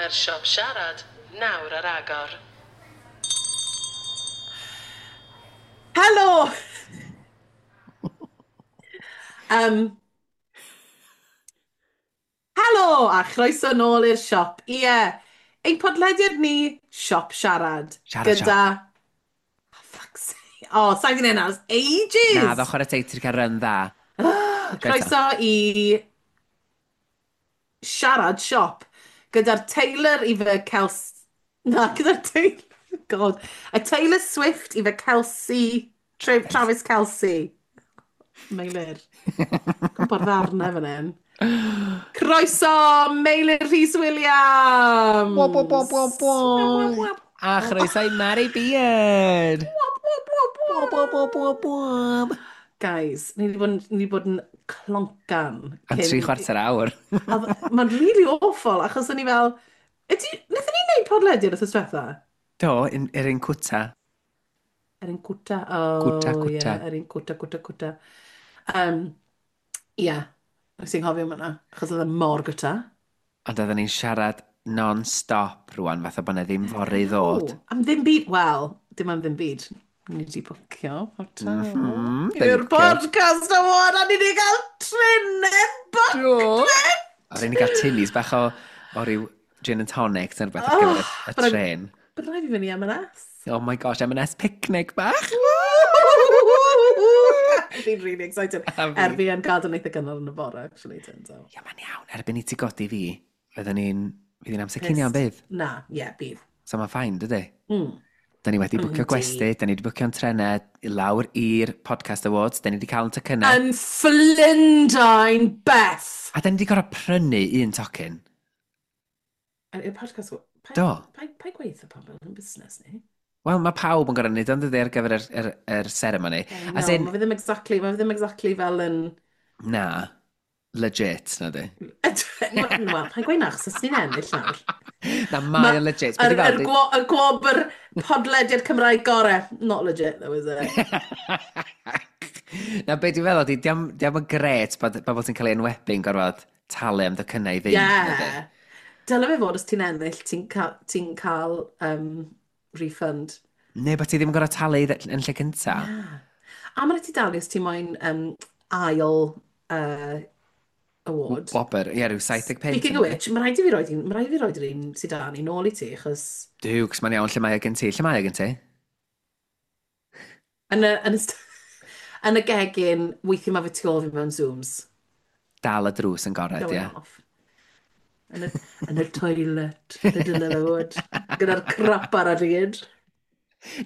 Mae'r siop siarad nawr ar agor. Helo! Um, helo a chroeso nôl i'r siop. Ie, ein podlediad ni, Siop Siarad. Siarad gyda... siop. Oh, fuck's sake. Oh, sa'n gwneud hynna ers ages! Na, ddo chwarae teg, ti'n cael run dda. Croeso i Siarad Siop gyda'r Taylor i fy Kels... Na, gyda'r Taylor... God. Y Taylor Swift i fy Kelsey... Travis Kelce. Meilir. Gwybod ddarnau fan hyn. Croeso, Meilir Rhys Williams! Wop, wop, wop, wop, wop. A chroeso i Mary Beard! Wop, wop, wop, wop. Wop, wop, wop, wop. Guys, ni wedi bod, ni wedi bod yn cloncan. Am 3/4 awr. Mae'n really awful, achos o'n i fel... Ydy, wnaethon ni wneud podlediad wrth diwetha? Do, yr un cwta. Yr un cwta, oh, Cwta, cwta. Yeah, yr un cwta, cwta, cwta. Yeah, nes i'n nghofio am hwnna, achos oedd e mor gwta. Ond oedden ni'n siarad non-stop rwan, fatha bod 'na ddim fory i ddod. No, am ddim byd, wel, dim am ddim byd. Ni wedi bwcio hotel. I'r podcast award, a ni wedi cael trenau booked! A ni wedi cael tinnies bach o ryw gin and tonic neu rhywbeth ar gyfer y tren. Bydd rhaid fi fynd i M&S. Oh my gosh, M&S picnic bach! Fi'n really excited. Er fi yn gadael eitha gynnar yn y bore, actually, turns out. Ia, mae'n iawn. Erbyn i ti godi fi, fydden ni'n... Fydd hi'n amser cinio yn bydd? Na, ie, yeah, bydd. So mae'n fine, dydy? Da ni wedi bwcio gwesty, da ni wedi bwcio'n trenau i lawr i'r Podcast Awards, da ni wedi cael yn tocynnau. Yn Fflindain, Beth! A da ni wedi gorfod prynu un tocyn. I'r Podcast Awards? Do. Pa gweithio pobl yn busnes ni? Wel, mae pawb yn gorfod wneud ond dydy ar gyfer yr ceremony. No, As in, mae fe ddim exactly, mae fe ddim exactly fel yn... Na, legit, na di. Wel, pa'n gweud na, achos os ni'n ennill nawr. Na, mae o'n legit. Y gwobr podlediad Cymraeg gore. Not legit, though, is it? Na, be dwi'n feddwl, di, diam yn gret bod bobl sy'n cael ei enwebu yn gorfod talu am docynnau i fynd. Yeah. Dyle fe fod os ti'n ennill, ti'n cael, ti cael refund. Neu bod ti ddim yn gorfod talu yn lle cynta. Yeah. A mae'n ti dalu os ti'n moyn ail award. Wobr, ie, rhyw 70 punt. Speaking of which, mae rhaid i fi roed un, mae rhaid i fi roed yr un sydd da ni nôl i ti, achos... Duw, cos mae'n iawn, lle mae o gen ti? Lle mae o gen ti? Yn y gegin, weithiau mae fe tu ôl fi mewn Zooms. Dal y drws yn gored, ie. Off. Yn y toilet, lle dyle fe fod. Gyda'r crap ar y ryd.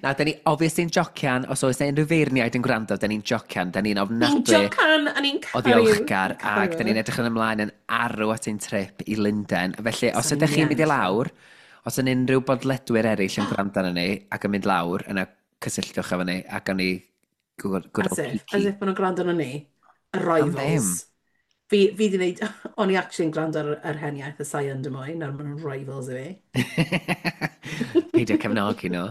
Na, da ni obviously'n jocian, os oes 'na unrhyw feirniaid yn gwrando, da ni'n jocian, da ni'n Ni'n ofnadwy jocan, a ni'n o caru. ddiolchgar, ac da ni'n edrych yn ymlaen yn arw at ein trip i Lundain. Felly, os So ydych chi'n mynd i ni'n lawr, os yn unrhyw bodledwyr eraill yn gwrando arno ni, ac yn mynd lawr, yna cysylltwch efo ni, ac gawn ni good, good As old if, peeky. as if maen nhw'n gwrando arno ni. Y Am rivals. ddim. Fi di wneud, o'n i actually yn gwrando ar yr hen iaith y sain dy mwy, nawr maen nhw'n rivals i fi. Peidio cefnogi nhw.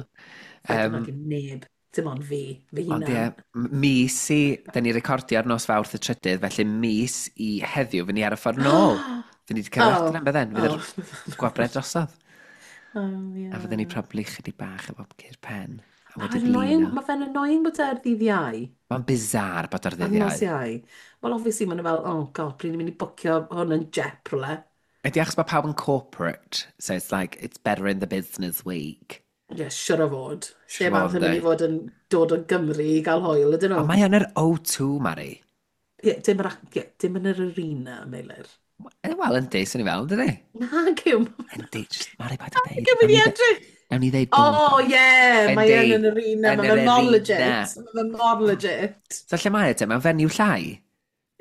Um, cefnogi neb, dim ond fi, fy Ond hunan. ie, mis i, da ni recordio ar nos Fawrth y 3rd, felly mis i heddiw, fy ni ar y ffordd nôl. Fy ni wedi cael oh, adre, bydden, fydd yr gwabrau drosodd. Oh, yeah. A fydden ni probably chydig bach efo cur pen. A Mae'n wedi annoying, blino. mae fe'n annoying bod e ar ddydd Iau. Mae'n bizarre bod ar Ar ddydd nos Iau. Iau. Wel, obviously, maen nhw fel, oh god, pryd ni'n mynd i bwcio hwn yn jep rhywle. Ydy achos mae pawb yn corporate, so it's like, it's better in the business week. Ie, yeah, siwr o fod. Siŵr Lle o arall fod, yn mynd i yndi. fod yn dod o Gymru i gael hwyl, ydyn nhw? Ond mae yn yr O2, Mari. Ie, dim, yr, ie, dim yn yr arena, Meilir. Wel, yndi, swn i fel, dydy? Na, gyw. Yndi, just, Mari, paid â deud. Gyw mynd i edrych. Nawn ni ddeud bod. Oh, ie, mae Yndi, yn yr arena. yn Mae yr fe mor arena. legit. Mae fe mor legit. So lle mae e te? Mae'n fenyw llai?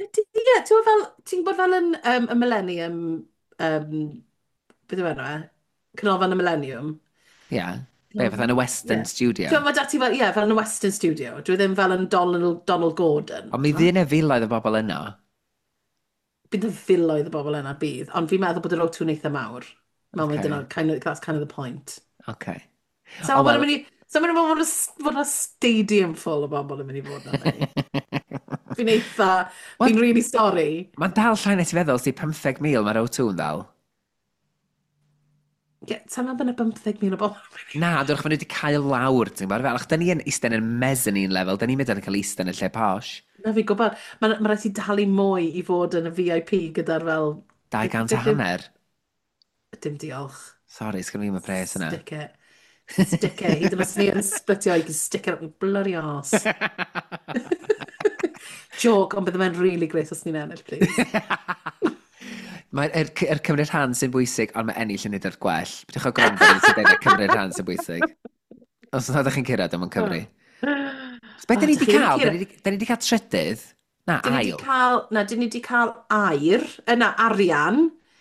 Ydy, ie, ti'n gwbod fel, ti'n gwybod fel yn y Millennium, beth yw enw e? Canolfan y Millennium. Ie. Yeah. Be, fatha yn y Western Ie. Studio. Ti'n gwybod, dati fel, ie, fel yn y Western Studio. Dwi ddim fel yn Donald Gordon. Ond mi fydd yna filoedd o bobl yno. Bydd y filoedd o bobl yna bydd, ond fi'n meddwl bod yr O2 yn eitha mawr. Mae'n Ocê. dyna, kind of, that's kind of the point. Okay. So O, oh, wel- mynd i, so mae'n mynd fod y stadium full o bobl yn mynd i fod yna. Fi'n eitha, fi'n really sorry. Mae'n dal llai na ti feddwl, si 15,000 mae'r O2 yn ddal. Ie, sa'n meddwl bod yna 15,000 o bobl. Na, dwi'n maen nhw wedi cael lawr, ti'n gwybod? Fel, ach, da ni yn eistedd yn mezzanine level, da ni'n mynd yn cael eistedd yn y lle posh. Na fi'n gwybod, ma rhaid ti dalu mwy i fod yn y VIP gyda'r fel. 200 a Beth yw- hanner. Dim diolch. Sorry, sgan i'm y pres yna. Stick it. Stick it. Hyd yn oed os ni yn splitio, you can stick it up your bloody arse. Joke, ond bydde fe'n really great os ni'n ennill, please. Mae'r er cymryd rhan sy'n bwysig, ond mae ennill yn neud o'r gwell. Pidwch o gwrando ar sy'n dweud na cymryd rhan sy'n bwysig. Os nad ydych chi'n cyrraedd, o'n Cymru. So, beth Oh, da ni dych wedi chi ddim cael? Da cyrraedd. ni 'di da ni 'di cael trydydd? Na, Dyn ni wedi ail. cael, na, dyn ni wedi cael air, na, arian,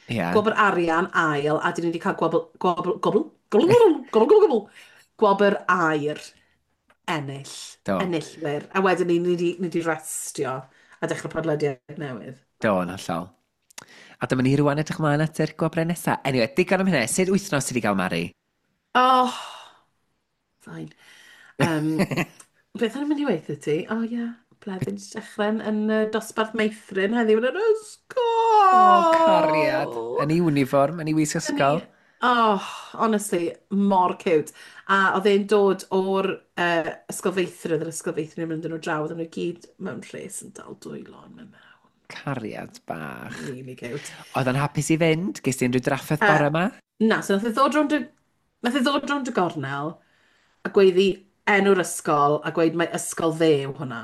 Ie. gwobr arian, ail, a dyn ni wedi cael gwobr, gwobr, gwobr, gwobr, gwobr, gwobr, gwobr, gwobr aur, ennill, Do. enillwyr. A wedyn ni wedi restio a dechrau podlediad newydd. Do, yn hollol. A dyma ni rwan edrych ymlaen at yr gwobrau nesaf. Anyway, digon am hynny. Sut wythnos ti wedi cael, Mari? Oh, fine. Um, beth o'n i'n mynd i weithio ti? Oh, ie, yeah. Bleddyn 'di dechrau yn dosbarth meithrin heddiw yn yr O, cariad. ysgol. Yn ei uniform, yn ei wisg Dyn ysgol. ni, oh, honestly, mor cute. A oedd e'n dod o'r ysgol feithrin, yr ysgol feithrin yn mynd yn nhw draw, oedden nhw gyd mewn rhes yn dal dwylo yn mynd mewn. Cariad bach. Really cute. Oedd o'n hapus i fynd? Ges ti unrhyw drafferth Uh, bore yma? na, so nath e ddod rownd y gornel a gweiddi enw'r ysgol a gweud mae ysgol fe yw hwnna.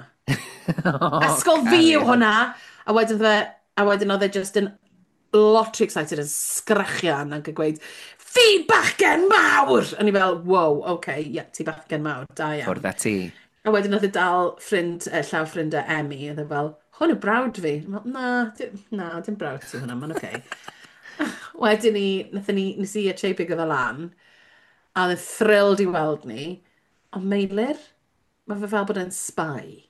O, Ysgol fi yw cariad. hwnna! A wedyn oedd e just yn lot too excited yn sgrechian ac yn gweud, fi bachgen mawr! A ni fel, wow, okay, yeah, ti bachgen mawr, da iawn. Ffwrdd â ti. A wedyn oedd e dal ffrind, llaw ffrind e Emmy, oedd e fel, hwn yw brawd fi. Fel, na, dim, na, dim brawd ti hwnna, mae'n okay. Wedyn ni, nathon ni, nes i a Che bigo fe lan, a oedd e'n thrilled i weld ni, ond Meilir, mae fe fel bod e'n spy,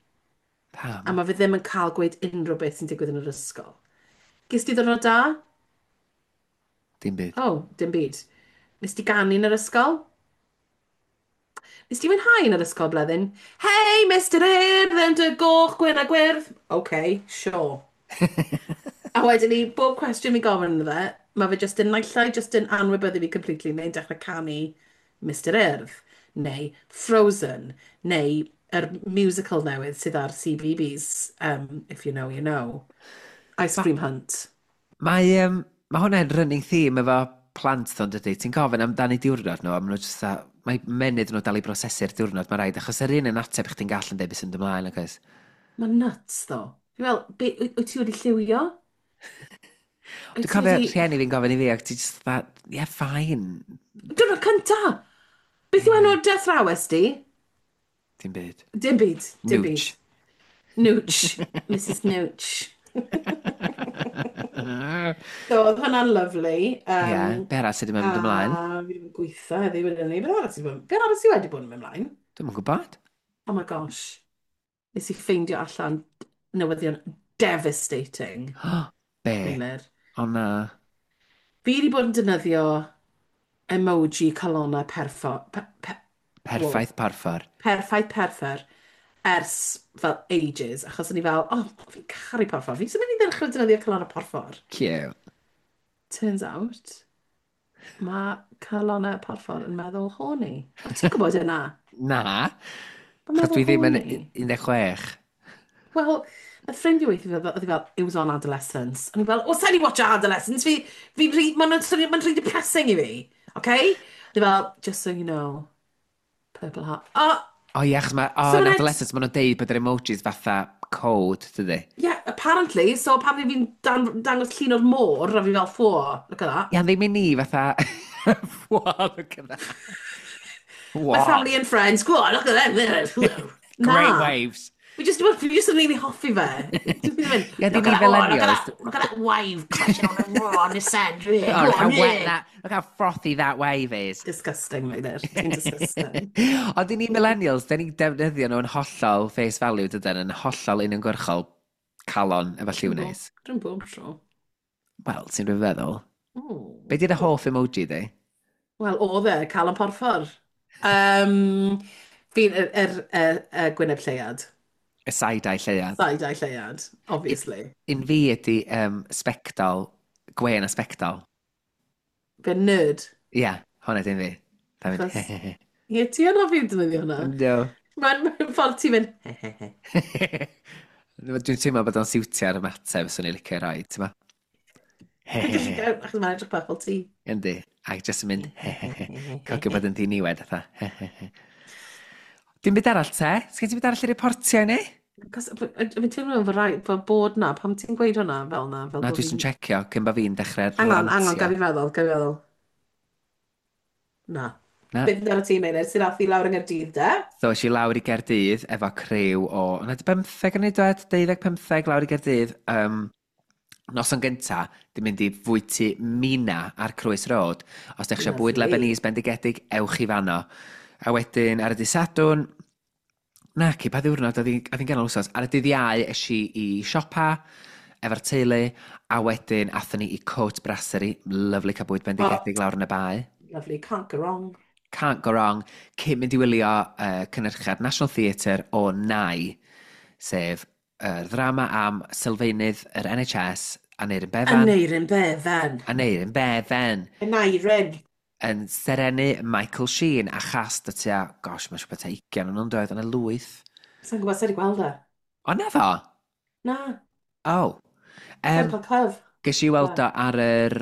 a Pam? mae fe ddim yn cael gweud unrhyw beth sy'n digwydd yn yr ysgol. Ges ti ddwrnod da? Dim byd. Oh, dim byd. Nes ti ganu yn yr ysgol? Nes ti fwynhau yn yr ysgol, Bleddyn? Hey, Mr Urdd, yn dy goch, gwyn a gwyrdd. OK, sure. A wedyn ni, bob cwestiwn fi gofyn iddo fe, mae fe just yn naill ai just yn anwybyddu fi completely, neu'n dechrau canu Mr Urdd, neu Frozen, neu yr musical newydd sydd ar CBeebies, if you know, you know. Ice Ma, Cream Hunt. mae, um, mae hwnna'n running theme efo plant ddo'n dydy. Ti'n gofyn amdani diwrnod nhw, a maen nhw just mae menydd nhw dal i brosesu'r diwrnod, mae rhaid, achos yr un yn ateb chdi'n gall yn deud beth sy'n ymlaen, ac oes. Mae'n nuts, though. Fi fel, wyt ti wedi lliwio? Dwi'n Wyt ti cofio wedi. rhieni fi'n gofyn i fi, ac ti just that, yeah, fine. Diwrnod cynta! Beth yw Yeah, enw'r death rawes di? dim byd. Dim byd, dim byd. Nooch. Nooch. Mrs Nooch. So, oedd hwnna'n lyfli. Ie, be arall sydd wedi A mynd ymlaen? fi wedi bod yn gweithio heddiw wedyn ni. Beth arall sydd wedi bod yn mynd ymlaen? Dwi'm yn gwybod. Oh my gosh. Nes i ffeindio allan newyddion devastating, Be? Meilir. O na. Fi wedi bod yn defnyddio emoji calonnau perfo... Pe, pe, wow, Perffaith porffor. perffaith perffer ers fel ages, achos o'n i fel, oh, fi'n caru porffor. Fi'n mynd i ddechrau defnyddio calonnau porffor. Cute. Turns out, mae calonnau porffor yn meddwl horny. O, ti'n gwybod yna? Na. Mae'n Achos meddwl dwi ddim yn horny. 16. Wel, y ffrind i weithio fi, oedd hi fel, it was on Adolescence. O'n i fel, o, sa'n i watch Adolescence? Fi, rhy, mae'n ma rhy depressing i fi. Okay? Oedd hi fel, just so you know, purple heart. Oh, O ie, achos mae, o, so yn mae'n adolescence, maen nhw'n deud bod yr emojis fatha code, dydy. Yeah, apparently, so apparently fi'n dangos llun o'r môr, a fi fel, whoa, look at that. Ia, ddim i ni fatha. Wow, look at that. My Wow. family and friends, go on, look at them. Great Na. waves. Fi just yn really hoffi fe. Dwi'n mynd, Ie, ddim look i at that, oh, look at millennials. that, look at that wave crashing on the sand. Yeah, Oh, go look how on, wet yeah. that, look how frothy that wave is. Disgusting, Meilir. Ti'n disgusting. Ond i ni millennials, da ni'n defnyddio nhw yn hollol face value, dydyn, yn hollol uniongyrchol calon efo lliw Dwi'n bob, neis. dwi'n bob tro. Wel, ti'n rhywbeth feddwl. Oh. Be di'r hoff emoji di? Wel, oedd e, calon porffor. Um, fi'n yr Gwyneb Lleuad. Y side-eye lleuad. Side-eye Lleuad, Un obviously. un fi ydi sbectol, gwên a sbectol. Fe'n nerd. Ia, hwnna dim fi. Da mynd, Achos, he he he. Ie, ti yn hoffi defnyddio hwnna. Yndw. Mae'n ffordd ti'n mynd, he he he. Dwi'n teimlo bod o'n siwtio'r ymateb swn i'n licio rhoi, ti'n ma? He he he. Achos mae'n edrych bach fel ti. Yndi. Ac jyst yn mynd, he he he. Cogio bod yn ddiniwed, fatha, he he he. Dim byd arall te? Sgen ti byd arall i reportio i ni? Cos fi'n teimlo fel rai, fel bod na, pam ti'n gweud hwnna fel na, fel Na, bod dwi jyst yn fi'n. checio cyn bo fi'n dechrau Hang on, hang on, rantio. gaf i feddwl, gaf i feddwl. Na. Na. Beth amdano ti, Meilir, sy'n ath i lawr yng Nghaerdydd, de? So, es i lawr i Gaerdydd efo criw o... Yna di 15 yn ei dweud? 12, 15 lawr i Gaerdydd. Noson gynta, di mynd i fwyty Mina ar Crwys Road. Os ydych eisiau bwyd Lovely. Lebanese bendigedig, ewch i fanno. A wedyn, ar y dydd Sadwrn, naci, pa ddiwrnod, oedd hi'n ganol wsos. Ar y dydd Iau, es i i siopa efo'r teulu, a wedyn athon ni i Coat Brasserie, lovely cael bwyd Oh, bendigedig lawr yn y bae. lovely, can't go wrong. Can't go wrong, cyn mynd i wylio cynhyrchiad National Theatre o Nai, sef y ddrama am sylfaenydd yr NHS, Aneurin Bevan. Aneurin Bevan. Aneurin Bevan. Aneurin. Yn serenu Michael Sheen a chast o tua, gosh, mae'n siŵr bod tua 20 yn nhw'n dod yn y lwyth. Sa'n gwybod sut i gweld e. O, na ddo? Na, Oh. sa'n Um, cael cyf. Ges i Le. weld o ar yr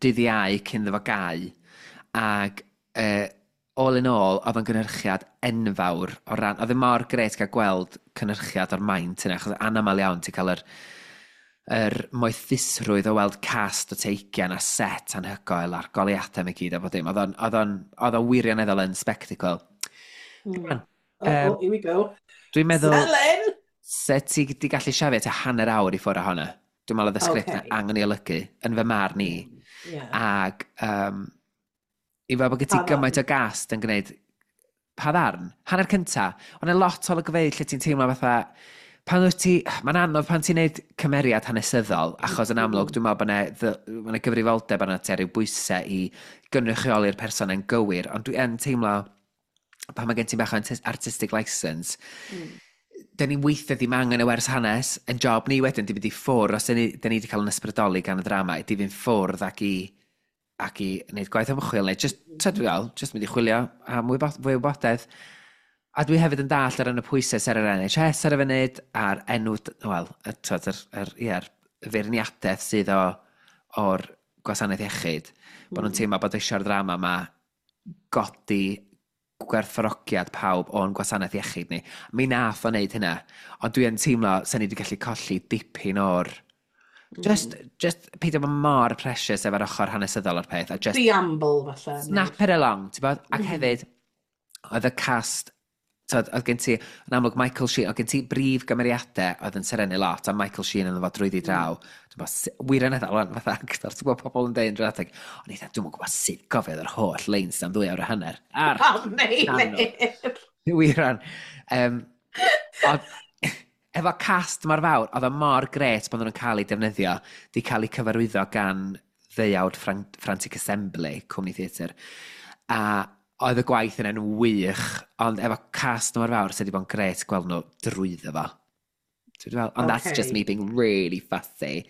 dydd Iau cyn iddo fo gau, ac all in all, oedd o'n gynhyrchiad enfawr o ran... Oedd e mor grêt cael gweld cynhyrchiad o'r maint yna, achos anaml iawn ti'n cael yr moethusrwydd o weld cast o tua 20 a set anhygoel a'r goleuadau i gyd a bod dim. Oedd o'n wirioneddol yn spectacle. Rwan, Oh, um, oh, here we go. dwi'n meddwl, Selling! se ti di gallu siafio tua hanner awr i ffwrdd ohono. Dwi'n meddwl oedd y sgript na Okay. angen ei olygu yn fy marn i. Ac i fel bod gen ti Pa gymaint ddarn? o gast yn gwneud pa ddarn? Hanner cynta, ond y lot o olygfeydd lle ti'n teimlo fatha, pan wyt ti, mae'n anodd pan ti'n neud cymeriad hanesyddol, achos yn amlwg dwi'n meddwl bod 'na gyfrifoldeb arna ti a ryw bwysau i gynrychioli'r person yn gywir, ond dwi yn teimlo pan mae gen ti bach o artistic license, dyn ni weithiau ddim angen y wers hanes, yn job ni wedyn di mynd i ffwrdd, os dyn ni wedi cael yn ysbrydoli gan y ddrama, di fynd ffwrdd ac i wneud gwaith ymchwil, neu just, mm. Fel, just mynd i chwilio am fwy o wybodaeth. A dwi hefyd yn dallt ar y pwysau sydd ar yr NHS ar y funud, a'r enw, wel, y, twod, yr, ie, yr feirniadaeth sydd o'r gwasanaeth iechyd, bod nhw'n teimlo bod eisiau'r ddrama yma godi gwerthfawrogiad pawb o'n gwasanaeth iechyd ni. Mi nath o wneud hynna, ond dwi yn teimlo sy'n ni wedi gallu colli dipyn o'r... Just peidio bod mor precious efo'r ochr hanesyddol o'r peth, a just Preamble, falle. Snap it along, ti'n bod? Ac hefyd, oedd y cast, tyd, oedd gen ti, yn amlwg Michael Sheen, oedd gen ti brif gymeriadau oedd yn serennu lot, a Michael Sheen yn efo drwyddi draw. Dwi'n bod, wirioneddol, wan, fatha actor, ti'n gwybod pobl yn deud yn dramatic, ond eitha, dwi'n gwybod sut gofiodd yr holl leins am 2 awr a hanner. Ar Oh, Meilir! Wir. Ond, efo cast mor fawr, oedd o mor grêt bod nhw'n cael eu defnyddio, di cael eu cyfarwyddo gan ddeuawd Frantic Assembly, cwmni theatr. A oedd y gwaith yna'n wych, ond efo cast mor fawr, sydd wedi bod yn grêt gweld nhw drwyddo fo. Ti'n fel, ond that's just me being really fussy.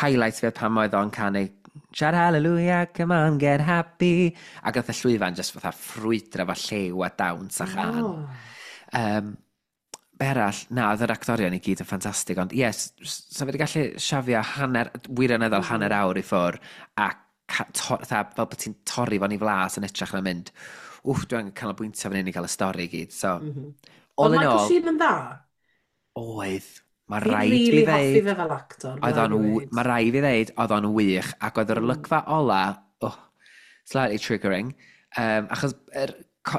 Highlights fi oedd pan oedd o'n canu "Shout hallelujah, come on, get happy." Ac oedd y llwyfan just fatha ffrwydro efo llew a dawns a chân. Oh. Be arall, na, oedd yr actorion i gyd yn ffantastig, ond yes, so fi wedi gallu siafio hanner, wirioneddol hanner awr i ffwr, a fatha, fel bod ti'n torri fo'n i flas yn hytrach na mynd, wff, dwi angen canolbwyntio fan hyn i gael y stori i gyd. So, all Oedd in Michael all, Sheen yn dda? Oedd. Mae Fi'n rhaid really fi hoffi ddeud, fe fel actor, mae oedd rhaid o'n, fi weud. mae rhaid fi ddeud, oedd o'n wych, ac oedd yr olygfa ola, oh, slightly triggering, achos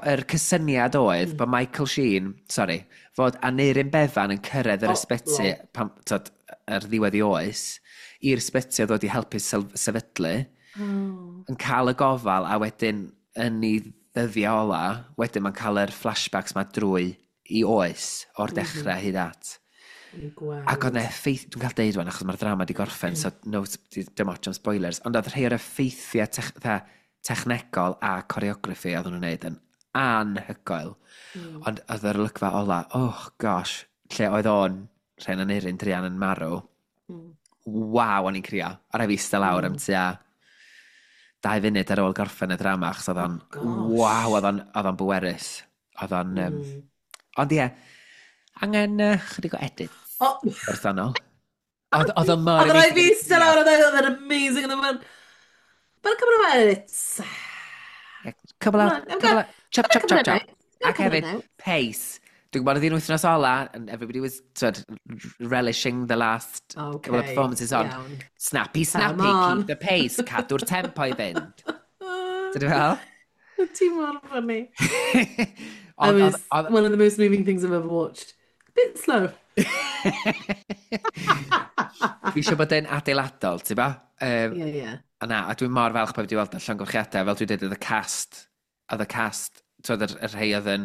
yr cysyniad oedd bod Michael Sheen, sorry, fod Aneurin Bevan yn cyrraedd yr Oh, ysbyty, lol. pan, tod, ar ddiwedd i oes, i'r ysbyty oedd wedi helpu sefydlu, yn cael y gofal, a wedyn yn ei ddyddiau ola, wedyn mae'n cael yr flashbacks ma drwy i oes, o'r dechrau hyd at. Yn gweld. Ac oedd 'na effaith, dwi'n cael deud wan, achos mae'r ddrama di gorffen, so no, dim ots am spoilers, ond oedd rhai o'r effeithiau fatha, technegol a choreography oedd nhw'n wneud yn anhygoel. Ond oedd yr olygfa ola, oh gosh, lle oedd o'n, rhain Aneurin druan yn marw, waw, o'n i'n crio. A rhaid fi eistedd lawr am tua 2 funud ar ôl gorffen y drama, achos oedd o'n, Oh, waw, gosh. oedd o'n bwerus. Oedd o'n, ond ie, angen chydig o edit Oh, personol. Oedd o'n mor oedd rhaid fi amazing. eistedd lawr, oedd e'n amazing, oedd e'n... But a couple of edits. Yeah, couple Come of, on, I've couple got, of, chop, got a chop, couple chop, of chop. notes. Got a Ac couple of hefyd, notes. pace. Dwi'n gwybod oedd hi'n wythnos ola, and everybody was sort of relishing the last couple of Okay, performances on. iawn. Snappy, Come snappy, on. keep the pace, cadw'r tempo i fynd. Dydw fel? Ti mor funny. I Ond, was oedd, one of the most moving things I've ever watched. Bit slow. Fi eisiau bod yn adeiladol, ti'n ba? Yeah. A na, a dwi'n mor falch bod wedi weld y llongyfarchiadau, fel dwi'n dweud, oedd y cast, twyd, y rhai oedd yn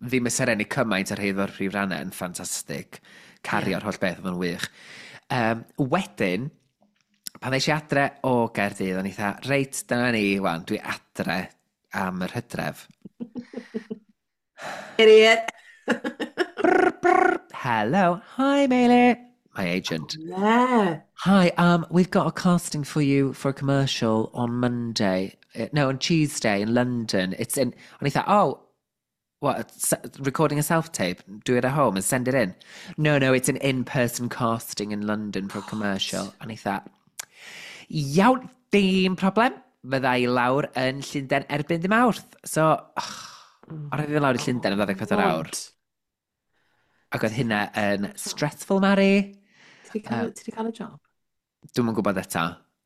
ddim y serennu cymaint, y rhai oedd o'r prif rannau yn ffantastig. Cario'r holl beth oedd yn wych. Wedyn, pan ddes i adre o Gaerdydd, o'n i dda, reit, dyna ni, wan, dwi adre am yr hydref. Idiot. Brr, brr, hello, hi Meilir. My agent. Yeah. Hi, we've got a casting for you for a commercial on Monday. No, on Tuesday in London. It's in. And he thought, oh, what? Recording a self tape? Do it at home and send it in. No, it's an in-person casting in London for a commercial. And he thought, iawn, dim problem. Fydda i lawr yn Llundain erbyn dim Mawrth. So, oh, o'n i lawr i Llundain am 24 awr. God. Ac oedd hynna yn stressful, Mari. Ti 'di cael y job? Dwi'm yn gwybod eto.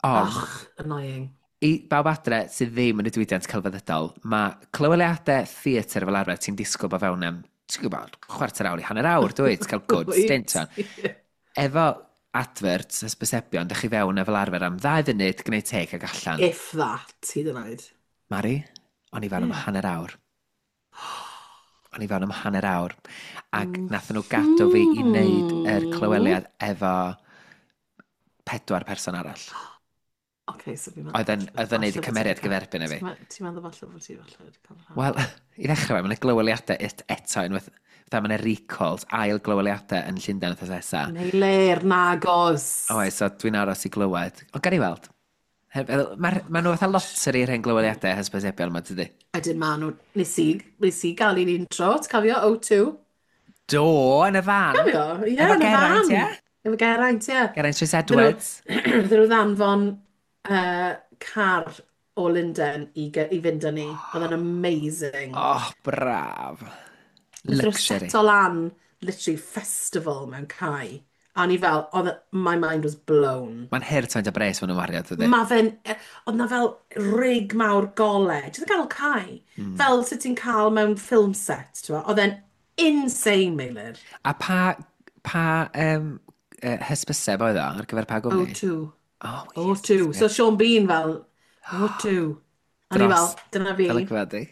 Ond, Ach, annoying. I bawb adre sydd ddim yn y diwydiant celfyddydol, mae clyweliadau theatr fel arfer ti'n disgwyl bod fewn am, ti'n gwybod, chwarter awr i hanner awr, dwi? Ti'n cael good stint on. Efo adverts, hysbysebion, dych chi fewn e fel arfer am 2 funud, gwneud take ag allan. If that, hyd yn oed. Mari, o'n i fewn am hanner awr. O'n i fewn am hanner awr. Ac nathon nhw gadw fi i wneud yr clyweliad efo pedwar person arall. Okay, so fi'n meddwl Oedd yn neud y cymeriad gyferbyn â fi. Ti'n meddwl falle bod ti falle wedi cael rhan? Wel, i ddechrau fe, mae'n glyweliadau eto unwaith, fatha mae'n recalls, ail glyweliadau yn Llundain wythnos nesa. Meilir, nagos. Oes, so dwi'n aros i glywed. Ond gan i weld. Ma nhw fatha lottery yr hen glyweliadau hysbysebion yma, dydy? Ydyn ma nhw, nes i gael un intro, ti'n cofio, O2? Do, yn y fan. Cofio? Ie, Efo yn y Geraint, fan. ie? Efo Geraint, ie. Geraint Rhys Edwards. Fydden nhw ddanfon car o Lundain i fynd â ni. Oedd yn amazing. Oh, braf. Wnaethon nhw Luxury. seto lan, literally, festival mewn cae. A o'n i fel, my mind was blown. Mae'n hurt faint o bres maen nhw'n wario, dydy? Ma fe'n, oedd na fel rig mawr gole, jyst yn ganol cae. Fel sut ti'n cael mewn film set, ti'n gwbod? Oedd e'n insane, Meilir. A pa hysbyseb oedd o ar gyfer pa gwmni? O2. Oh, yes. O2. So Sean Bean fel, O2. A ni fel, Dros dyna fi. Golygfa di.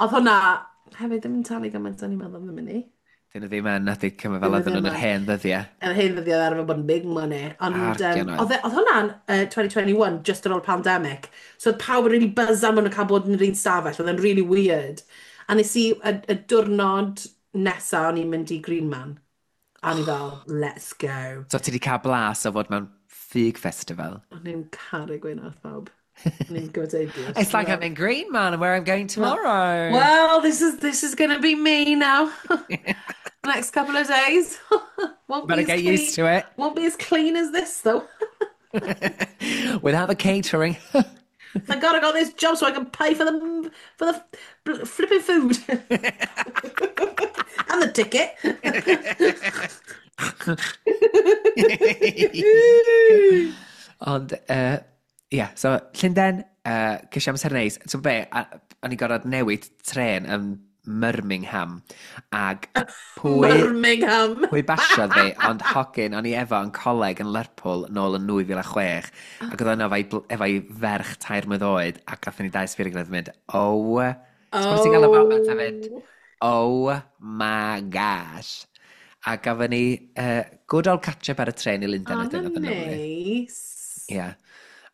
Oedd hwnna, hefyd ddim yn talu gymaint o'n i'n meddwl ddim yn i. Dyn nhw ddim yn nadi cymryd fel Dyn nhw oedden nhw'n ddim yr yn. hen ddyddiau. Yr hen ddyddiau arfer bod yn big money. Ond Argian oedd. oedd hwnna'n 2021, just ar ôl pandemic. So oedd pawb yn really buzzan bod nhw'n cael bod yn yr un stafell. Oedd e'n really weird. A nes i, y diwrnod nesa o'n i'n mynd i Green Man. A o'n i fel, let's go. So ti wedi cael blas o fod mewn ffug festival. O'n i'n caru gweud wrth pawb. O'n i'n gwybod idiot. It's like I'm in Green Man and where I'm going tomorrow. Well, this is gonna be me now. Next couple of days. Won't Better be as get used to it. Won't be as clean as this though. Without the catering. Thank God I got this job so I can pay for the flipping food and the ticket. Ond, ie, yeah, so Llundain, ces i amser neis. Ti'n be, o'n i gorfod newid tren yn Birmingham. Ag pwy, Birmingham. pwy basiodd fi, ond hogyn, o'n i efo yn coleg yn Lerpwl nôl yn 2006. Ac oedd o'n efo'i ferch 3 mlwydd oed, ac gathon ni dau sbio gilydd yn mynd, oh, oh. Ti'n gael y moment hefyd? Oh my gosh. A gafon ni good old catch-up ar y tren i Lundain Oh, wedyn. Oedd yn lyfli. nice. Ie.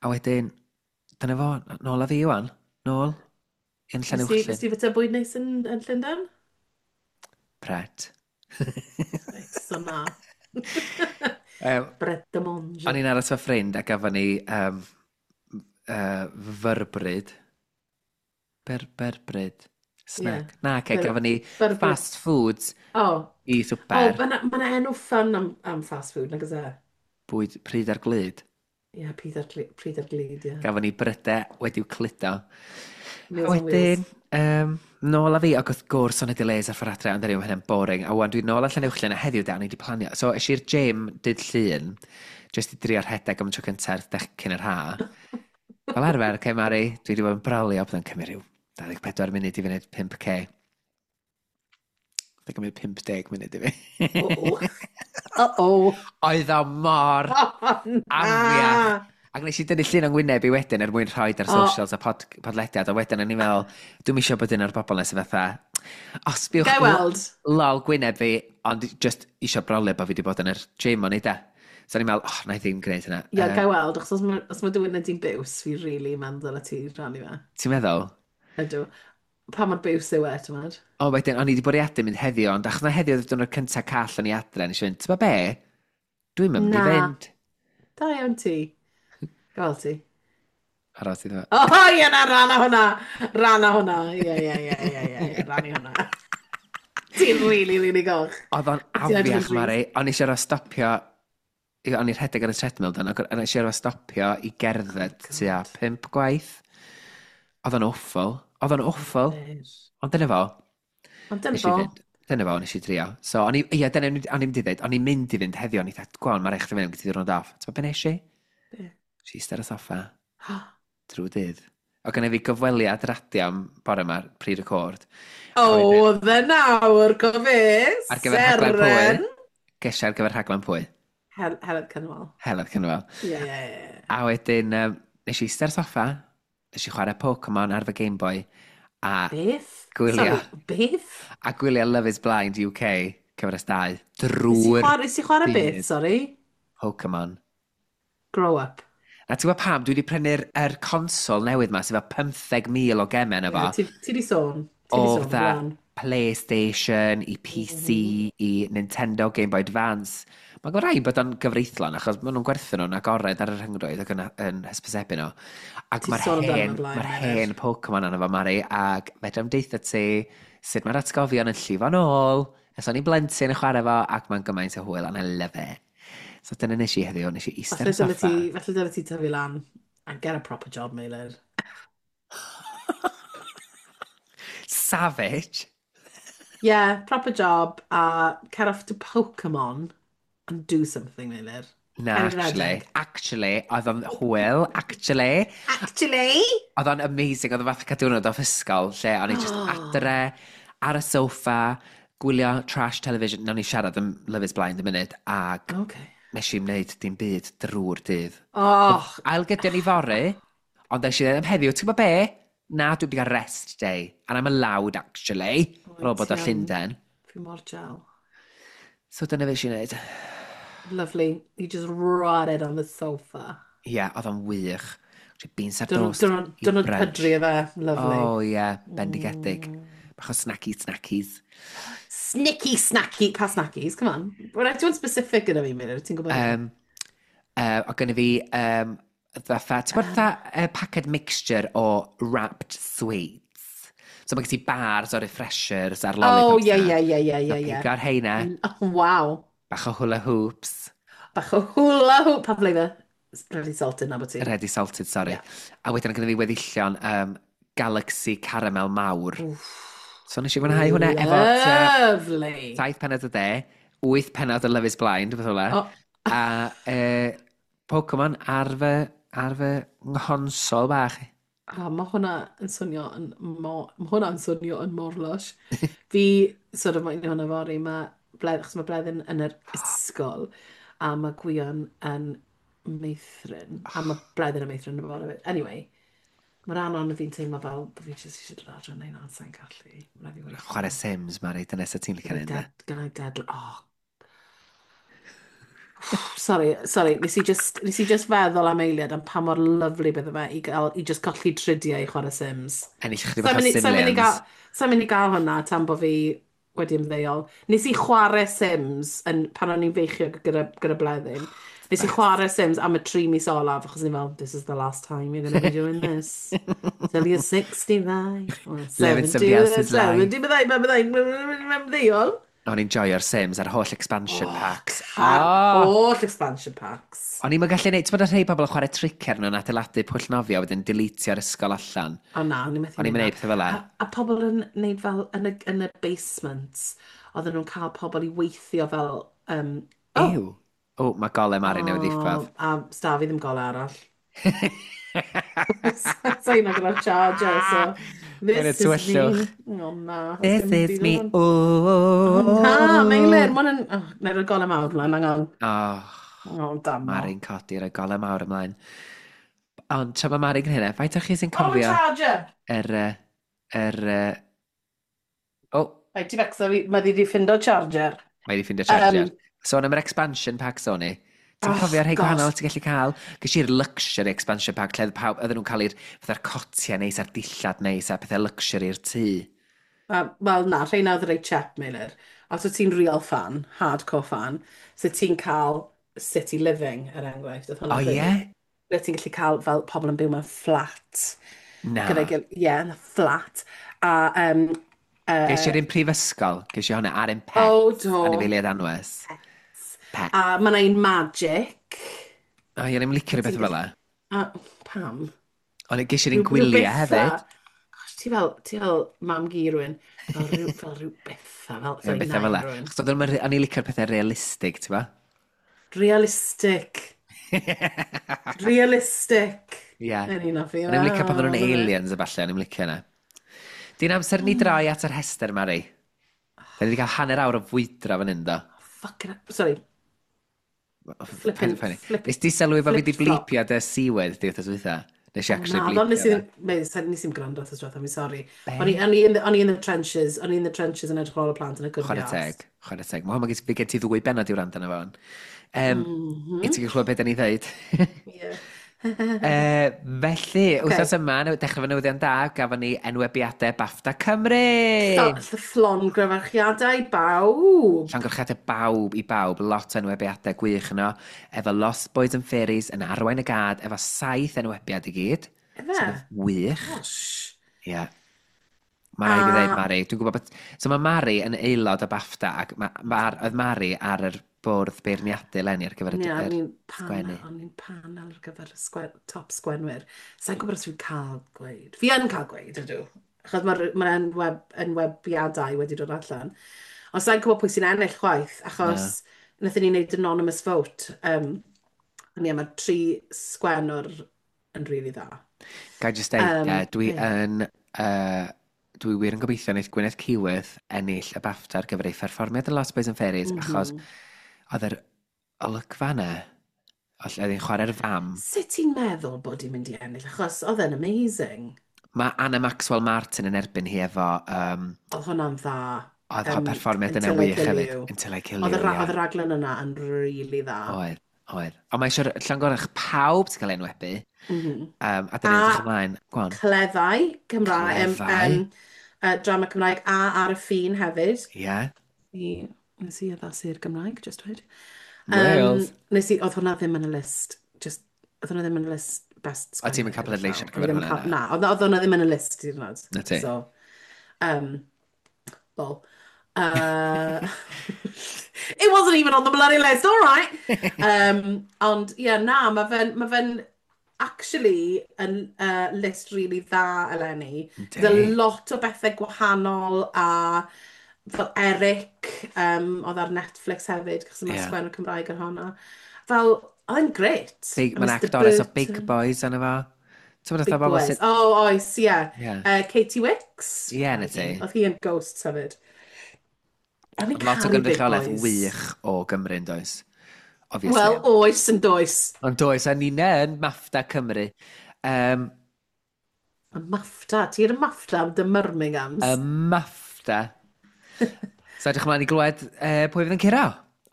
A wedyn, dyna fo, nôl â fi wan. Nôl. Yn Llanuwchllyn. Nes ti fyta bwyd neis yn Llundain? Pret. Reit, so na. Pret a manger. O'n i'n aros efo ffrind a gafon ni fyrbryd. Byrbryd. Ie. Snack. Na, ce, Byr, gafon ni byrbryd. fast foods O. i O, swper. mae 'na ma enw fun am fast food, nag oes e? Bwyd pryd ar glud. Ie, pryd ar glud, ie. Gafon ni brydau wedi'w cludo. A Meals on wedyn, Wheels. nôl â fi, ac wrth gwrs o'n i delays ar ffordd adre, ond anyway, mae hynny'n boring. A wan, dwi'n nôl allan Llanuwchllyn, a heddiw da, o'n i wedi planio. So, es i'r gym dydd Llun, jyst i drio rhedeg am y tro cyntaf dech cyn yr ha. Fel arfer, okay, Mari, dwi wedi bod yn brolio, byddai'n cymryd rhyw 24 munud i fynd 5K. Byddai'n cymryd 50 munud i fi. O-o. Uh-oh. Oedd o mor Oh, afiach. na! Ac nes i dynnu llun o'n ngwyneb i wedyn er mwyn rhoi ar O, socials a podlediad, a wedyn o'n i'n meddwl, dwi'm eisiau bod un o'r bobl nes fatha, o, sbiwch gai weld. lol gwyneb fi, ond just eisiau brolio bod fi wedi bod yn yr gym o'n i da. So o'n i'n meddwl, oh, na i ddim gwneud hynna. Ie, gai weld, achos os ma dy wyneb di'n biws, fi really meddwl y ti rannu fe. Ti'n meddwl? Ydw. Pa mor biws yw e, ti'n meddwl? O, wedyn, o'n i wedi bwriadu mynd heddiw, ond achos na heddiw oedd diwrnod cyntaf call o'n i adre, nes i fynd, ti'n be? Dwi'n mynd i Na. fynd. Da iawn ti. Gael ti. Aros i ddod. O, ie, na, rhan o hwnna. Rhan o hwnna. Ie, ie, ie, ie, ie, ie, rhan i hwnna. Ti'n really, really goch. Oedd o'n Ti'n edrych yn afiach, Mari. drist. O'n i eisiau stopio, o'n i'n rhedeg ar y treadmill dan, ac o'n i eisiau stopio i Oh, gerdded tua God. 5 gwaith. Oedd o'n awful. Oedd o'n awful. Ond dyna fo. Ond dyna Nes i fo. fynd. Dyna fo, nes i drio. So, o'n i, ia, dyna o'n i'n mynd i ddweud, o'n i'n mynd i fynd heddiw, o'n i dweud, gwan, mae'r eich fynd, gyda diwrnod off. Ti'n be nes i? Be? Nes i eistedd ar y soffa, drwy dydd. O gynna fi gyfweliad radio am bore yma, pre-record. A wedyn, O, the nawr, co fe, ar gyfer rhaglen pwy? Seren. Gesio ar gyfer rhaglen pwy? Heledd Cynwal. Heledd Cynwal. Ie, ie, ie. A wedyn, nes i eistedd ar y soffa, nes i chwarae Pokemon ar fy Game Boy, a Beth? gwylio, Sorry, beth? a gwylio Love is Blind UK, cyfres 2, Nes i drwy'r chwarae, nes i chwarae beth, dydd. sorry? Pokemon. Grow up. A ti'n gwybod pam, dwi wedi prynu'r er consol newydd ma, sydd efo 15,000 o gemau yna Ie, fo. ti di sôn. Ti O di sôn, fatha blaen. PlayStation, i PC, i Nintendo, Game Boy Advance. Mae'n gwneud rhaid bod o'n gyfreithlon, achos maen nhw'n gwerthu nhw'n agored ar y rhyngrwyd ac yn hysbysebu nhw. Ac Ti mae'r sôn amdano hen, fe blaen, mae'r Meilir. hen Pokemon arno fo, Mari, ac fedrai'm deutha ti sut mae'r atgofion yn llifo nôl. Ers o'n i'n blentyn yn chwarae fo, ac mae'n gymaint o hwyl, and I love it. So dyna nes i heddiw, nes i eistedd ar Falle y dyle soffa. ti, falle dyle ti tyfu lan and get a proper job, Meilir. Savage! Yeah, proper job, a cer off to Pokemon and do something, Meilir. Na, Cer i actually. redeg. Actually, oedd o'n hwyl, actually. Actually? Oedd o'n amazing, oedd o'n fath o cael diwrnod off ysgol, lle o'n i just adre, ar y soffa, gwylio trash television. Nawn ni siarad am Love is Blind yn munud, ac nes i wneud dim byd drwy'r dydd. Oh, Ailgydio ni fory, ond nes i ddweud am heddiw, ti'n gwybod be? Na, dwi wedi cael rest day, and I'm allowed, actually, ar ôl bod o ti yn. Llundain. Fi mor jel. So dyna fe i wneud. Lovely. You just rotted on the sofa. Ie, yeah, oedd o'n wych. Beans ar Dyn toast i nhw'n brunch. pydru e fe. Lovely. Oh, ie, yeah, bendigedig. Bach o snacky snackies. Snicky snacky. Pa snackies? Come on. Well, do you want specific gyda fi, Meilir? Ti'n gwybod? O gynnu fi, fatha, ti'n gwybod fatha packet mixture o wrapped sweets? So mae gen ti bars o refreshers a'r Oh, lollipops ie, na. ie, ie, ie, So ie, ie. pigo'r heina, Oh, wow. bach o hula hoops. Bach o hula hoop. Pa flavour? Ready salted na bod ti. Ready salted, sorry. Yeah. A wedyn gynnu fi weddillion Galaxy Caramel mawr. So nes i fwynhau hwnna efo tua Lovely. 7 pennod o de, 8 pennod o Love is Blind, beth ola. Oh. A Pokemon ar fy nghonsol bach. Oh, mae hwnna yn swnio yn mor lush. Fi, sort of, mae'n hwnna fory, mae Bledd, achos mae Bleddyn yn yr ysgol, a mae Gwion yn meithrin, a mae Bleddyn yn meithrin yn y bore hefyd. Anyway, mae'r rhan ond fi'n teimlo fel bod fi jyst eisiau dod adre neu na, sa'n gallu. Mae'n rhaid i weithio. Chwarae Sims, Mari, dyna sut ti'n licio Gynna i neud, de. gynna i dead. Oh. Sorry, sorry, nes i just feddwl am eiliad am pa mor lovely bydde fe i, gael, i just colli tridiau i chwarae Sims. Ennill chydig Sa'n bach o mynd i- sa'n mynd i Simlions. gael, sa'n mynd i gael hwnna tan bod fi wedi ymddeol. Nes i chwarae Sims yn, pan o'n i'n feichiog gyda Bleddyn. Nes i chwarae Sims am y 3 mis olaf, achos ni fel, "This is the last time you're going to be doing this. Till you're 65. Or Living 70, somebody else's life. 70, byddai, byddai, byddai, byddai, O'n i'n joio'r Sims a'r holl expansion packs. Ar Oh! holl expansion packs. O'n i'n gallu neud, ti'n bod rhai pobl yn chwarae tric ar nhw'n adeiladu pwll nofio, wedyn deletio'r ysgol allan. O na, o'n i'n methu O'n i'n neud neud pethau fel 'na. A pobl yn neud fel yn y basements, oedden nhw'n cael pobl i weithio fel. Oh, Ew. O, mae golau Mari newydd ddiffodd. Oh, a sta fi ddim golau arall. Sa i'n gyda'r charger, so Mae'n y this is me. tywyllwch. Oh na. This is me. Oh na, Meilir, Oh. ma' hwnna'n. Oh, na i roi golau mawr mlaen, hang on. Oh, Oh, damo. Mari'n codi, rhoi golau mawr ymlaen. Ond tra mae Mari'n gwneud hynna, faint o chi sy'n Oh, my cofio charger! yr... Yr... Oh, Right, ti becso fi, mae di di ffindo charger. Mae wedi ffindio charger. Sôn am yr expansion pack, Sony. Ti'n Oh, cofio rhai gosh. gwahanol ti'n gallu cael? Ges i'r luxury expansion pack, lle oedd pawb, oedden nhw'n cael i'r fatha'r cotiau neis a'r dillad neis a pethau luxury i'r tŷ. Wel na, rheina oedd reit cheap, Meilir. Os wyt ti'n real fan, hardcore fan, so ti'n cael city living, er enghraifft. Oedd O hwnna'n ie? really. Ble ti'n gallu cael fel pobl yn byw mewn fflat. Na. Gyda'i gilydd, ie, yn y fflat. A, Ges i'r un prifysgol, ges i hwnna ar un oh, pets, do. Anifeiliaid anwes. Pet. A mae yna un magic. O ie, ni'n licio rhywbeth Ti'n fel 'na. A pam? Ond ges i'r un Rhyw gwyliau betha. hefyd. Gosh, ti fel mam gi rhywun. Fel rhyw betha, fel, Ie, sorry, bethau fel nain 'na. rhywun. Achos oedden nhw'n, o'n i'n licio'r pethau realistig, ti'n ba? Realistic. Realistic. Ie. Yn un o fi. O'n i'n licio pan oedden nhw'n aliens a falle, o'n i'n licio yna. Di'n amser ni droi at yr rhestr, Mari. Da ni wedi cael hanner awr o fwydro fan hyn, do. Fucking. Sorry. Flipping, Paid â poeni. flip, Nes di sylwi bod fi wedi flipped flop. blipio dy C-word di wythnos dwytha? Nes i actually Na, ond nes i blipio ddim, nes i'm gwrando wrth diwetha, I'm sorry. Be? O'n i in the trenches, o'n i in the trenches yn edrych ar ôl y plant yn y good Chwarae teg, chwarae teg. Mae hwn, mae gen ti ddwy benod i wrando arno fo. I ti'n clywed beth da ni ddeud. Yeah. Felly, wythnos yma, dechrau fy newyddion da, gafon ni enwebiadau BAFTA Cymru! Llongyfarchiadau bawb. Llongyfarchiadau bawb i bawb, lot o enwebiadau gwych yno, efo Lost Boys and Fairies yn arwain y gad, efo saith enwebiad i gyd. Efe? Sydd yn wych. Gosh. Ie. Yeah. Mae rhaid i fi ddeud, Mari. Dwi'n gwybod bod. So mae Mari yn aelod o BAFTA, ac oedd Mari ar yr bwrdd beirniadu eleni ar gyfer y Ie, o'n yr i'n sgwennu. panel, o'n i'n panel ar gyfer y top sgwenwyr. Sa'n gwybod os fi'n cael gweud. Fi yn cael gweud, ydw. Achos mae'r ma enwebiadau wedi dod allan. Ond sa'n gwybod pwy sy'n ennill chwaith, achos wnaethon ni wneud anonymous vote. Ond ie, mae'r tri sgwennwr yn rili dda. Ga i just deud, dwi ie. yn... Dwi wir yn gobeithio wneud Gwyneth Keyworth ennill y BAFTA ar gyfer ei pherfformiad yn Lost Boys and Fairies, achos oedd yr olygfa yna, oedd hi'n chwarae'r fam. Sut ti'n meddwl bod hi'n mynd i ennill? Achos oedd e'n amazing. Mae Anna Maxwell Martin yn erbyn hi efo. Oedd hwnna'n dda. Oedd um, perfformiad yna Until I wych Kill hefyd. You. Until I Kill Oedd You, y ie. oedd y raglen yna yn really dda. Oedd. Ond mae eisiau llongyfarch pawb sy'n cael ei enwebu. A dyn ni'n edrych ymlaen. Go on. Cleddau Cymraeg, Cleddau. Drama Cymraeg a Ar y Ffin hefyd. Ie. Yeah. Nes i addasu'r Gymraeg, just dweud. Wales. Nes i, oedd hwnna ddim yn y list. Just, oedd hwnna ddim yn y list best O, ti'm yn cael sgwennu gyda pleidleisio ar llaw. O'n i gyfer ddim yn hwnna, cael- Na, oedd hwnna ddim yn y list hyd yn oed. Na ti. So, lol. It wasn't even on the bloody list, all right. Ond, ie, yeah, na, mae fe'n actually yn list really dda eleni. Yndi. There's a lot o bethau gwahanol a fel Eric, oedd ar Netflix hefyd, cos mae sgwennu Cymraeg ar hwnna. Fel, oedd e'n great. Big, A mae'n Mr actores o Big Burton. Boys arno fo. Ti'n bod Big bobl Boys. sydd. Oh, oes, ie. Ie. Katie Wicks. Ie, na ti. Oedd hi yn Ghosts hefyd. O'n i'n Lot o caru Big gynrychiolaeth Boys. wych o Gymru yn does? Obviously. Wel, oes yn does. Ond does, a ni'n yn MAFTA Cymru. Y MAFTA, ti'n y MAFTA am dy Birminghams. Y MAFTA. So edrych ymlaen i glywed pwy fydd yn curo.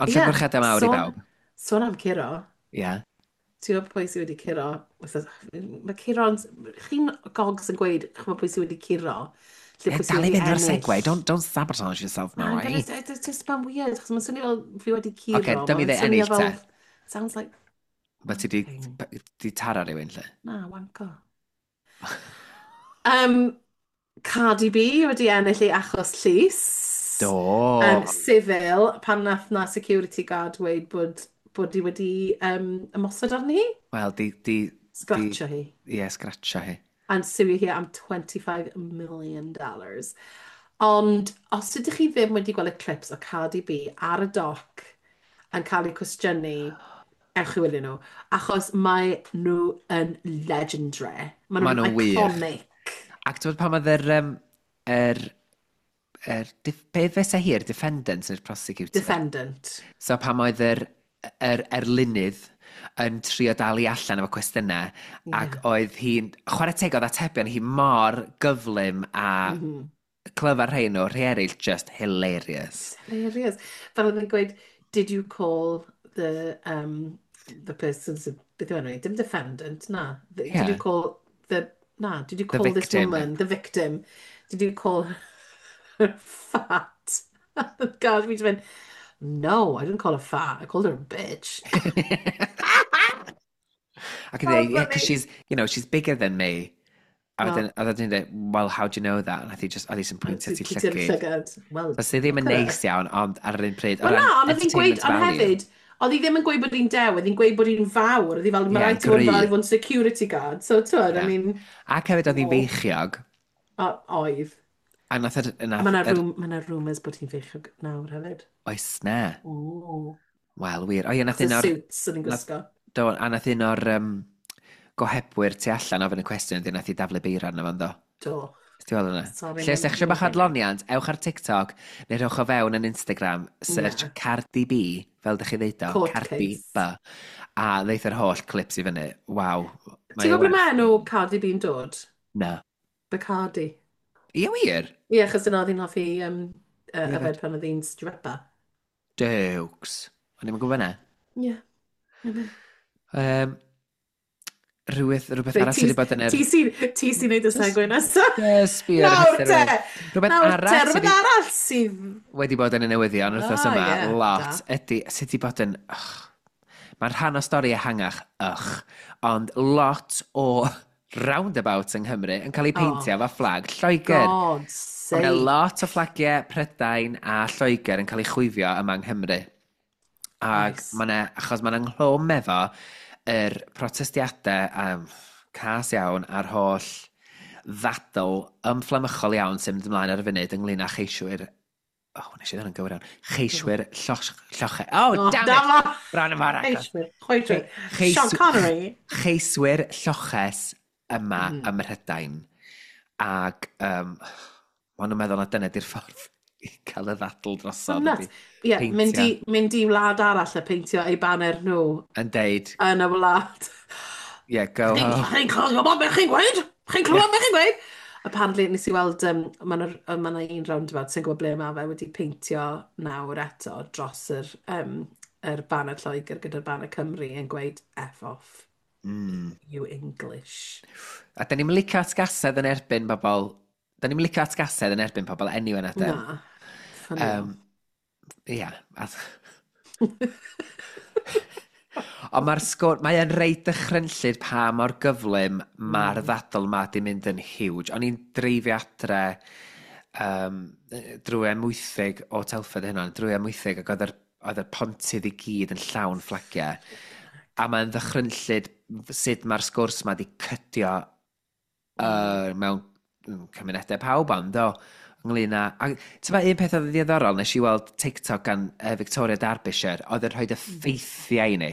Ond Ie, llongyfarchiadau mawr i bawb. Sôn am curo. Ie. Yeah. Ti'n gwybod pwy sydd wedi curo? Mae curo'n. Chi'n gogs yn gweud, chymod pwy sydd wedi curo? Lle Yeah, pwy sydd dal i wedi fynd ar ennill. segue. Don't sabotage yourself, Na, but Mari. it's just mae'n weird, achos mae'n swnio fel fi wedi curo. Ocê, dyma i Mae'n ddeud swnio ennill te. Sounds like Ba ti di, Wanking. di taro rhywun, lle? Na, wanko. Um, Cardi B wedi ennill ei achos llys. Do! Civil, pan nath na security guard dweud bod hi wedi ymosod arni hi. Wel, di, Scratcho hi. ie, yeah, scratcho hi. And suio hi am $25 million. Ond os ydych chi ddim wedi gweld y clips o Cardi B ar y doc yn cael eu cwestiynu, ewch i wylio nhw. Achos mae nhw yn legendary. Mae Maen nhw'n nhw'n wych. iconic. Ac ti'n gwybod pan oedd yr, be fysa hi'r defendant neu'r prosecutor? Defendant. So pam oedd yr erlynydd yn trio dal i allan efo cwestiynau ac oedd hi'n, chwarae teg oedd atebion hi mor gyflym a clyfar rhai nhw, rhai eraill just hilarious. Hilarious. Fel oedd yn gweud, "Did you call the person," beth yw enw hi? Dim defendant, na. Did you call the, na, "Did you The call this victim. woman, the victim, did you call her fat?" God, fi 'di mynd, "No, I didn't call her fat, I called her a bitch." Ac yn So dweud, "Yeah, because funny. she's bigger than me." A Well, wedyn, oedd hi'n dweud, "Well, how do you know that?" A nath hi just, oedd hi sy'n pwyntio ti pwyntio'r llygyd. llygad. Well, So sydd ddim look yn at her. neis iawn, ond ar yr un pryd, o Wel na, ran ond oedd hi'n gweud, entertainment ond value. hefyd, oedd hi ddim yn gweud bod hi'n dew, oedd hi'n gweud bod hi'n fawr, oedd hi fel, Ie, mae yeah, rhaid ti fod yn gry. fawr i fod yn security guard. So, ti'n I Yeah. mean, Ac hefyd oedd hi'n oh, feichiog, oedd. a nath yr, A mae nath yna yr, ma rumours bod hi'n feichiog nawr hefyd. Oes na. O. Wel, wir. O ie, nath Achos y un o'r, suits yn hi'n nath, gwisgo. do, a nath un o'r gohebwyr tu allan ofyn y cwestiwn, ydy nath i daflu beira arno fo'n do. Do. Ti'n weld hwnna? Sorry, Lle os ydych eisiau mae'n bach o adloniant, ewch ar TikTok neu rhowch o fewn yn Instagram, search Cardi B, fel ydych chi ddeud o, Court Cardi case. B. A ddeith yr holl clips i fyny. Waw. Ti'n Mae o gwybod ble werth. mae enw Cardi B'n dod? Na. Bacardi. Ie, wir? Ie, achos dyna oedd hi'n hoffi Ie, yfed pan oedd hi'n stripper. Dewks. O'n i'n gwybod na. Ie. Yeah. Um, rhywbeth Reit, arall sydd wedi bod yn yr ti sy'n ti sy'n neud y segue nesaf. Yes, fi ar y Nawr pethau te! rhywbeth. Rhywbeth Nawr te, arall sydd rhywbeth arall sydd wedi bod yn y newyddion wythnos yma, yeah, lot, da. ydy, sydd wedi bod yn ugh, mae'n rhan o stori ehangach, ych, ond lot o roundabouts yng Nghymru yn cael eu peintio Oh, efo fflag Lloegr. God's Mae yna sake. lot o fflagiau Prydain a Lloegr yn cael eu chwifio yma yng Nghymru. Ac Oes. mae yna, achos mae'n ynghlwm efo yr protestiadau cas iawn a'r holl ddadl ymfflamychol iawn sy'n mynd ymlaen ar y funud ynglyn â cheiswyr. Oh, nes i ddod yn gywir iawn. Cheiswyr lloche. Oh, Oh, damn da it! fo! Bron yn mor agos. Cheiswyr, chweithwyr. Sean Connery. Cheiswyr lloches yma ym Mhrydain. Ac maen nhw'n meddwl na dyna di'r ffordd i cael y ddadl drosodd. Nuts. Ydi Ie, mynd peintio. i, mynd i wlad arall a peintio ei baner nhw Yn deud, yn y wlad. "Yeah, go home." Chi'n clywed beth chi'n gweud? Chi'n clywed beth chi'n gweud? Apparently, nes i weld, mae yna ma un roundabout sy'n gwybod ble mae fe wedi peintio nawr eto dros yr banner Lloegr gyda'r banner Cymru yn gweud "F off, you English." A da ni'n licio atgasedd yn erbyn bobl. Da ni'n licio atgasedd yn erbyn pobl anyway na den. Na, funny. Ia. Ond mae'r sgwr, mae yn reit dychrynllyd pa mor gyflym mae'r ddadl ma di mynd yn huge. O'n i'n dreifio adre drwy Amwythig o Telford hynna, drwy Amwythig ac oedd yr pontydd i gyd yn llawn fflagiau. A mae'n ddychrynllyd sut mae'r sgwrs ma di cydio mewn cymunedau pawb ond do, ynglyn â. A ti'n un peth oedd yn ddiddorol, nes i weld TikTok gan Victoria Derbyshire, oedd yn rhoi y ffeithiau i ni.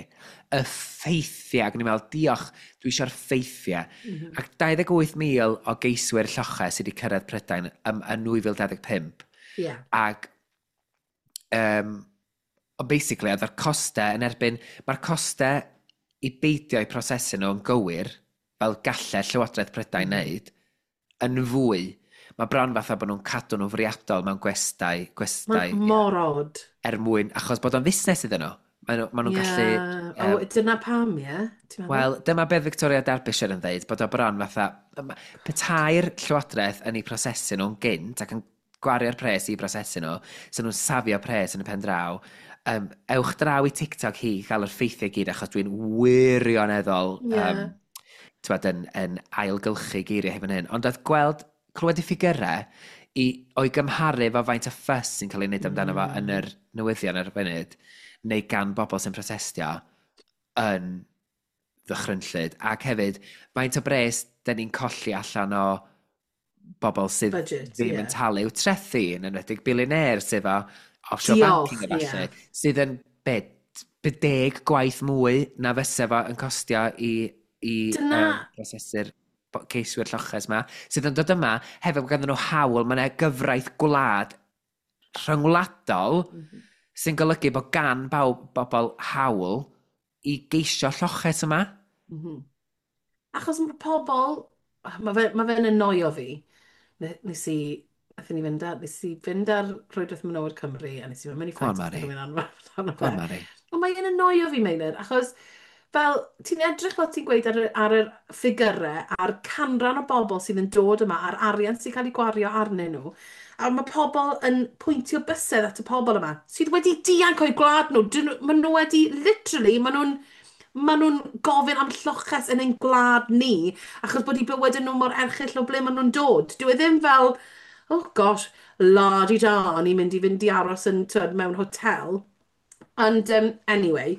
Y ffeithiau, ac o'n i'n meddwl, "Diolch, dwi eisiau'r ffeithiau." Ac 28,000 o geiswyr lloches sydd wedi cyrraedd Prydain yn 2025. Ac ond basically, oedd yr costau yn erbyn, mae'r costau i beidio eu prosesu nhw yn gywir, fel gallai Llywodraeth Prydain wneud, yn fwy. Mae bron fatha bod nhw'n cadw nhw'n fwriadol mewn gwestai, gwestai, Mae'n mor odd. Er mwyn, achos bod o'n fusnes iddyn nhw. Maen nhw'n gallu O, dyna pam, ie? Ti'n meddwl? Wel, dyma beth Victoria Derbyshire yn dweud, bod o bron fatha, petai'r Llywodraeth yn eu prosesu nhw'n gynt ac yn gwario'r pres i prosesu nhw, so nhw'n safio pres yn y pen draw. Ewch draw i TikTok hi i gael yr ffeithiau gyd, achos dwi'n wirioneddol t'wod, yn ailgylchu geiriau hefyd hyn. Ond oedd gweld, clywed y ffigurau o'i gymharu efo faint o fuss sy'n cael ei wneud amdano fo yn yr newyddion ar y funud, neu gan bobl sy'n protestio, yn ddychrynllyd. Ac hefyd, faint o bres dyn ni'n colli allan o bobl sydd Budget, ddim yn talu i'w trethi, yn enwedig billionaires efo offshore banking a falle, sydd yn be, 10 gwaith mwy na fysa fo yn costio i prosesu'r ceiswyr lloches ma, sydd yn dod yma, hefyd bod ganddyn nhw hawl, mae yna gyfraith gwlad rhyngwladol sy'n golygu bod gan bawb bobl hawl i geisio lloches yma. Achos mae pobl, mae fe'n annoio fi. Nes i fynd ar Rhwydwaith Menywod Cymru a nes i fynd mewn i Go on, fight Mari. rhywun arno Go on, fe. Mari. Ond mae'n annoio fi, Meilir, achos fel ti'n edrych fel ti'n gweud ar y ffigyrau a'r canran o bobl sydd yn dod yma a'r arian sy'n cael ei gwario arnyn nhw, a mae pobl yn pwyntio bysedd at y pobl yma sydd wedi dianc o'u gwlad nhw. Maen nhw wedi, literally, maen nhw'n gofyn am lloches yn ein gwlad ni, achos bod eu bywydau nhw mor erchyll o ble maen nhw'n dod. Dyw e ddim fel, "Oh gosh, la-di-da, ni'n mynd i fynd i aros yn, twyd, mewn hotel." Ond, anyway,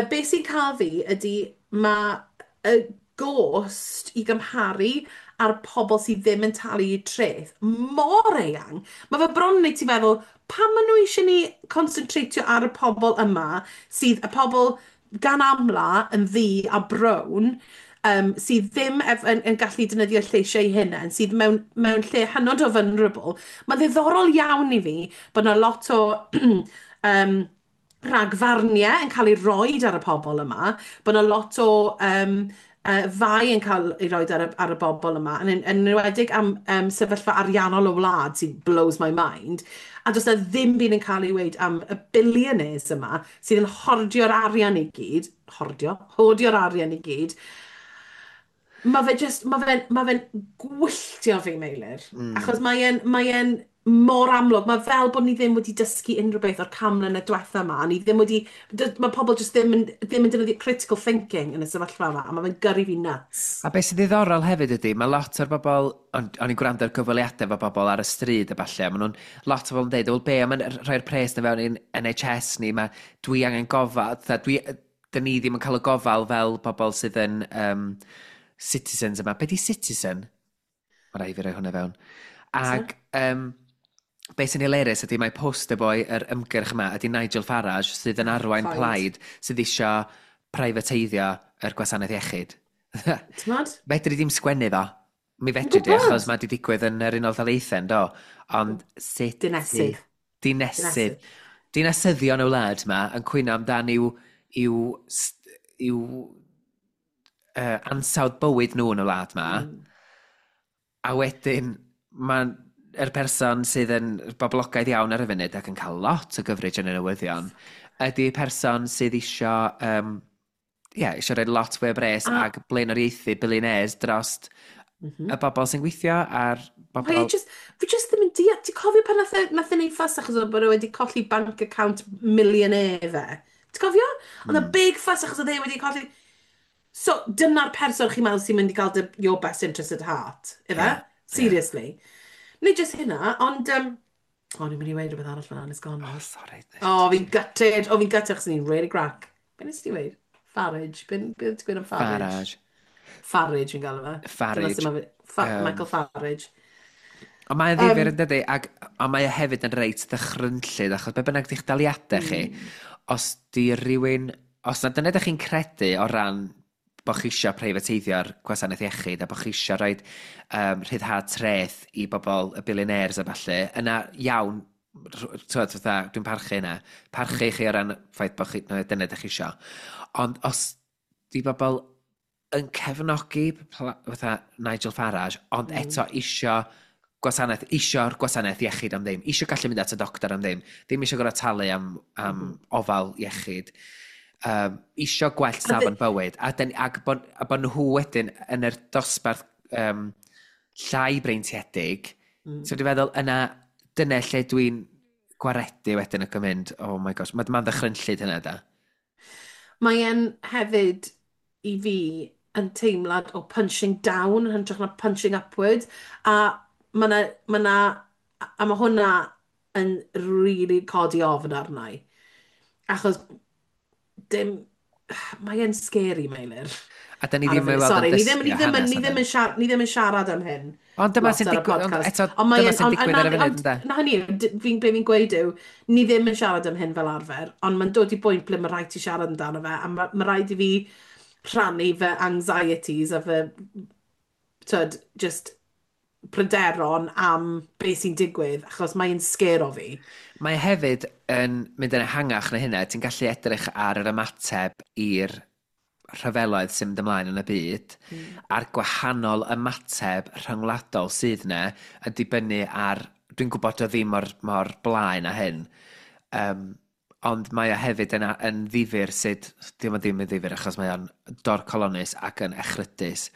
beth sy'n cael fi ydy mae y gost i gymharu ar pobl sydd ddim yn talu eu treth mor eang. Mae fe bron yn neud ti feddwl, pam maen nhw eisiau ni concentratio ar y pobl yma, sydd y pobl gan amla yn ddu a brown, sydd ddim yn gallu defnyddio lleisiau eu hunain, sydd mewn lle hynod o vulnerable. Mae'n ddiddorol iawn i fi bod yna lot o rhagfarniau yn cael ei roed ar y pobl yma, bod yna lot o fai yn cael ei roed ar y bobl yma, yn enwedig am sefyllfa ariannol y wlad sy'n blows my mind, a does na ddim byd yn cael ei weud am y billionaires yma sydd yn hordio'r arian i gyd, hordio, hordio'r arian i gyd. Mae fe'n gwylltio fi, Meilir. Achos mae e'n mor amlwg. Mae fel bod ni ddim wedi dysgu unrhyw beth o'r 100 mlynedd diwetha yma. A ni ddim wedi... Mae pobl jyst ddim yn defnyddio critical thinking yn y sefyllfa yma. A mae fe'n gyrru fi nuts. A beth sy'n ddiddorol hefyd ydy, mae lot o'r bobl, o'n i'n gwrando ar gyfweliadau efo bobl ar y stryd a falle, a maen nhw'n, lot o bobl yn dweud, "Wel be, am yn rhoi'r pres na fewn i'n NHS ni, mae dwi angen gofal, fatha, dyn ni ddim yn cael y gofal fel bobl sydd yn citizens yma." Be di citizen? Mae rhaid fi roi hwnna fewn. Ac beth sy'n hilarious ydy mae poster boy yr ymgyrch yma ydy Nigel Farage sydd yn arwain Plaid. Plaid sydd isio privateiddio yr gwasanaeth iechyd. T'mod? Fedri ddim sgwennu fo. Mi fedri di, Gwbod. achos mae di digwydd yn yr Unol Daleithiau, do. Ond sut Dinesydd. Dinesydd. Dinasyddion y wlad yma yn cwyno amdan i'w ansawdd bywyd nhw yn y wlad yma. A wedyn, mae'n yr person sydd yn boblogaidd iawn ar y funud ac yn cael lot o gyfrif yn y newyddion, ydy person sydd isio, yeah, isio rhoi lot fwy o bres ac blaenoriaethu billionaires drost y bobl sy'n gweithio a'r bobl. Mae e just, fi just ddim yn deall. Ti'n cofio pan nath e neud fuss achos oedd bod e wedi colli bank account millionaire fe? Ti'n cofio? Oedd mm. big fuss achos oedd e wedi colli. So, dyna'r person chi'n meddwl sy'n mynd i gael your best interest at heart, ife? Yeah. Seriously. Nid just hynna, ond o, ni'n mynd i weud rhywbeth arall fan'na, and it's gone. Oh, sorry. O, fi'n gutted. O, fi'n gutted achos ni'n really grac. Be nes ti weud? Farage. Be ti'n gweud am Farage? Farage. Farage fi'n galw fe. Farage. Dyna sut ma' Michael Farage. Ond mae'n ddifyr yn dydi, ac ond mae e hefyd yn reit ddychrynllyd, achos be bynnag di'ch daliadau chi, os di rhywun, os na dyna ydych chi'n credu o ran bod chi eisiau preifateiddio'r gwasanaeth iechyd a bod chi eisiau rhoi rhyddhad treth i bobl y billionaires a falle, yna iawn, t'wod, fatha, dwi'n parchu yna. Parchu chi o ran ffaith bod chi, na, dyna ydych chi eisiau. Ond os di bobl yn cefnogi fatha Nigel Farage, ond eto isio gwasanaeth, isio'r gwasanaeth iechyd am ddim, isio gallu mynd at y doctor am ddim, ddim isio gorfod talu am ofal iechyd, isio gwell safon bywyd, a bod nhw wedyn yn yr dosbarth llai breintiedig, so dwi'n feddwl yna, dyna lle dwi'n Gwaredu wedyn ac yn mynd, "Oh my gosh", mae'n ddychrynllyd hynna da. Mae e'n hefyd, i fi, yn teimlad o punching down yn hytrach na punching upwards. A mae 'na, ma 'na, a ma' hwnna yn really codi ofn arna i. Achos dim, mae e'n scary, Meilir. A da ni Ar y ddim yn funud. weld yn Sorry, ni ddim, dysgu ni o ddim, yn, hanes ni na ddim dyn. yn siarad, ni ddim yn siarad am hyn Ond dyma lot sy'n ar y digwydd, ond podcast. eto, Ond mae dyma e'n, sy'n ond, digwydd na, ar y funud, ond, ynde? na hynny, fi'n, be fi'n gweud yw, ni ddim yn siarad am hyn fel arfer, ond mae'n dod i bwynt ble mae rhaid ti siarad amdano fe, a mae rhaid i fi rhannu fy anxieties a fy, tyd, just pryderon am beth sy'n digwydd, achos mae'n scare o fi. Mae hefyd yn mynd yn ehangach na hynna. Ti'n gallu edrych ar yr ymateb i'r rhyfeloedd sy'n mynd ymlaen yn y byd, a'r gwahanol ymateb rhyngwladol sydd yna yn dibynnu ar. Dwi'n gwybod o ddim mor blaen â hyn, ond mae o hefyd yn ddifyr sut. Dim ond ddim yn ddifyr achos mae o'n dorcolonus ac yn echrydus,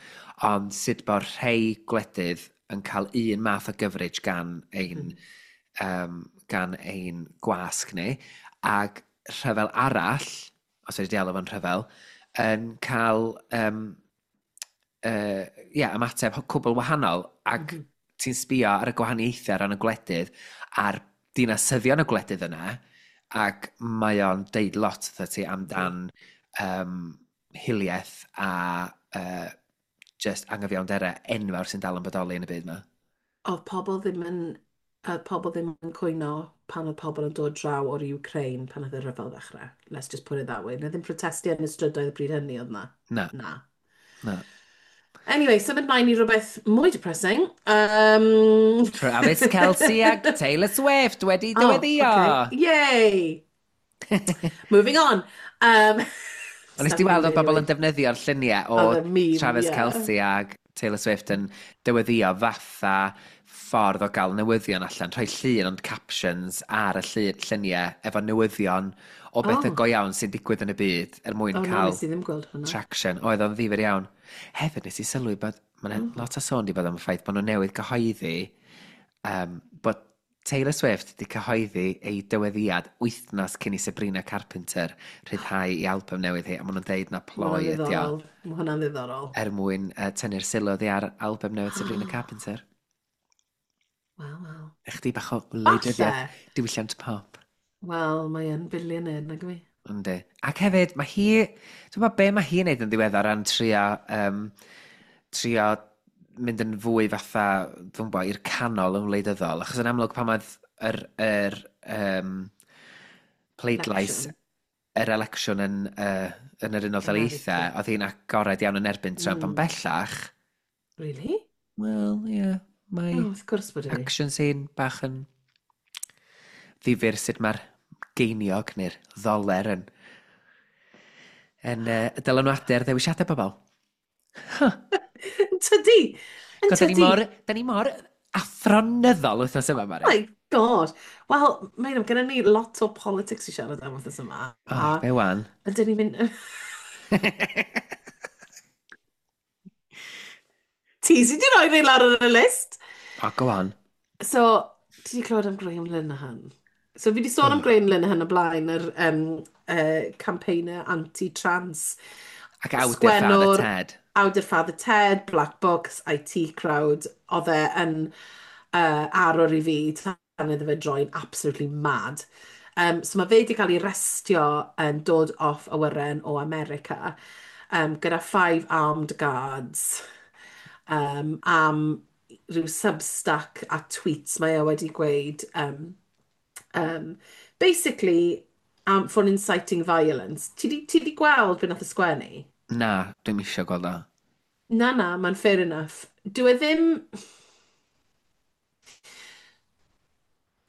ond sut bod rhai gwledydd yn cael un math o coverage gan ein gwasg ni, ac rhyfel arall, os wedi alw fo'n rhyfel, yn cael yeah, ymateb cwbl wahanol, ac ti'n sbio ar y gwahaniaethau ran y gwledydd a'r dinasyddion y gwledydd yna, ac mae o'n deud lot wrtho ti amdan hiliaeth a just angyfiawnderau enfawr sy'n dal yn bodoli yn y byd yma. Oedd pobl ddim yn cwyno pan oedd pobl yn dod draw o'r Ukraine pan oedd y rhyfel ddechrau. Let's just put it that way. Na ddim protestio yn y strydoedd y bryd hynny oedd na. Na. Na. Na. Anyway, symud mlaen i rhywbeth mwy depressing. Travis Kelce ac Taylor Swift wedi Oh, dyweddio. okay. Yay! Moving on. Ond nes di weld oedd bobl yn defnyddio'r lluniau o Oedd y meme, Travis ie. Kelce ag Taylor Swift yn dyweddio fatha ffordd o gael newyddion allan, rhoi llun ond captions ar y lluniau efo newyddion o bethau go iawn sy'n digwydd yn y byd er mwyn Oh, no, cael nes i ddim gweld hwnna. traction. Oedd o'n ddifyr iawn. Hefyd nes i sylwi bod mae'n lot o sôn di bod am y ffaith bod nhw newydd gyhoeddi bod Taylor Swift wedi cyhoeddi ei dyweddiad wythnos cyn i Sabrina Carpenter rhyddhau i album newydd hi, a maen nhw'n deud na Ma' ploi hwnna'n ydi o ddiddorol. Mae hwnna'n ddiddorol. Er mwyn tynnu'r sylw oddi ar album newydd Sabrina Carpenter. Wel, wel. Chdi bach o wleidyddiaeth Falle. diwylliant pop. Wel, mae yn billionaire, nag yw hi? Yndi. Ac hefyd, mae hi. Dwi'n meddwl be mae hi'n neud yn ddiweddar ran trio mynd yn fwy fatha, dwi'n gwybod, i'r canol yn wleidyddol. Achos yn amlwg pan oedd yr pleidlais, Election. yr election yn yr Unol Daleithiau, America. oedd hi'n agored iawn yn erbyn Trump, ond bellach, Really? wel, ie, yeah, mae Oh, wrth gwrs bod hi. action scene bach yn ddifyr sut mae'r geiniog neu'r ddoler yn dylanwadu ar ddewisiadau bobl. Yn tydi! Yn Cos da ni tydi! mor, da ni mor athronyddol wythnos yma, Mari. Oh my God. Wel, mae'n gyda ni lot o politics i siarad am wythnos yma. Oh, be wan? Ydyn ni'n mynd. Ti sydd wedi rhoi rei lawr ar y list. Oh, go on. So, ti wedi clywed am Graham Linehan? So, fi wedi sôn am Graham Linehan o blaen, yr campaigner anti-trans. Ac awdur Father Ted. Awdur Father Ted, Black Books, IT Crowd. Oedd e yn arwr i fi tan iddo fe droi'n absolutely mad. So mae fe wedi cael ei arestio yn dod off awyren o America gyda five armed guards am rhyw Substack a tweets mae e wedi gweud. Basically, for inciting violence. Ti di gweld beth nath y sgwennu? Na, dwi'm isio gweld o. Na, mae'n fair enough. Dwi e ddim.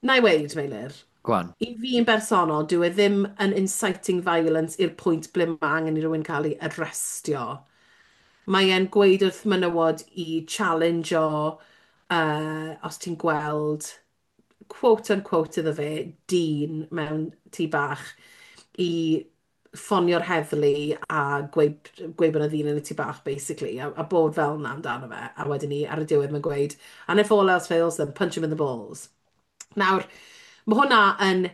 Na i weud, Meilir, Go on. i fi yn bersonol, dwi e ddim yn inciting violence i'r pwynt ble mae angen i rywun cael ei arrestio. Mae e'n gweud wrth menywod i challenge-o, os ti'n gweld, quote unquote iddo fe, dyn mewn tŷ bach, i ffonio'r heddlu a gweud bod yna ddyn yn y tŷ bach, basically, a bod fel yna amdano fe. A wedyn ni, ar y diwedd, mae'n gweud, "And if all else fails, then punch him in the balls." Nawr, Mae hwnna yn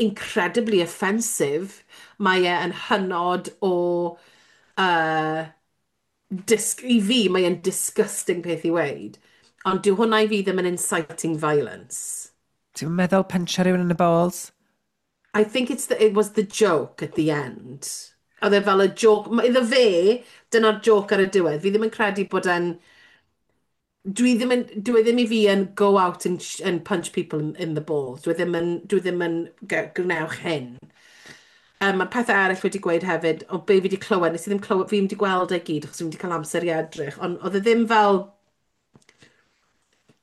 incredibly offensive. Mae e yn hynod o I fi, mae e'n disgusting peth i weud. Ond dyw hwnna i fi ddim yn inciting violence. Ti'n meddwl puncho rhywun yn y balls? I think it was the joke at the end. Oedd e fel y joke, iddo fe, dyna'r joke ar y diwedd. Fi ddim yn credu bod e'n... Dwi ddim yn, dwi e ddim i fi yn go out and punch people in the balls. Dwi ddim yn gwnewch hyn. Mae pethau eraill wedi gweud hefyd, o be fi wedi clywed, nes i ddim clywed, fi ddim wedi gweld e gyd, achos fi wedi cael amser i edrych, ond oedd e ddim fel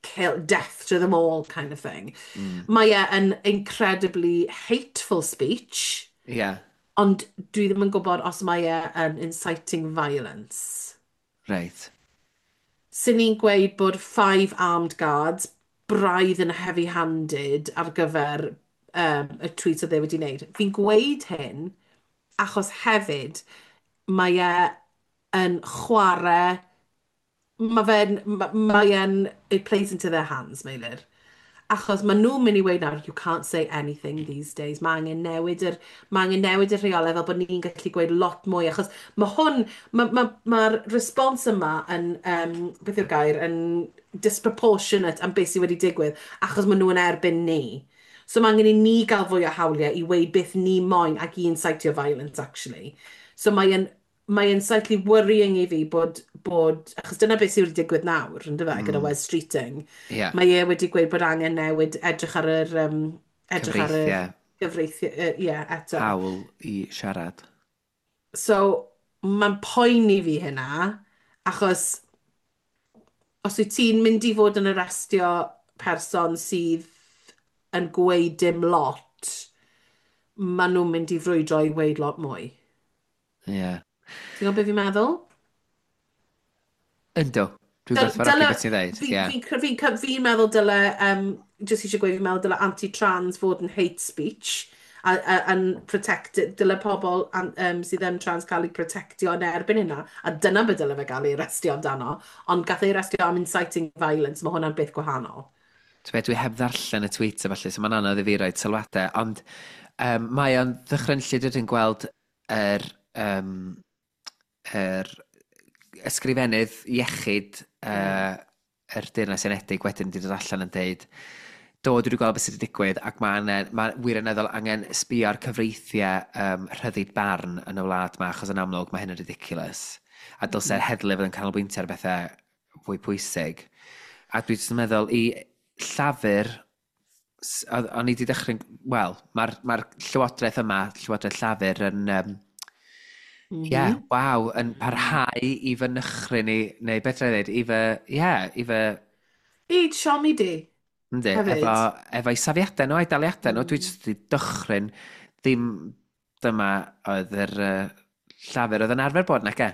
kill, death to them all kind of thing. Mae e yn incredibly hateful speech, ond dwi ddim yn gwybod os mae e yn inciting violence. Sy'n ni'n gweud bod five armed guards braidd yn heavy-handed ar gyfer y tweet oedd e wedi wneud. Fi'n gweud hyn achos hefyd mae e yn chwarae, mae e'n, it plays into their hands, Meilir. Achos maen nhw'n mynd i weud nawr, "You can't say anything these days." Mae angen newid y rheolau fel bod ni'n gallu gweud lot mwy. Achos mae hwn, mae'r ma response yma yn, beth yw'r gair, yn disproportionate am beth sydd wedi digwydd, achos maen nhw yn erbyn ni. So mae angen i ni gael fwy o hawliau i weud beth ni moyn ac i incitio violence, actually. So mae'n slightly worrying i fi bod, achos dyna beth sydd wedi digwydd nawr, yn dyfe, gyda Wes Streeting. Mae e wedi gweud bod angen newid, edrych ar yr Cyfreithiau. Gyfreithiau, ie, eto. Hawl i siarad. So, mae'n poeni fi hynna, achos os wyt ti'n mynd i fod yn arestio person sydd yn gweud dim lot, maen nhw'n mynd i frwydro i weud lot mwy. Ti'n gwybod beth fi'n meddwl? Yndw. Dwi'n gwerthfawrogi beth ti'n dweud. Fi'n meddwl dyle, jyst eisiau gweud, fi'n meddwl dyle anti-trans fod yn hate speech a yn protect, dyle pobl sydd yn trans cael eu protectio yn erbyn hynna, a dyna beth dyle fe gael ei arestio amdano, ond gath ei arestio am inciting violence, mae hwnna'n beth gwahanol. Ti'n dwi heb ddarllen y tweet a falle, so mae'n anodd i fi roid sylwadau, ond mae o'n ddychrynllyd ydyn gweld yr ysgrifennydd iechyd yr Deyrnas Unedig wedyn wedi dod allan yn deud, "Do, dwi wedi gweld beth sydd wedi digwydd ac mae'n ma wirioneddol angen sbio ar cyfreithiau rhyddid barn yn y wlad yma, achos yn amlwg mae hyn yn ridiculous. A dylse'r heddlu fod yn canolbwyntio ar bethau fwy pwysig." A dwi jyst yn meddwl i Llafur, o'n i wedi dechrau, wel, mae'r llywodraeth yma, Llywodraeth Llafur yn, yeah, waw, yn parhau i fy nychryn ni, neu beth rhaid i fy, yeah, i fy I siomi di, Yndi, hefyd. Efo'i safiadau nhw a'i daliadau nhw, dwi jyst wedi dychryn, ddim dyma oedd yr Llafur oedd yn arfer bod, nac e?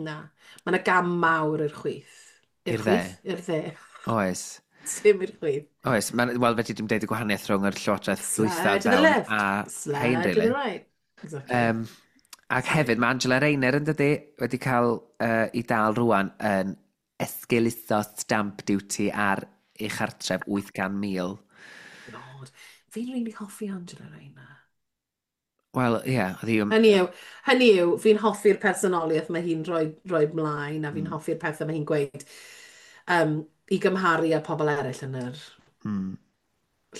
Na. Mae yna gam mawr i'r chwith. I'r I'r dde. chwith? I'r dde. Oes. Dim i'r chwith. Oes, wel, fedri dim deud y gwahaniaeth rhwng yr llywodraeth Slide dwytha to the fewn left, a slide hein, to the really. right. Exactly. Ac hefyd, mae Angela Rayner yn dydy wedi cael i dal rwan yn esgeuluso stamp duty ar ei chartref 800,000. God. Fi'n really hoffi Angela Rayner. Wel, ie, yeah, oedd hi Hynny yw, fi'n hoffi'r personoliaeth mae hi'n rhoi mlaen, a fi'n hoffi'r pethau mae hi'n gweud i gymharu â pobl eraill yn yr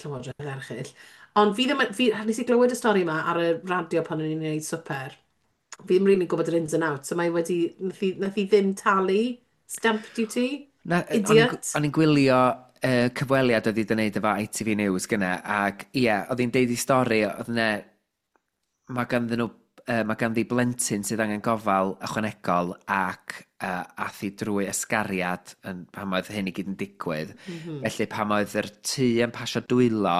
llywodraeth erchyll. Ond fi ddim, nes i glywed y stori yma ar y radio pan o'n i'n gwneud swper. Fi ddim rili'n gwybod yr ins and outs, so mae wedi, nath hi ddim talu stamp duty. Na, Idiot. o'n i'n gwylio cyfweliad oedd hi wedi gwneud efo ITV News gyna, ac ie, oedd hi'n deud i stori, oedd yna, mae ganddi blentyn sydd angen gofal ychwanegol ac ath hi drwy ysgariad yn, pan oedd hyn i gyd yn digwydd. Felly pan oedd yr tŷ yn pasio dwylo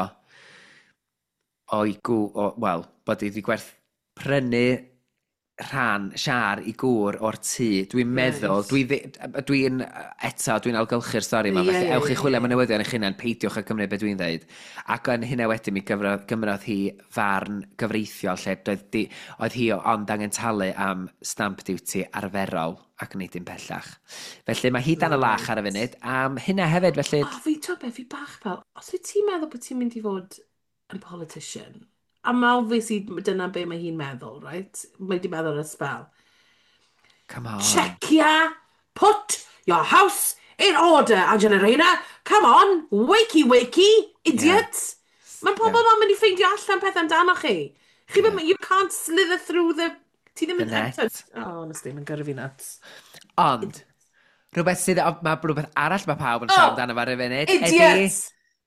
o'i gw, o, wel, bod hi wedi gwerth prynu Rhan Siar i gŵr o'r tŷ, dwi'n meddwl, dwi'n, eto, dwi'n algylchu'r stori yma, felly ewch i chwilio am y newyddion eich hunain, peidiwch â cymryd beth dwi'n dweud. Ac yn hynna wedyn mi gymrodd hi farn gyfreithiol lle oedd hi ond angen talu am stamp duty arferol ac nid dim pellach. Felly mae hi dan y lach ar y funud am hynna hefyd, felly. O, fi, ti'n beth, fi bach fel, os wyt ti'n meddwl bod ti'n mynd i fod yn politician, a mae obviously dyna be mae hi'n meddwl, right? Mae di meddwl ar y spel. Come on. Checia, put your house in order, Angela Rayner. Come on, wakey wakey, idiot. Mae pobl ma'n mynd i ffeindio allan pethau amdano chi. Chi yeah. You can't slither through the. Ti ddim The yn net. Oh, honestly, mae'n gyrru fi nuts. Ond, rhywbeth sydd, mae rhywbeth arall mae pawb yn siarad amdano fo ar y funud, ydy Idiots!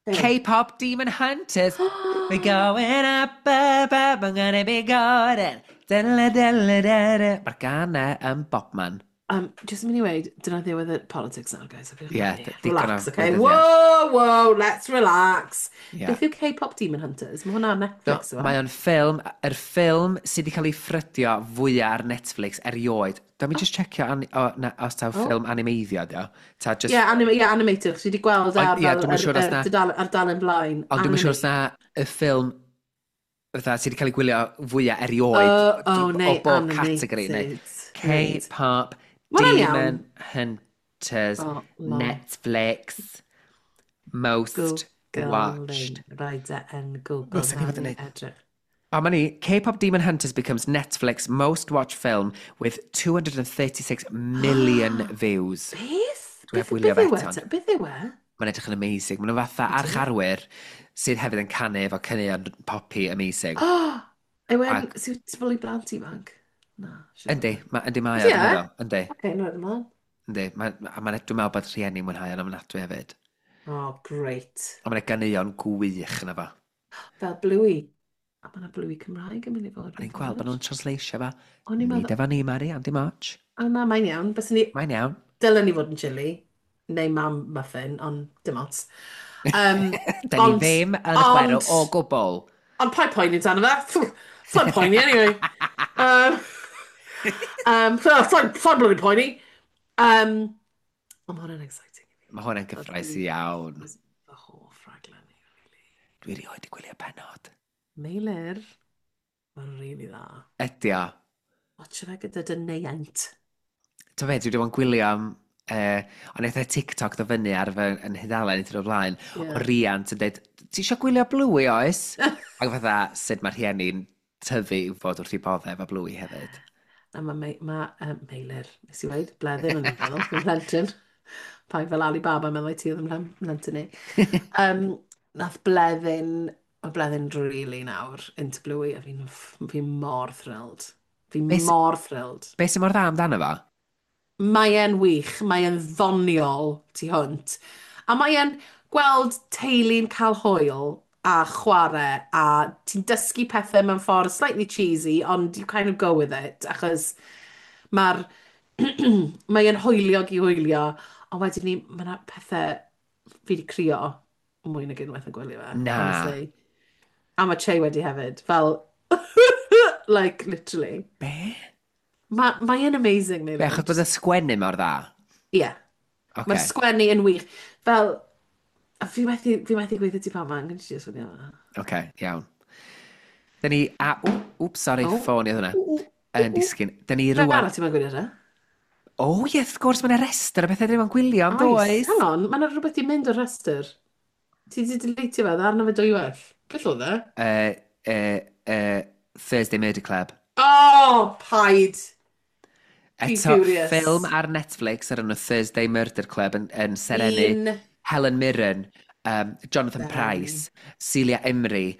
K-pop Demon Hunters. We going up, up, up, I'm gonna be golden. Dela, dela, dela. Mae'r gân 'na yn bobman. Just yn mynd i weud, dyna ddiwedd y politics nawr, guys. Ie, digon o Relax, okay? wleidyddiaeth. Whoa, let's relax. Yeah. Beth yw K-pop Demon Hunters? Mae hwnna ar Netflix, yw e? Mae o'n ffilm, yr ffilm sydd wedi cael ei ffrydio fwyaf ar Netflix erioed. Dwi'n mi just checio o, na, os taw ffilm animeiddio, dio. Ta just, Ie, yeah, animated, chos dwi wedi gweld ar, Ond, ie, fel, dwi'm yn siŵr os ar dalen blaen. Ond dwi'n siŵr os na y ffilm fatha sydd wedi cael ei gwylio fwyaf erioed Oh, o neu bob categori. Neu animated. Reit. K-pop Ma' hwnna'n Demon iawn. Hunters Oh, lol. Netflix Most Googling. Watched. Rhaid e yn Google. Ddylsen ni fod yn na neud. Edrych. A ma ni, K-pop Demon Hunters becomes Netflix most watched film with 236 million views. Beth? Dwi heb Beth wylio beth fe yw e? eto. Beth yw e? Mae'n edrych yn amazing. Maen nhw fatha archarwyr sydd hefyd yn canu efo caneuon poppy amazing. Oh, yw e'n suitable i blant ifanc? Na. Siŵr. Yndi, yndi mae o, Ydi dwi'n e? meddwl. Yndi, Oce, no, ymlaen. yndi. A dwi'n meddwl bod rhieni mwynhau o'n ofnadwy hefyd. Oh, great. A mae'n ganeuon gwych yna fo. Fel Bluey. A mae yna Bluey Cymraeg yn mynd i fod. O'n i'n gweld bod nhw'n translatio fa. O'n i'n Nid meddwl. efo ni, Mari, ond dim ots. O na, mae'n iawn. Byswn ni. Mae'n iawn. Dylen ni fod yn chili. Neu mam muffin, ond dim ots. Da ni ddim yn chwerw o gwbl. Ond paid poeni amdano fe. Sa'n poeni anyway. Sa'n bloody poeni. Ond mae hwnna'n exciting i fi. Mae hwnna'n gyffrous iawn. Fy hoff raglen i, really. Dwi erioed 'di gwylio penod. Meilir, mae'n really dda. Ydy o. Watch fe gyda dy neiaint. Ti'n fe, dwi wedi bod yn gwylio am. Ond eitha TikTok ddo fyny ar fy yn hudalen i o'r blaen, o riant yn dweud, "Ti eisiau gwylio Bluey, oes?" Ac fatha, sut mae rhieni'n tyfu i fod wrth i boddau efo Bluey hefyd. A mae ma Meilir, nes i weud, bleddyn o'n i'n meddwl, yn plentyn. Pai fel Alibaba meddwl i ti oedd yn plentyn ni. Nath Bleddyn, mae Bleddyn really nawr into Bluey, a fi'n fi mor thrilled. Fi mor thrilled. Be sy'n mor dda amdano fo? Mae e'n wych, mae e'n ddoniol tu hwnt. A mae e'n gweld teulu'n cael hwyl a chwarae, a ti'n dysgu pethau mewn ffordd slightly cheesy, ond you kind of go with it, achos mae e'n hwyliog i hwylio, ond wedyn ni, mae yna pethau fi wedi crio mwy nag unwaith yn gwylio fe, Na. honestly. A mae Che wedi hefyd, fel, like, literally. Be? Mae e'n amazing, Be, Meilir. achos bod y sgwennu mor dda? Ie. Yeah. Okay. Mae'r sgwennu yn wych. Fel, a fi methu gweithio ti pan ma'n gyda ti yma. Oce, iawn. Da ni. A, wp, sorry, Oh. ffôn i oedd hwnna. Yn disgyn. Da ni Be rwan. arall ti'n ma'n gwylio te? O, ie, wrth gwrs, mae'n restr o bethau dyn ni'n gwylio, yn Oes. does? Hang on, mae yna rhywbeth i mynd o'r restr. Ti di deletio fe, arno fe dwywaith. Beth oedd e? Thursday Murder Club. Oh, paid! Fi'n Eto, furious. ffilm ar Netflix ar enw Thursday Murder Club yn serennu Un Helen Mirren, Jonathan Serennu. Pryce, Celia Imrie,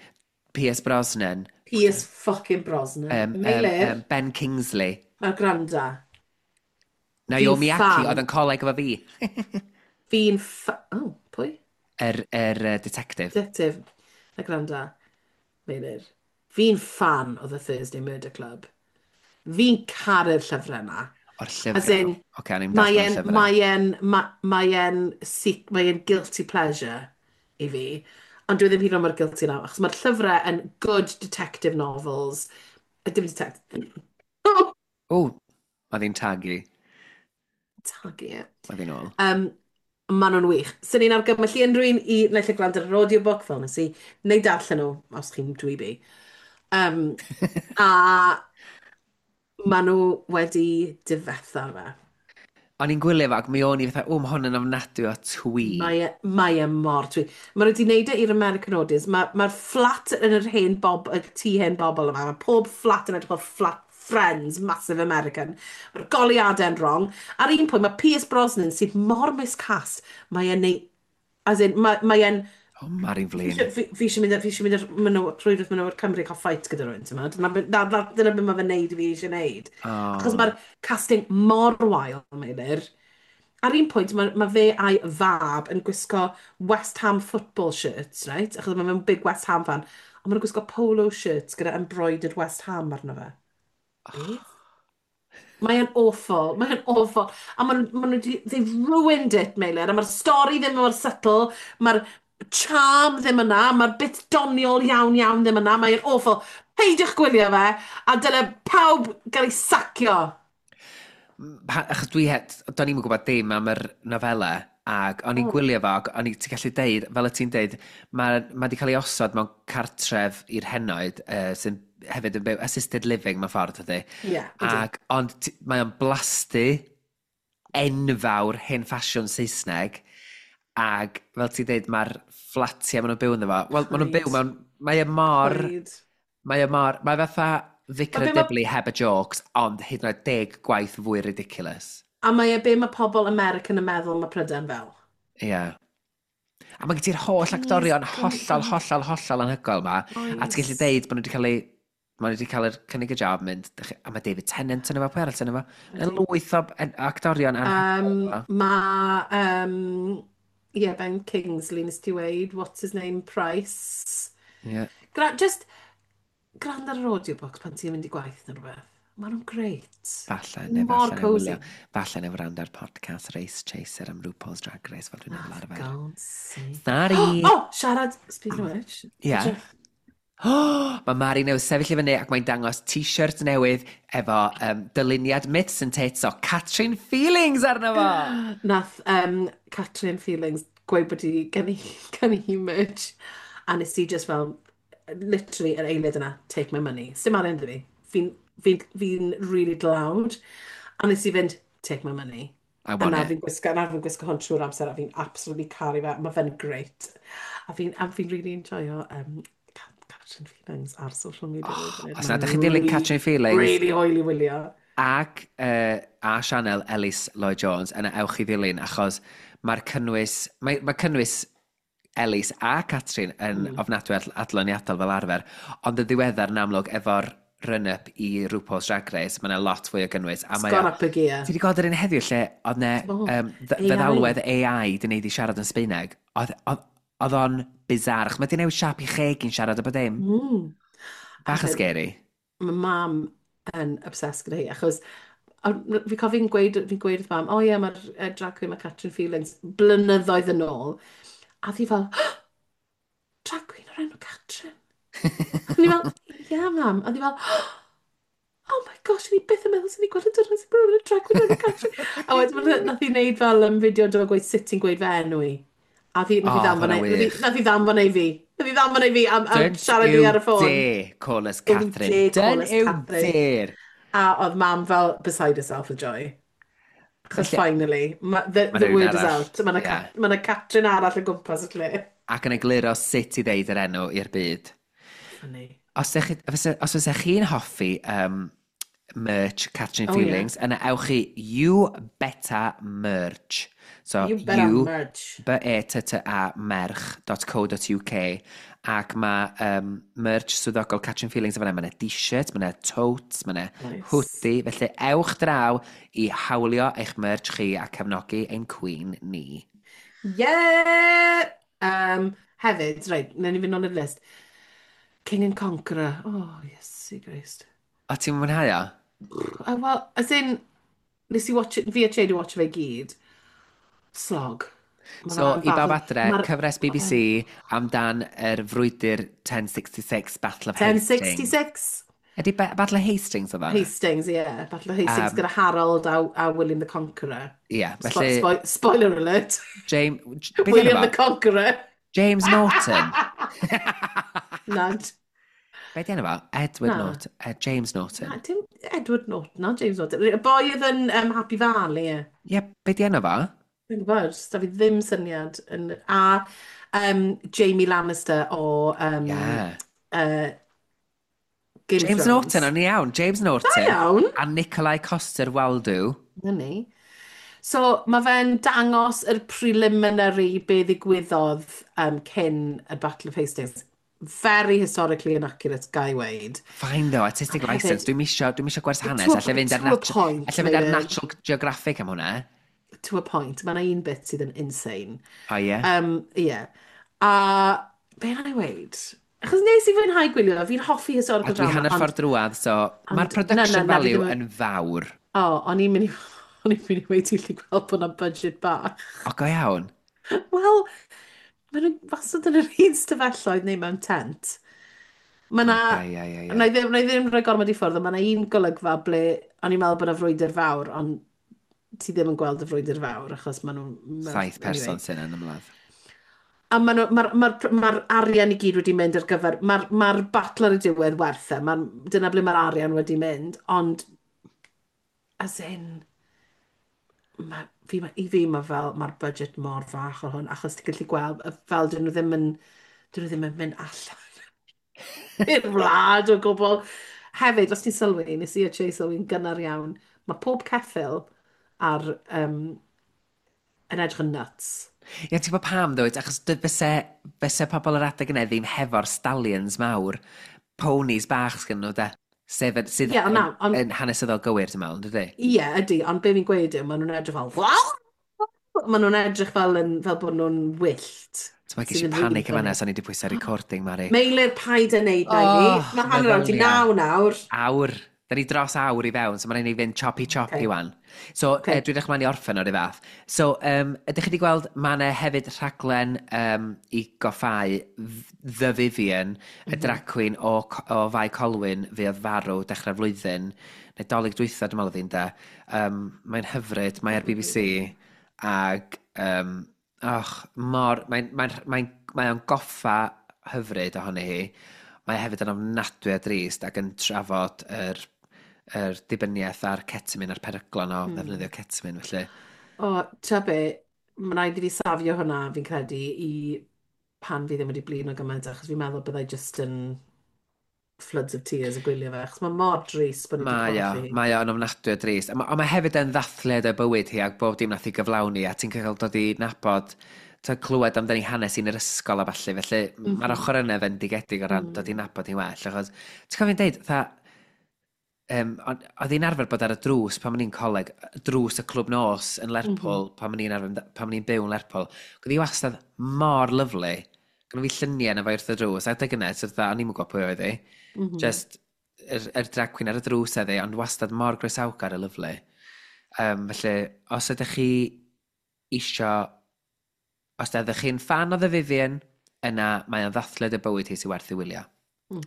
Pierce Brosnan, Pierce fucking Brosnan. Meilir, Ben Kingsley. Mae'r granda. Naomi Fi'n Ackie fan. oedd yn coleg efo fi. Oh, pwy? Yr detective. Detective. Na granda. Meilir. Fi'n fan o The Thursday Murder Club. Fi'n caru'r llyfrau yna. O'r llyfrau. As in, Oce, o'n i'n Mae darllen e'n, llyfrau. mae e'n guilty pleasure i fi. Ond dwi ddim hyd yn oed mor guilty nawr, achos mae'r llyfrau yn good detective novels. Dim detective. O, mae ddi'n tagu. Tagu e. Mae ddi'n ôl. Maen nhw'n wych. Swn i'n argymell i unrhyw un i naill ai gwrando ar yr audiobook fel nes i, neu darllen nhw, os chi'n dweeby. A maen nhw wedi difetha fe. O'n i'n gwylio fo ac mi o'n i fatha, o, mae hwn yn ofnadwy o twee. Mae e mor twee. Maen nhw wedi gwneud e i'r American audience. Mae'r fflat yn yr hen bob, y tŷ hen bobl yma, mae pob fflat yn edrych fel fflat Friends, massive American. Mae'r goleuadau'n wrong. Ar un pwynt, mae Pierce Brosnan sydd mor miscast, mae e'n neud, as in, mae e'n O, Mari'n Fi flin. eisiau mynd i'r rhwydwaith menywod Cymru cael fight gyda rhywun, ti'n meddwl? Dyna beth mae fe'n neud i fi eisiau neud. Achos Oh. mae'r casting mor wael, Meilir. Ar un pwynt, mae fe a'i fab yn gwisgo West Ham football shirts, right? Achos mae fe'n big West Ham fan. Ond maen nhw'n gwisgo polo shirts gyda embroidered West Ham arno fe. Beth? Mae e'n awful, mae e'n awful. A ma nhw 'di, they've ruined it, Meilir. A mae'r stori ddim mor subtle, mae'r charm ddim yna, mae'r bit doniol iawn iawn ddim yna, mae'n awful. Peidiwch gwylio fe, a dyle pawb gael ei sacio. Achos do'n i'm yn gwybod dim am yr nofela, ac o'n i'n gwylio fo, ac o'n i, ti'n gallu deud, fel y ti'n deud, mae di cael ei osod mewn cartref i'r henoed, sy'n hefyd yn byw, assisted living mewn ffordd, ydy. Ie, yeah, ydy. Ac, ond mae o'n blasty enfawr hen ffasiwn Saesneg, ac fel ti'n deud, mae'r fflatiau maen nhw'n byw ynddo fo. Wel, maen nhw'n byw Paid. mewn. Mae e mor. Paid. Mae e mor. Mae fatha Vicar Ma' of be ma' Dibley heb y jokes, ond hyd yn oed 10 gwaith fwy ridiculous. A mae e be mae pobl American yn meddwl mae Prydain fel. Ie. Yeah. A mae gen ti'r holl Please, actorion come hollol, on. hollol, hollol anhygoel ma. A ti'n gallu Oes. deud bod nhw wedi cael ei... Maen nhw wedi cael yr cynnig y job mynd. A mae David Tennant yn efo, pwy arall yn efo? Mae'n Ydy. lwyth o actorion anhygoel ma. Mae, yeah, Ben Kingsley, nes ti weud, what's his name, Price. Ie. Just gwrando ar yr audiobook pan ti'n mynd i gwaith neu rhywbeth. Maen nhw'n great. Falle, neu Mor falle neu cosy. wylio. Falle neu wrando ar podcast Race Chaser am RuPaul's Drag Race fel dwi'n Ah, meddwl for arfer. God's sake. Sorry! Oh, siarad, speaking of which. Ie. Edrych. Mae Mari newydd sefyll i fyny ac mae'n dangos t-shirt newydd efo dyluniad Myths and Tits o Catrin Feelings arno fo. Nath Catrin Feelings gweud bod hi gen i merch. A nes i just fel, literally, yr eiliad yna, "Take my money." Sim arian 'da fi. Fi really dlawd. A nes i fynd, "Take my money." I A want na it. fi'n gwisgo hwn trwy'r amser a fi'n absolutely caru fe. Mae fe'n great. A fi'n really enjoyo Catrin Feelings ar social media. Oh, os na ydych chi'n dilyn Catrin Feelings Really hwyl i wylio. ac a sianel Ellis Lloyd Jones, yna ewch i ddilyn achos mae'r cynnwys, mae cynnwys Ellis a Catrin yn ofnadwy adloniadol fel arfer, ond yn ddiweddar yn amlwg efo'r run-up i RuPaul's Drag Race, mae yna lot fwy o gynnwys. A It's mae gone up a gear. Ti wedi gweld yr un heddiw lle oedd ne Do. AI. feddalwedd AI di wneud i siarad yn Sbeineg? Oedd o'n bizarre, achos mae di newid siap i cheg i'n siarad o bod dim. Bach yn Hefyd, scary. mae mam yn obsessed gyda hi, achos a fi cofio fi'n gweud wrth mam, "O oh, ie, mae'r drag queen, mae Catrin Feelings," blynyddoedd yn ôl. A fi fel, "Drag queen o'r enw Catrin?" A ni fel, "Ie, mam." A fi fel, "Oh my gosh, ni byth yn meddwl sy'n ni gweld y diwrnod sy'n bod yn drag queen o'r enw Catrin." A wedyn nath hi wneud fel fideo do gweud sut ti'n gweud fe enw i. A fi, nath O, hi ddanfon hwnna ei, nath hi- wych. nath hi ddanfon ei fi. Nath hi ddanfon ei fi am Don't siarad you fi ar y ffôn. dare call us Don't you Catherine. dare call Don't us you Catherine. dare. A oedd mam fel beside herself with joy. Achos Felly- finally, Ma' the rhywun word is arall. out. Mae yna ma Catrin arall o gwmpas y lle. Ac yn egluro sut i ddeud yr enw i'r byd. Funny. Os fysa chi'n hoffi merch Catrin Oh, yeah. Feelings, yna ewch i You Better Merch. So, You Better you Merch. B E T T A merch.co.uk ac mae merch swyddogol Catrin Feelings yn fan'na. Mae yna t-shirt, mae yna totes, mae yna hoodie. Felly ewch draw i hawlio eich merch chi a cefnogi ein queen ni. Yeah! Hefyd, reit, newn ni fynd nôl i'r list. King and Conqueror. Oh, yes, Christ. O, ti'n mwynhau o? Well, as in, nes i watch it, fi a Che di watch fe gyd. Slog. Ma' So, fe'n i bawb adre, cyfres BBC amdan yr frwydr 1066 Battle of Hastings. 1066. Ydy Battle of Hastings oedd hwnna? Hastings, ie. Yeah. Battle of Hastings gyda Harold a William the Conqueror. Ie, yeah, felly. Spoiler alert. James. William the Conqueror. James Norton. Nad. Be di enw fo? Edward Na. Norton. James Norton. Na, dim Edward Norton, na James Norton. Y boi oedd yn Happy Valley, ie. Ie, yeah, be di enw fo? Dwi'n gwybod, da fi ddim syniad. A Jamie Lannister o yeah. Game James Thrones. Norton, o'n i iawn. James Norton. Da iawn. A Nikolai Coster-Waldau. Na ni. So, mae fe'n dangos yr preliminary be ddigwyddodd cyn y Battle of Hastings. Very historically inaccurate, ga i weud. Fine though, artistic license. Dwi'm isio gwers hanes. Alla fynd ar To a point, alla fynd ar Natural Geographic am hwnna. To a point. Mae yna un bit sydd yn insane. O, ie? Ie. A be na i weud? Achos nes i fwynhau gwylio, fi'n hoffi historical A dwi drama. hanner ffordd drwadd, so mae'r Na, production na, na, fi value ddim yn fawr. O, o'n i'n mynd i weud ti'n gallu gweld bod 'na budget bach. O, go iawn. Wel, maen nhw wastad yn yr un stafelloedd neu mewn tent. Mae na, Oce, ie, ie, ie. Na i ddim rhoi gormod i ffwrdd, ond mae 'na un golygfa ble o'n i'n meddwl bod 'na frwydr fawr, ond ti ddim yn gweld y frwydr fawr achos maen nhw'n 7 person anyway. sy'n yn ymladd. A ma arian i gyd wedi mynd ar gyfer. Mae'r ma battle ar y diwedd werth e. Dyna ble mae'r arian wedi mynd, ond as in, i fi mae fel, mae'r budget mor fach o hwn, achos ti'n gallu gweld, fel dyn nhw ddim yn mynd allan i'r wlad o gwbl. Hefyd, os ti'n sylwi, nes i a Chase sylwi'n gynnar iawn, mae pob ceffyl yn edrych yn nuts. Ie, ti'n gwybod pam, dwyt? Achos fyse pobl yr adeg yna ddim hefo'r stallions mawr, ponies bach sgyn nhw, de. Sef, sydd Ie, ond yn, na, ond yn hanesyddol gywir, dwi'n meddwl, dydy? Ie, ydy, ond be fi'n gweud yw, maen nhw'n edrych fel, maen nhw'n edrych fel bod nhw'n wyllt. Ti'n meddwl, ges i Sydd yn panic really efo funny. yna, so ni wedi pwyso recording, Mari. Meilir, paid yn neud na i fi. Oh, Mae hanner awr di meddylia. 9 nawr. Awr. Da ni dros awr i fewn, so mae'n rhaid i ni fynd choppy choppy Okay. wan. So, dwi'n edrych ymlaen i orffen o'r fath. So, ydych chi wedi gweld, mae yna hefyd rhaglen i goffau The Vivian, y drag queen o Fae Colwyn fuodd farw dechrau'r flwyddyn, neu Dolig dwytha, dwi'n meddwl oedd hi'n de. Mae'n hyfryd, mae ar BBC, ag, och, mor, mae o'n goffa hyfryd ohoni hi. Mae hefyd yn ofnadwy o drist ac yn trafod yr dibyniaeth a'r ketamine a'r peryglon o ddefnyddio ketamine, felly. O, ta be, mae'n rhaid i fi safio hwnna, fi'n credu, i pan fi ddim wedi blino gymaint, achos fi'n meddwl byddai just yn floods of tears yn gwylio fe, achos mae mor drist bod ni wedi Mae o, colli hi. mae o'n ofnadwy o drist. Ond mae hefyd yn ddathliad o bywyd hi ac bob dim nath i gyflawni a ti'n cael dod i nabod, ti'n clywed amdani hanes hi'n yr ysgol a ballu, felly mae'r ochr yna fendigedig o ran dod i nabod hi'n well, achos ti'n cofio'n deud, fatha, oedd hi'n arfer bod ar y drws pan o'n i'n coleg, drws y clwb nos yn Lerpwl, pan o'n i'n byw yn Lerpwl. Oedd hi wastad mor lyfli. Gynno fi lluniau yna fo wrth y drws, a adeg yna, so fatha, o'n i'm yn gwybod pwy oedd hi. Just, yr drag queen ar y drws oedd hi, ond wastad mor groesawgar a lyfli. Felly, os ydych chi isio, os ydych chi'n fan o The Vivian, yna mae o'n ddathliad y bywyd hi sy'n werth i wylio.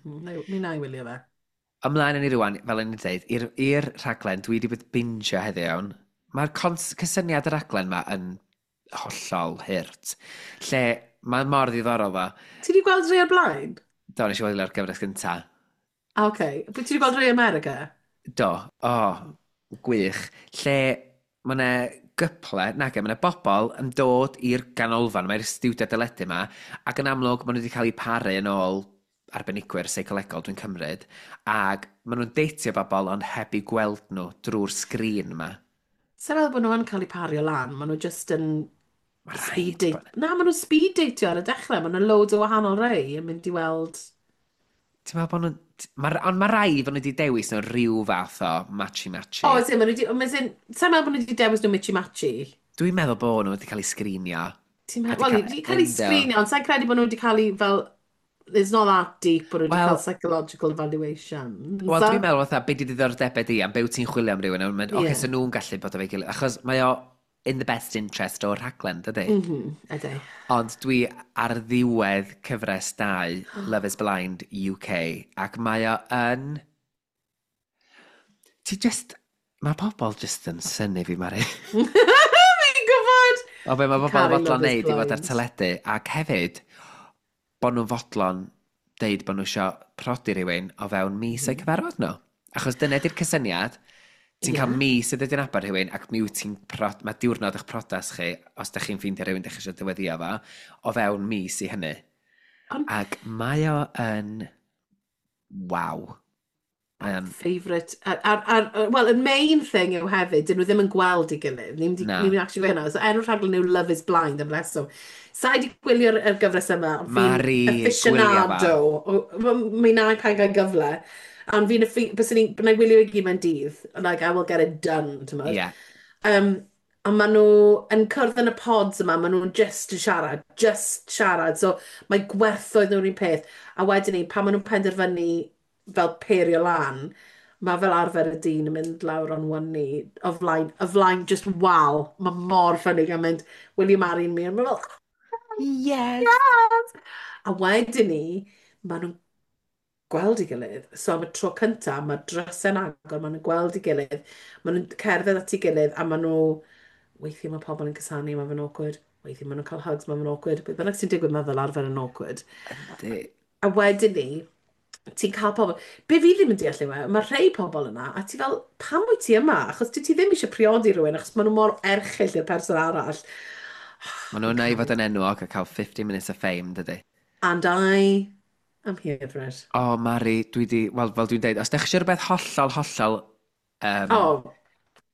Mi na i wylio fe. Ymlaen yn i rwan, fel o'n i'n dweud, i'r rhaglen, dwi wedi bod bingio heddiw iawn. Mae'r cysyniad y rhaglen ma yn hollol hurt. Lle mae mor ddiddorol fo. Ti wedi gweld rhai o'r blaen? Do, nes i wylio'r gyfres gynta. Ah, oce. Okay. Ti wedi gweld rhai America? Do, o, oh, gwych. Lle mae yna gyple, nage, mae yna bobl yn dod i'r ganolfan, mae'r stiwdio deledu yma, ac yn amlwg maen nhw wedi cael eu paru yn ôl arbenigwyr seicolegol, dwi'n cymryd, ac maen nhw'n deitio bobl ond heb eu gweld nhw drwy'r sgrin yma. Sa'n meddwl bod nhw yn cael eu pario lan, maen nhw just yn Ma' speed rhaid date. Na, maen nhw'n speed datio ar y dechrau, maen nhw'n loads o wahanol rei yn mynd i weld. Ti'n meddwl bod nhw'n. Ond mae rai fod nhw wedi dewis nhw rhyw fath o matchy-matchy. O, ydyn, maen nhw wedi. Sa'n meddwl bod nhw wedi dewis nhw mitchy-matchy? Dwi'n meddwl bod nhw wedi cael eu sgrinio. Ti'n A meddwl, 'di wel, cael wedi cael ei ynddo. sgrinio, ond sa'n credu bod nhw wedi cael ei fel. It's not that deep bod nhw wedi Wel cael psychological evaluation. Wel, dwi'n meddwl fatha, be di diddordebau di am be wyt ti'n chwilio am rhywun, a mynd, oce, so nhw'n gallu bod efo'i gilydd, achos mae o in the best interest o'r rhaglen, dydy? Ydy. Ond dwi ar ddiwedd cyfres 2, Love is Blind UK, ac mae o yn Ti just... Mae pobl just yn synnu fi, Mari. Fi'n gwybod! O be mae Fi'n pobl yn caru fodlon Love is neud i fod ar Blind. teledu. Ac hefyd, bod nhw'n fodlon deud bod nhw eisiau prodi rhywun o fewn mis o'i cyfarfod nhw. Achos dyna di'r cysyniad. Ti'n cael mis i ddod i nabod rhywun ac mi wyt ti'n prod, mae diwrnod eich priodas chi, os da chi'n ffeindio rhywun da chi eisiau dyweddio fo, o fewn mis i hynny. Ac mae o yn... Waw. Mae o'n... Favourite. Wel, y main thing yw hefyd, dyn nhw ddim yn gweld ei gilydd. Ni'n Na. ni actually gweud hynna. So, enw'r rhaglen yw Love is Blind am reswm. Sa i 'di gwylio'r gyfres yma, ond fi'n Mari, gwylia aficionado. Mi na i pan gael gyfle. Ond fi'n, byswn i'n, byddai wylio i gyd mewn dydd. Like, I will get it done, ti'n gwbod. A maen nhw yn cwrdd yn y pods yma, maen nhw'n just yn siarad, just siarad. So mae gwerthoedd nhw'n un peth. A wedyn ni, pan maen nhw'n penderfynu fel pairio lan, mae fel arfer y dyn yn mynd lawr on one knee, o flaen just wal. Mae mor funny gan mynd, "Will you marry me?" A mae'n fel, "Yes!" "Yes!" A wedyn ni, maen nhw'n gweld ei gilydd. So am y tro cyntaf, mae drysau'n agor, maen nhw'n gweld ei gilydd, maen nhw'n cerdded at ei gilydd, a maen nhw... Weithiau mae pobl yn cusanu, mae fe'n awkward. Weithiau maen nhw'n cael hugs, mae fe'n awkward. Beth bynnag sy'n digwydd, mae fel arfer yn awkward. Yndi. A wedyn ni, ti'n cael pobl... Be fi ddim yn deall yw e, mae rhai pobl yna, a ti fel, "Pam wyt ti yma? Achos dwi ti ddim eisiau priodi rhywun, achos maen nhw mor erchyll i'r person arall." Maen nhw'n yna i fod yn enwog a cael 50 minutes of fame, dydy. And I am here for it. O, oh, Mari, dwi di... Wel, fel dwi'n deud, os ydych chi eisiau rhywbeth hollol, hollol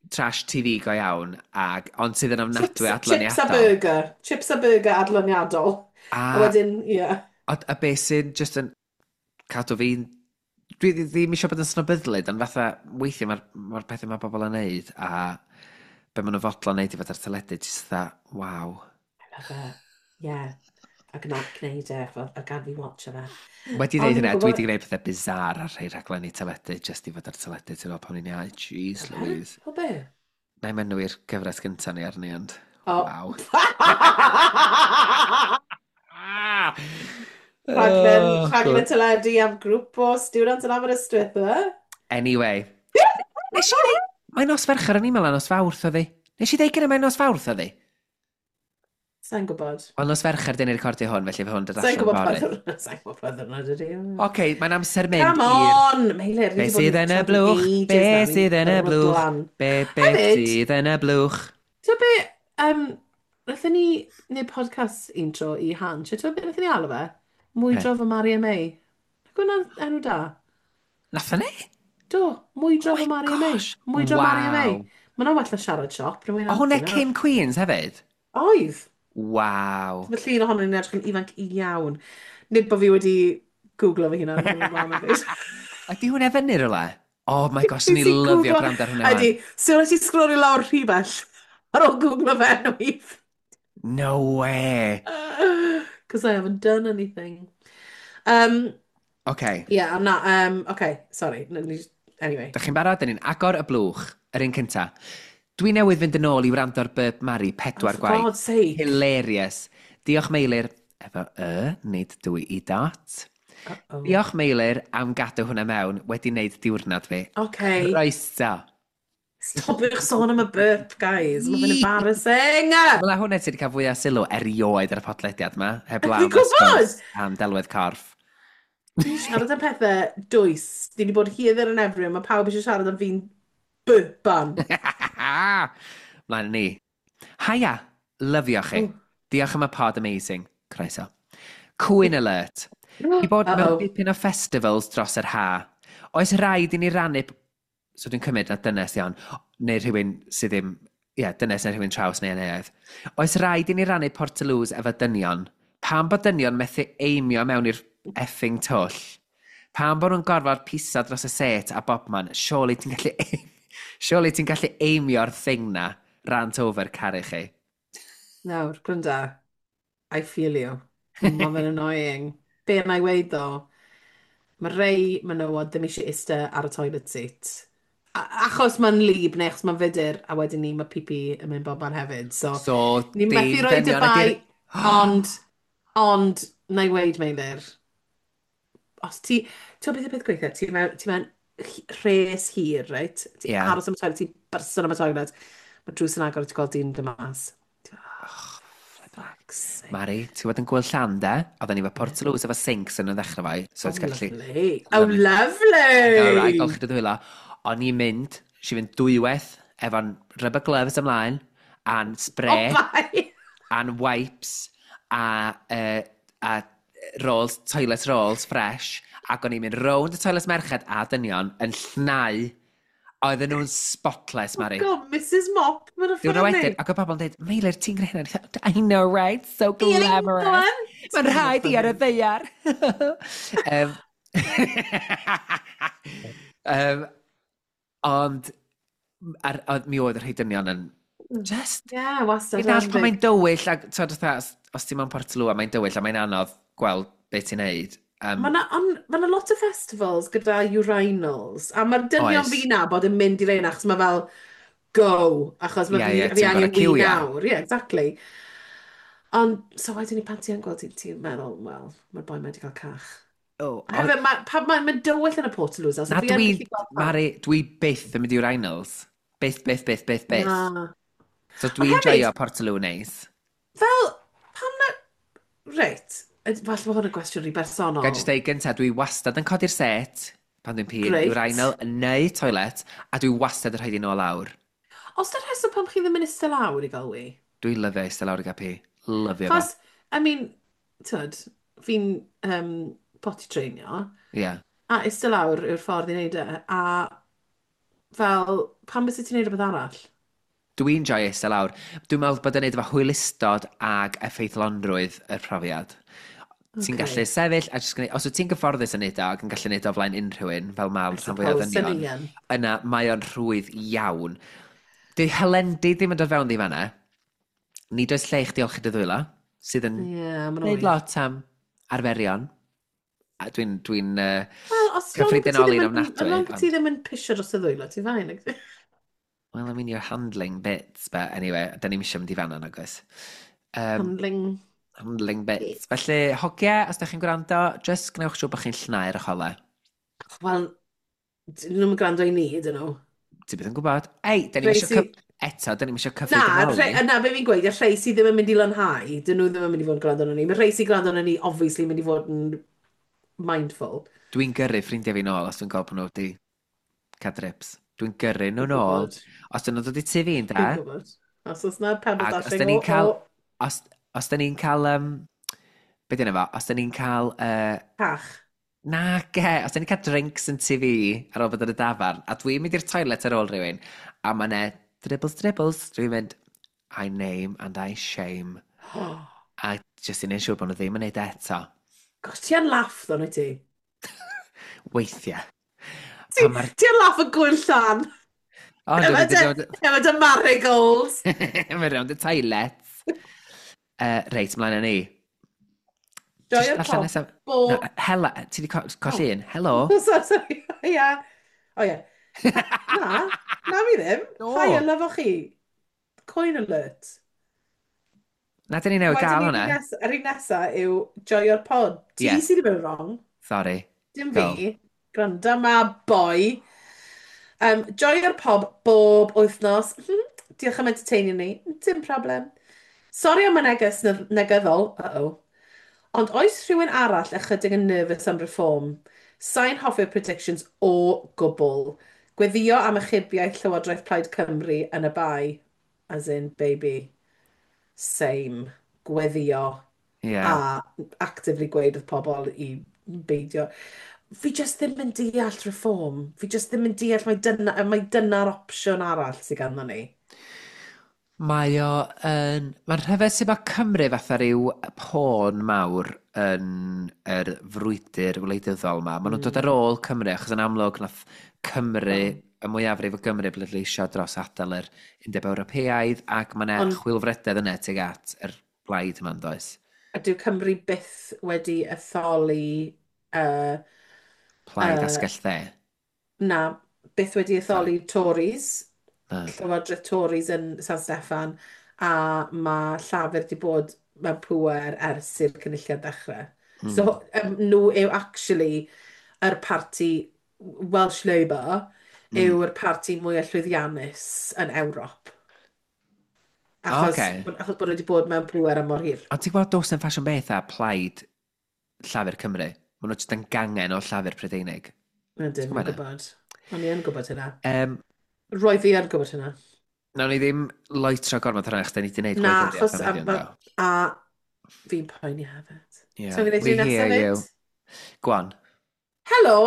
trash TV go iawn, ag, ond sydd yn ofnadwy Chips, chips a adloniadol. burger. Chips a burger adloniadol. A wedyn, ie. Yeah. A beth sy'n just yn cadw fi'n... Dwi ddim eisiau bod yn snobyddlyd, ond fatha, weithiau mae'r ma pethau mae bobl yn neud, a be maen nhw'n fodlon neud i fod ar teledu, jyst fatha, waw. I love it. Yeah. Ac yna gwneud e, fel, a gad fi watch fe. Wedi Ond dweud hynna, fi'n dwi gwbod- wedi gwneud pethau bizarre ar rhai rhaglenni teledu, just i fod ar teledu, ti'n meddwl pan ni'n iau, jeez Louise. O be? Na i enwi'r gyfres gyntaf ni arni, ond waw. Rhaglen, Oh, rhaglen good. teledu am grŵp o students yn Aberystwyth, e? Anyway. Nes i ddeud, mae'n nos Fercher yn email a nos Fawrth oedd hi. Nes i ddeud gyda mae'n nos Fawrth oedd hi. Sa'n gwybod. Wel, nos Fercher dyn ni'n recordio hwn, felly fe hwn dod Sa'n allan gwybod pa fory. ddwrnod. Sa'n gwybod pa ddwrnod ydy. Oce, mae'n amser mynd Come i'r on! Meilir, Be sydd yn y blwch? Be sydd yn y blwch? Be Hefyd- sydd yn y blwch? Ti'n be, wnaethon ni wneud podcast un tro i Hans, ti'n be wnaethon ni alw fe? Mwydro fy Mari a May. Ac hwnna'n enw da. Nathon ni? Do, Mwydro Oh fy my Mari a May. gosh, Mwydro Mari a May. waw. Mae hwnna'n well na Siarad Siop. O, hwnna cyn Queens hefyd? Oedd. Waw. Mae llun ohono ni'n edrych yn ifanc iawn. Nid bod fi wedi googlo fy hunan. Yn y blaen hefyd. Ydy hwnna fyny rhywle? Oh my gosh, Nes ni i lyfio googlo- gwrando ar hwnna. Ydy, so nes i sgrolio lawr rhy bell ar ôl googlo fe enw i. No way. Because I haven't done anything. Okay. Yeah, I'm not, okay, sorry. Anyway. Dych chi'n barod? Dyn ni'n agor y blwch, yr un cynta. Dwi newydd fynd yn ôl i wrando ar Burp Mari pedwar Oh, for gwaith. God's sake. Hilarious. Diolch Meilir, efo y, nid dwy i dot. Uh-oh. Diolch Meilir am gadw hwnna mewn wedi wneud diwrnod fi. Okay. Croeso. Stopiwch sôn am y burp, guys. Mae fe'n embarrassing. Wel, a hwnna ti wedi cael fwy o sylw erioed ar y podlediad yma. Heblaw Fi'n am y gwbod! sgwrs am delwedd corff. Ni'n siarad am pethau dwys. Ni wedi bod here, there and everywhere. Mae pawb eisiau siarad am fi'n burpan. Mlaen â ni. Haia, lyfio chi. Oh. Diolch am y pod amazing. Croeso. Cwyn alert. I bod mewn dipyn o festivals dros yr ha. Oes rhaid i ni rannu... So dwi'n cymryd na dynes iawn, neu rhywun sydd ddim... Ie, yeah, dynes neu rhywun traws neu anneuaidd. Oes rhaid i ni rannu Portaloos efo dynion? Pam bod dynion methu aimio mewn i'r effing twll? Pam bod nhw'n gorfod piso dros y set a bobman? Surely ti'n gallu aimio'r thing na. Rant over, caru chi. Nawr, gwranda. I feel you. Mae fe'n annoying. Be yna i weud ddo? Mae rei menywod ddim eisiau iste ar y toilet seat. Achos mae'n lib neu achos mae'n fudur, a wedyn ni mae pipi yn mynd bob man hefyd. So, So, ni'n dim methu rhoi dy dynion bai, ond, na i weud, Meilir, os ti, ti'n gwybod beth yw'r peth gweithio? Ti mewn Rhes hir, reit? Ti'n Yeah. aros am y toilet, ti'n byrson am y toilet. Mae drws yn agor, a ti'n gweld dyn dod mas. Oh, flippin' heck. Fuck's sake. Mari, ti'n bod yn gwyl llan de? Oedden ni efo Yeah. Portaloos efo sinks yn y ddechrau fai. So Oh, ti'n gallu. lovely. Oh, Lovely. I know, right? lovely! Golchi dy ddwylo. O'n i'n mynd, si fynd dwywaith, efo'n rubber gloves ymlaen, a'n Oh, spray, bye! a'n wipes, a rolls, toilet rolls fresh, ac o'n i'n mynd rownd y toilet merched a dynion yn llnau. Oedden nhw'n spotless, Mari. Oh, God, Mrs Mop, mae'n Diwrnod ffordd wedyn, ni. ac oedd pobl yn dweud, "Meilir, ti'n gwneud hynna?" I know, right? So glamorous. Mae'n rhaid i ar y ddaear. Ond mi oedd y rhai dynion yn just. Yeah, wastad. Fi'n dall pan mae'n dywyll, ac t'od, fatha, os ti'n mewn Portaloo a mae'n dywyll a mae'n anodd gweld beth ti'n neud. Mae yna ma 'na lot o festivals gyda urinals, a mae'r dynion fi'n nabod yn mynd i reina, achos mae fel, go, achos mae Ie, fi, ie, fi ti'n angen gorfod wee ciwio. nawr. Yeah, exactly. Ond, so wedyn ni pan ti yn gweld ti'n meddwl, "Wel, mae'r boi mae wedi cael cach." Oh, A hefyd, mae ma, ma, ma dywyll yn y Portaloos, so Na fi yn dwi, gallu gweld pawb. Mari, dwi byth yn mynd i urinals. Byth, byth, byth, byth, byth. Na. So Ond dwi'n hefyd, joio Portaloo neis. Fel, pam na. Reit, falle bod hwn yn gwestiwn rhy Ga i bersonol. jyst deud gyntaf, dwi wastad yn codi'r set pan dwi'n pîn, urinal neu toilet, a dwi wastad yn rhaid i nôl lawr. Os dy'r rheswm pam chi ddim yn eistedd lawr i gael wee? Dwi'n lyfio eistedd lawr i gael pi. Lyfio fo. Chos, I mean, tyd, fi'n potty trainio, a eistedd lawr yw'r ffordd i wneud e, a fel, pam bys ti'n neud rhywbeth arall? Dwi'n joio eistedd lawr. Dwi'n meddwl bod yn neud efo hwylustod ag effeithlonrwydd y profiad. Ti'n gallu sefyll a jyst gwneud, os wyt ti'n gyfforddus yn neud o ac yn gallu neud o flaen unrhyw un, fel mae'r I rhan fwyaf o suppose, ddynion, sy'n ni yn. Yna mae o'n rhwydd iawn. Di helendi ddim yn dod fewn ddi fanna. Nid oes lle i chdi olchi dy ddwylo, sydd yn Ie, yeah, ma'n neud wir. lot am arferion. A dwi'n Wel, os long bod ti ddim cyffredinoli'n yn, ofnadwy. as long bod ti Ond, ddim yn pisio dros y ddwylo, ti'n fine. Well, I mean, you're handling bits, but anyway, da ni'n eisiau mynd i fanna, nag oes? Handling Handling bits. Bits. Felly, hogia, os da chi'n gwrando, just gwnewch siŵr bod chi'n llnau'r cholau. Wel, dyn nhw'n gwrando i ni, dyn nhw. Ti byth yn gwybod. Ei, da ni'n Rhei eisiau Eto, da ni'n eisiau Na, cyffredinoli. na, be fi'n gweud, y rhai sydd ddim yn mynd i lanhau, dyn nhw ddim yn mynd i fod yn gwrando arno ni. Mae rhai sy'n gwrando arno ni, obviously, mynd i fod yn mindful. Dwi'n gyrru ffrindiau fi nôl os dwi'n gweld bod nhw wedi cael drips. Dwi'n gyrru nhw Fi'n nôl. gwybod. Os dyn nhw'n dod i tŷ fi'n da, Fi'n gwybod. Os oes na pebble ac os dashing, da ni'n o, cael o, Os da ni'n cael, be dyna fo? Os da ni'n cael Cach. Na, ge, os da ni'n cael drinks yn tŷ fi ar ôl bod yn y dafarn, a dwi'n mynd i'r toilet ar ôl rhywun, a mae 'ne dribbles, dribbles, dwi'n mynd, "I name and I shame." A jyst i neud siŵr bod nhw ddim yn neud e eto. Gosh, ti yn laff, ddo, neu ti? Weithiau. Ti, Pan mae'r ti yn laff yn gwyl llan. O, Efo dwi'n mynd dy, i rownd efo dy marigolds. Mae'n rownd y toilet. Reit, mlaen â ni. Ti isio Joio'r darllen pop. nesaf? Bo. Na, hela, ti wedi colli Oh. un. Helo. So, sorry, ia. O ie. Na, na fi ddim. Do. Hi, I love chi. Coin alert. Na, dyn ni newydd Wedyn gael ni, hwnna. yr un nesa yw joio'r pod. Ti sydd wedi bod yn wrong. Sorry. Dim Go. fi. Gwranda ma, boi. Joio'r pod bob wythnos. Diolch am entertainio ni. Dim problem. Sori am y neges negyddol. Uh-oh. Ond oes rhywun arall ychydig yn nervous am reform? Sa'n hoffi'r predictions o gwbl. Gweddio am achubiaeth Llywodraeth Plaid Cymru yn y bae. As in, baby. Same. Gweddio. A actively gweud wrth pobl i beidio. Fi just ddim yn deall reform. Fi just ddim yn deall mai dyna'r opsiwn arall sydd ganddo ni. Mae o yn. Mae'n rhyfedd sut mae Cymru fatha rhyw pawn mawr yn yr frwydr wleidyddol ma. Maen nhw'n dod ar ôl Cymru, achos yn amlwg nath Cymru, y mwyafrif o Gymru bleidleisio dros adael yr Undeb Ewropeaidd, ac mae yna chwilfrydedd yna tuag at yr blaid yma'n does. A dyw Cymru byth wedi etholi Plaid asgell dde. Na, byth wedi etholi Tories. Na. Llywodraeth Tories yn San Steffan, a mae Llafur wedi bod mewn pŵer ers i'r cynulliad ddechrau. So nhw yw actually yr parti Welsh Labour yw'r parti mwyaf llwyddiannus yn Ewrop. Achos, Okay. achos bod nhw wedi bod mewn pŵer am mor hir. Ond ti'n gwybod does yn ffasiwn beth a plaid Llafur Cymru? Maen nhw jyst yn gangen o Llafur Prydeinig. Ydyn, Ti'n fi'n gwybod hynna? gwybod. O'n i yn gwybod hynna. Roedd fi yn gwybod hynna. Nawn ni ddim loitro gormod hwnna, chos da ni wedi gwneud Na, gwleidyddiaeth achos am a, heddiw, a, ynddo? a fi'n poeni hefyd. Yeah, So fi'n gwneud we un hear nesaf you. fyd? Go on. Helo!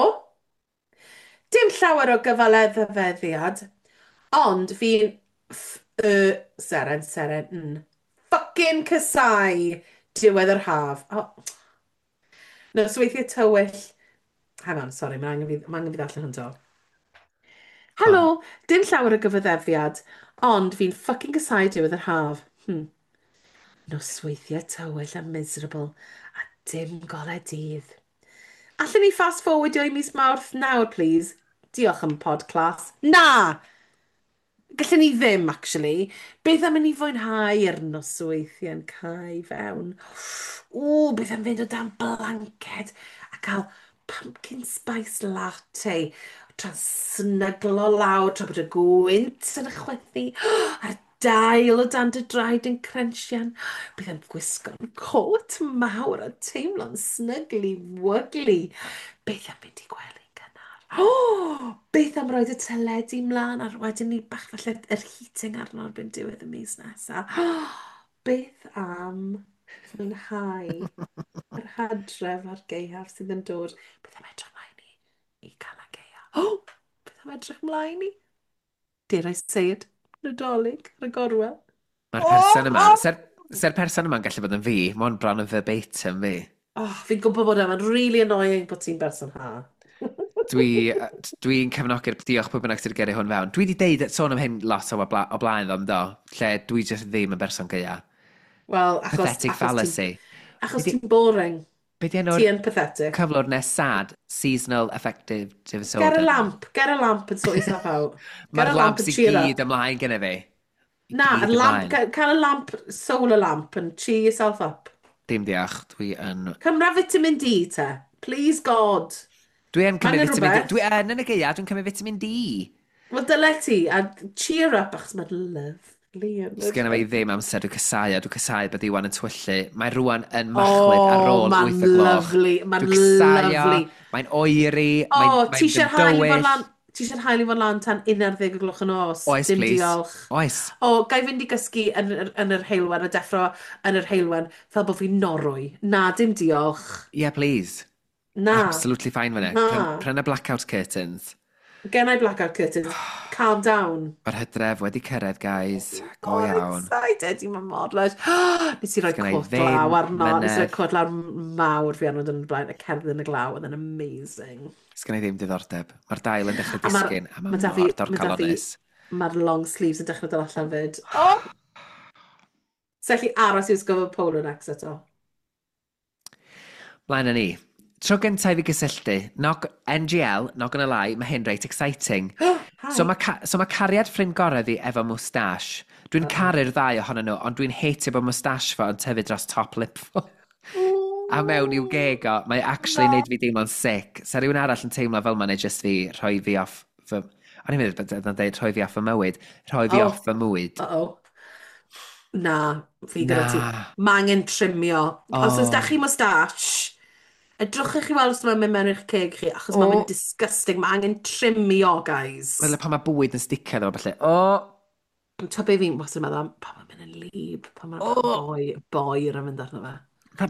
Dim llawer o gyfaleddyfeddiad, ond fi'n f y seren seren n fucking casáu diwedd yr haf. Oh, nosweithiau tywyll. Hang on, sorry, mae angen fi ddarllen hwn to. Go on. Helo, dim llawer o gyfaddefiad, ond fi'n fucking casáu diwedd yr haf. Nosweithiau tywyll a miserable, a dim golau dydd. Allen ni fast forwardio i mis Mawrth nawr, please? Diolch am pod class. Na! Gallen ni ddim, actually. Beth am i ni fwynhau yr nosweithiau'n cau fewn? Ww, beth am fynd o dan blanced a cael pumpkin spice latte tra'n snyglo lawr tra bod y gwynt yn chwythu a'r dail o dan dy draed yn crensian. Beth am gwisgo'n cot mawr a teimlo'n snygly wygly. Beth am fynd i gwely gynnar? O, beth am roid y teledu mlaen a wedyn ni bach falle yr heating arno erbyn diwedd y mis nesaf. Beth am fwynhau yr hadref a'r gaeaf sydd yn dod? Beth am edrych mlaen i Calan Gaeaf? O, beth am edrych mlaen i, dare I say it, Nadolig ar y gorwel? Mae'r O, person yma, o! Se'r person yma'n gallu bod yn fi, mae hwn bron yn verbatim fi. Oh, fi'n gwybod bod e'n really annoying bod ti'n berson ha. Dwi'n cefnogi'r diolch pwy bynnag sydd wedi gyrru hwn fewn. Dwi wedi deud sôn am hyn lot o blaen ddo, yndo, lle dwi jyst ddim yn berson gaea. Wel, achos, Pathetic achos ti'n fallacy. achos Be ti'n boring. Be di enw'r Ti yn pathetic. cyflwr nes sad? Seasonal affective Get a disorder. lamp. Get a lamp and sort yourself out. Get Mae'r a lamp lamps and i cheer gyd up. ymlaen gyda fi. I Na, gyd a lamp, ymlaen. cael a lamp, solar lamp and cheer yourself up. Dim diolch, dwi yn. Cymra vitamin D te. Please God. Dwi yn Mae cymryd angen vitamin D. rhywbeth. Dwi yn y gaea, dwi'n cymryd vitamin D. Wel, dyle ti, a cheer up, achos mae'n lovely yn yr. Sgenna fi ddim amser, dwi'n casau, a dwi'n casau bod Iwan yn twyllu. Mae rwan yn machlud ar Oh, ôl mae'n 8 o gloch. lovely, mae'n Dwi'n casau o, lovely. mae'n oeri, O, mae'n oh, ti mae eisiau'r haul i fod dywyll. lan, ti eisiau'r haul i fod lan tan 11 o gloch y nos? Oes, Dim please. diolch. Oes. O, ga i fynd i gysgu yn yr heulwen a deffro yn yr heulwen fel bod fi'n Norwy. Na, dim diolch. Yeah, please. Na. Absolutely fine fyna. Na. Pryna blackout curtains. Gen i blackout curtains. Calm down. Mae'r hydref wedi cyrraedd, guys. Go Mor iawn. excited, i mor lush. Nes i roi Sgynna i cot ddim glaw arno. Nes i roi mynedd. cot glaw mawr fi arno yn y blaen, a cerdded yn y glaw, oedd yn amazing. Sgynna i ddim diddordeb. Mae'r dail yn dechrau A mae'r disgyn, a ma mae da fi, mor ma da fi, dorcalonnus. mae'r long sleeves yn dechrau dod allan fyd. Oh! So allu aros i wisgo fy polo necks eto. Mlaen â ni. Tro gyntaf i fi gysylltu, not, NGL, not gonna lie, mae hyn reit exciting. Hi. So mae cariad ffrind gorau fi efo moustache. Dwi'n caru'r ddau ohonyn nhw, ond dwi'n hateio bod moustache fo yn tyfu dros top lip fo. A mewn i'w geg o, mae actually Na. neud fi deimlo'n sick. Sa rhywun arall yn teimlo fel ma'n neud just fi rhoi fi off fy. O'n i'n meddwl bod yn dweud rhoi fi off fy mywyd. Rhoi fi off fy mwyd. Uh-oh. Na, fi gyda ti. Na. Mae angen trimio. Os oes Oh. da chi moustache, edrychwch chi weld os mae'n mynd mewn i'ch ceg chi, achos mae'n mynd disgusting. Mae angen trimio, guys. Wel, pan mae bwyd yn sticio iddo fo, falle. O! Ti'n be fi'n wastad yn meddwl am, pan mae'n mynd yn lib, pan mae'n boi, boer yn mynd arno fe.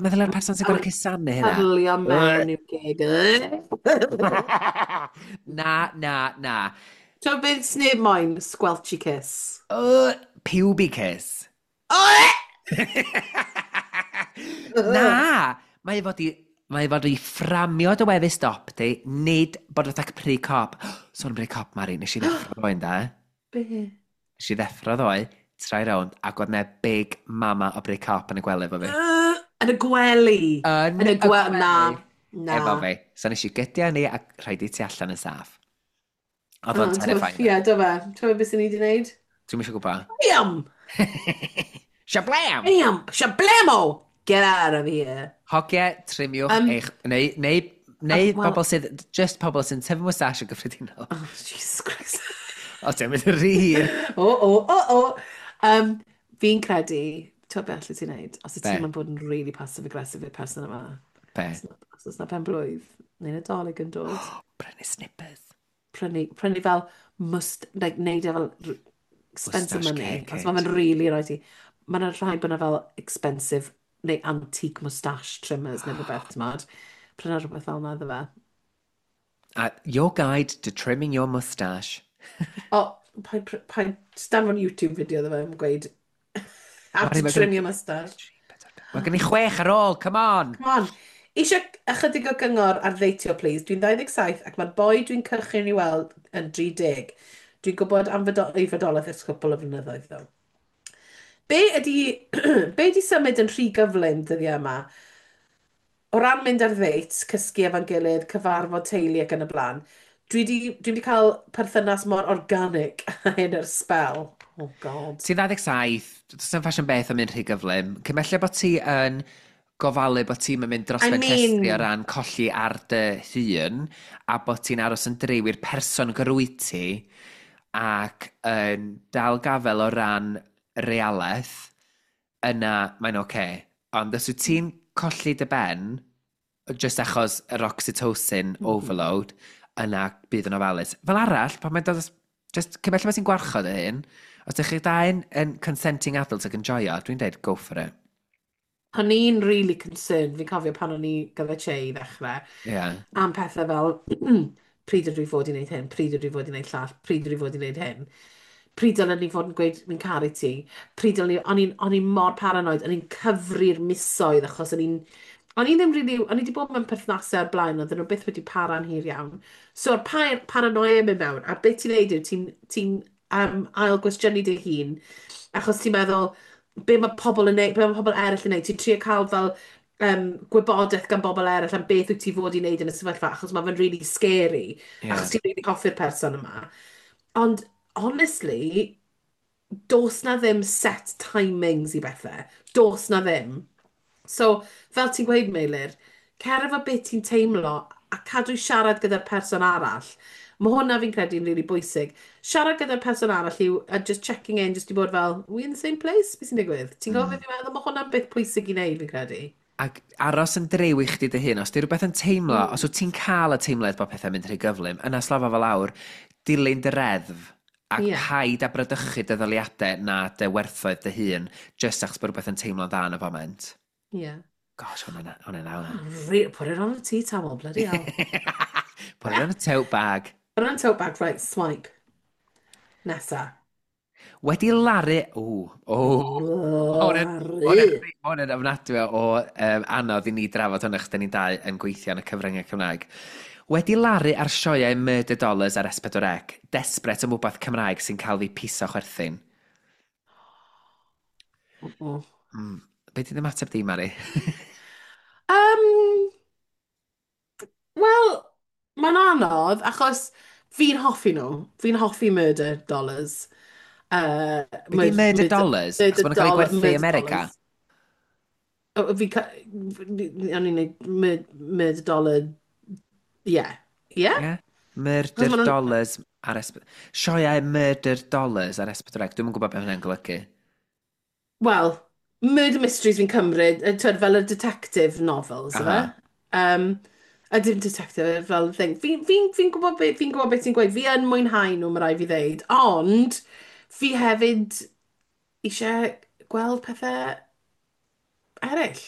Meddwl ar person sy'n gorau cusanu hynna. Pyrlio mewn i'w geg. Na, na, na. Ti'n beth sneb moyn? Squelchy kiss. Puby kiss. Na! Mae i fod i fframio dy wefus dop di, nid bod fatha pry cop. Sôn am pry cop, Mari, nes i ddeffro ddoe, ynda? Be? Nes i ddeffro ddoe, troi rownd, ac oedd 'na big mama o bry cop yn y gwely efo fi. Yn y gwely. Yn Yn y gwely. Na. Na. Efo fi. So nes i gydio ni a rhaid i ti allan yn saff. Oedd o'n Oh, terrifying. Ie, do fe. Ti'n beth sy'n ni wedi gwneud? Dwi'm eisiau gwybod. Bam! Shablam! Bam! Shablamo! Get out of here. Hogie, trimiwch eich. Neu Neu well, bobl sydd, just pobl sy'n tyfu moustache yn gyffredinol. Oh, Jesus Christ. O, ti'n mynd yn rhy hir. O, o, o, o. Fi'n credu, ti'n beth allet ti'n neud, os y Be? ti'n mynd bod yn really passive-aggressive i'r person yma. Be? Os oes na pen blwydd, neu Nadolig yn dod. Prynu snippers. Prynu fel must, like, neud e fel spend some Moustache money. care Os kit. mae'n really rhaid i. Mae'n rhaid bod yna fel expensive neu antique moustache trimmers neu rhywbeth, ti'n modd. Prynu rhywbeth fel yna iddo fe. Your guide to trimming your moustache. O, paid, just danfon YouTube video iddo fe yn gweud how Mari, to mae trim your moustache. Mae gen i 6 ar ôl, come on! Come on. Eisiau ychydig o gyngor ar ddeitio, please. Dwi'n 27 ac mae'r boi dwi'n cychwyn i weld yn 30. Dwi'n gwybod am ei fodolaeth ers cwpl o flynyddoedd, ddo. Be ydy symud yn rhy gyflym dyddiau yma? O ran mynd ar ddates, cysgu efo'n gilydd, cyfarfod teulu ac yn y blaen, dwi di cael perthynas mor organic a hyn ers sbel. Oh God. Ti'n 27, does 'na'm ffasiwn beth am mynd rhy gyflym. Cymella bod ti yn gofalu bod ti'n mynd dros I ben llestri o mean, ran colli ar dy hun a bod ti'n aros yn driw i'r person grwyt ti ac yn dal gafel o ran realaeth, yna mae'n oce. Okay. Ond os wyt ti'n colli dy ben, just achos yr oxytocin overload, yna bydd yn ofalus. Fel arall, pan mae'n dod, just cymell bod ti'n gwarchod y hyn, os ydych chi dau'n yn consenting adults ac yn joio, dwi'n deud go for it. O'n i'n really concerned, fi'n cofio pan o'n i gyda Che i ddechrau, am pethau fel pryd ydw i fod i wneud hyn, pryd ydw i fod i wneud llall, pryd ydw i fod i wneud hyn. Pryd dylen ni fod yn gweud fi'n caru ti. Pryd dylen ni, o'n i'n mor paranoid, o'n i'n cyfri'r misoedd achos o'n i ddim really, o'n i wedi bod mewn perthnasau ar blaen, oedden nhw byth wedi para'n hir iawn. So, yr paranoia mynd mewn, a beth ti'n neud yw ti'n ail gwestiynu dy hun, achos ti'n meddwl, be mae pobl yn neud, be mae pobl eraill yn neud, ti'n trio cael fel gwybodaeth gan bobl eraill am beth wyt ti fod i wneud yn y sefyllfa, achos mae fe'n really scary, achos ti'n really hoffi'r person yma. Ond, honestly, does na ddim set timings i bethau. Does na ddim. So, fel ti'n gweud, Meilir, cer efo beth ti'n teimlo a cadw siarad gyda'r person arall. Mae hwnna fi'n credu'n really bwysig. Siarad gyda'r person arall yw, a just checking in, just i bod fel, "We in the same place? Beth sy'n digwydd?" Ti'n gwybod beth fi'n meddwl? Mae hwnna'n beth pwysig i wneud, fi'n credu. Ac aros yn driw i chdi dy hun, os di rhywbeth yn teimlo, os wyt ti'n cael y teimlad bod pethau'n mynd rhy gyflym, yna slofa fel lawr, dilyn dy reddf, ac paid â bradychu dy ddaliadau na dy werthoedd dy hun, just achos bod rhywbeth yn teimlo'n dda yn y foment. Gosh, hwnna'n hwnna'n hwnna. Put it on a tea towel, bloody hell. Put it on a tote bag. Put it on a tote bag, right, swipe. Nesa. Wedi laru. O, o, Laru. hwnna'n ofnadwy o anodd i ni drafod hwnna, chos da ni'n dau yn gweithio yn y cyfryngau Cymraeg. Wedi laru ar sioeau Murder Dollars ar S4C, desperate am wbeth Cymraeg sy'n cael fi piso chwerthin. Be di'n ymateb di, Mari? Wel, mae'n anodd, achos fi'n hoffi nhw. Fi'n hoffi Murder Dollars. Be di Murder Dollars? Achos Murder maen nhw'n cael eu Dollar, gwerthu i Murder America. Dollars. O, o'n i'n neud Murder Dollar, yeah. Yeah? Yeah? Achos Murder Dollars ar S... Sioeau Murder Dollars ar S4C. Dwi'm yn gwybod beth hwnna'n golygu. Wel, murder mysteries fi'n cymryd, twyd, fel y detective novels, yfe? A dim detective, fel thing. Fi gwybod beth ti'n gweud. Fi yn mwynhau nhw, mae rhaid fi ddeud. Ond, fi hefyd eisiau gweld pethau eraill.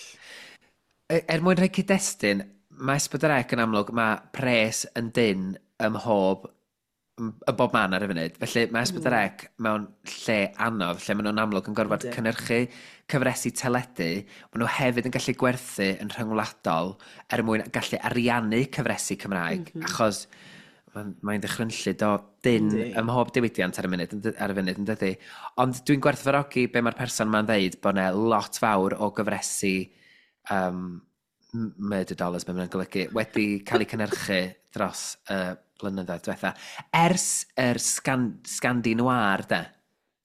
Er mwyn rhoi cyd-destun, mae S4C yn amlwg, mae pres yn dynn ym mhob, ym bob man ar y funud. Felly mae S4C mewn lle anodd, lle maen nhw'n amlwg yn gorfod cynhyrchu cyfresi teledu, maen nhw hefyd yn gallu gwerthu yn rhyngwladol er mwyn gallu ariannu cyfresi Cymraeg, achos mae'n ddychrynllyd o dynn ym mhob diwydiant ar y munud, ar y funud, yn dydy. Ond dwi'n gwerthfawrogi be mae'r person yma'n ddeud bod yna lot fawr o gyfresi Murder Dollars, be mae'n golygu, wedi cael eu cynhyrchu dros y blynyddoedd diwetha. Ers yr Scandi Noir, de.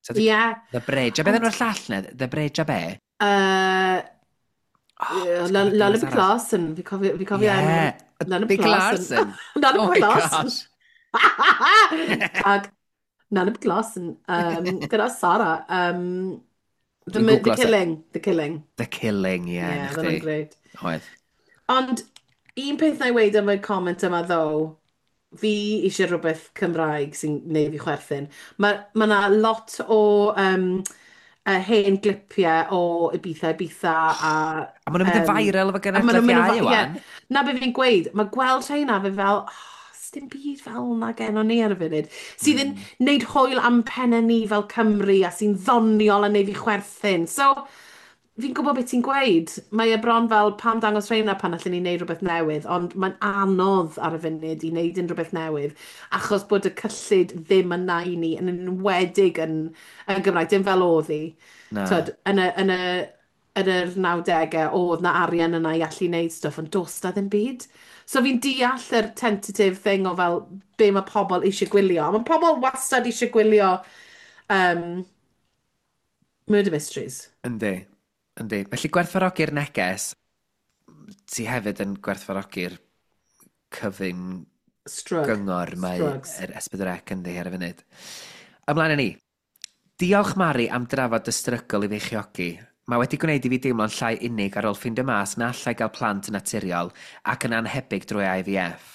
So, The Bridge. A beth enw'r llall ne? The Bridge a be? Oh, Lullaby Clausen, fi cofio enw. Nana Big Larson. Larson. Nana Oh my Larson. gosh. Tag Nana Larson. Gyda Sara. Dwi'n The googlo Killing. The Killing. The Killing, ie, Yeah, na oedd hwnna'n chdi. great. Oedd. Ond un peth na i weud am y comment yma ddo, fi eisiau rhywbeth Cymraeg sy'n neud fi chwerthin. Mae ma 'na lot o hen glipiau o Ibiza Ibiza a A maen nhw'n mynd yn viral efo a maen nhw'n genedlaeth mynd yn iau, ie, wan. Na be fi'n gweud, mae gweld rheina fe fel, oh, dim byd fel 'na gennon ni ar y funud. Sydd yn neud hwyl am pennau ni fel Cymru a sy'n ddoniol a neud fi chwerthin. So, fi'n gwybod beth ti'n gweud. Mae e bron fel pam dangos rheina pan allan ni wneud rhywbeth newydd, ond mae'n anodd ar y funud i wneud unrhyw beth newydd, achos bod y cyllid ddim yna i ni, yn enwedig yn Gymraeg, dim fel oedd hi. Na. Twyd, yn yr 90au, oedd na arian yna i allu wneud stwff, ond does na ddim byd. So fi'n deall yr tentative thing o fel be mae pobl eisiau gwylio. A mae pobl wastad eisiau gwylio murder mysteries. Yndi, yndi. Felly gwerthfawrogi'r neges, ti hefyd yn gwerthfawrogi'r cyfyng Strug. gyngor mae Strugs. yr S4C yndi ar y funud. Ymlaen â ni. Diolch, Mari, am drafod y strygl i feichiogi. Mae wedi gwneud i fi deimlo'n llai unig ar ôl ffeindio mas na allai gael plant yn naturiol ac yn anhebyg drwy IVF.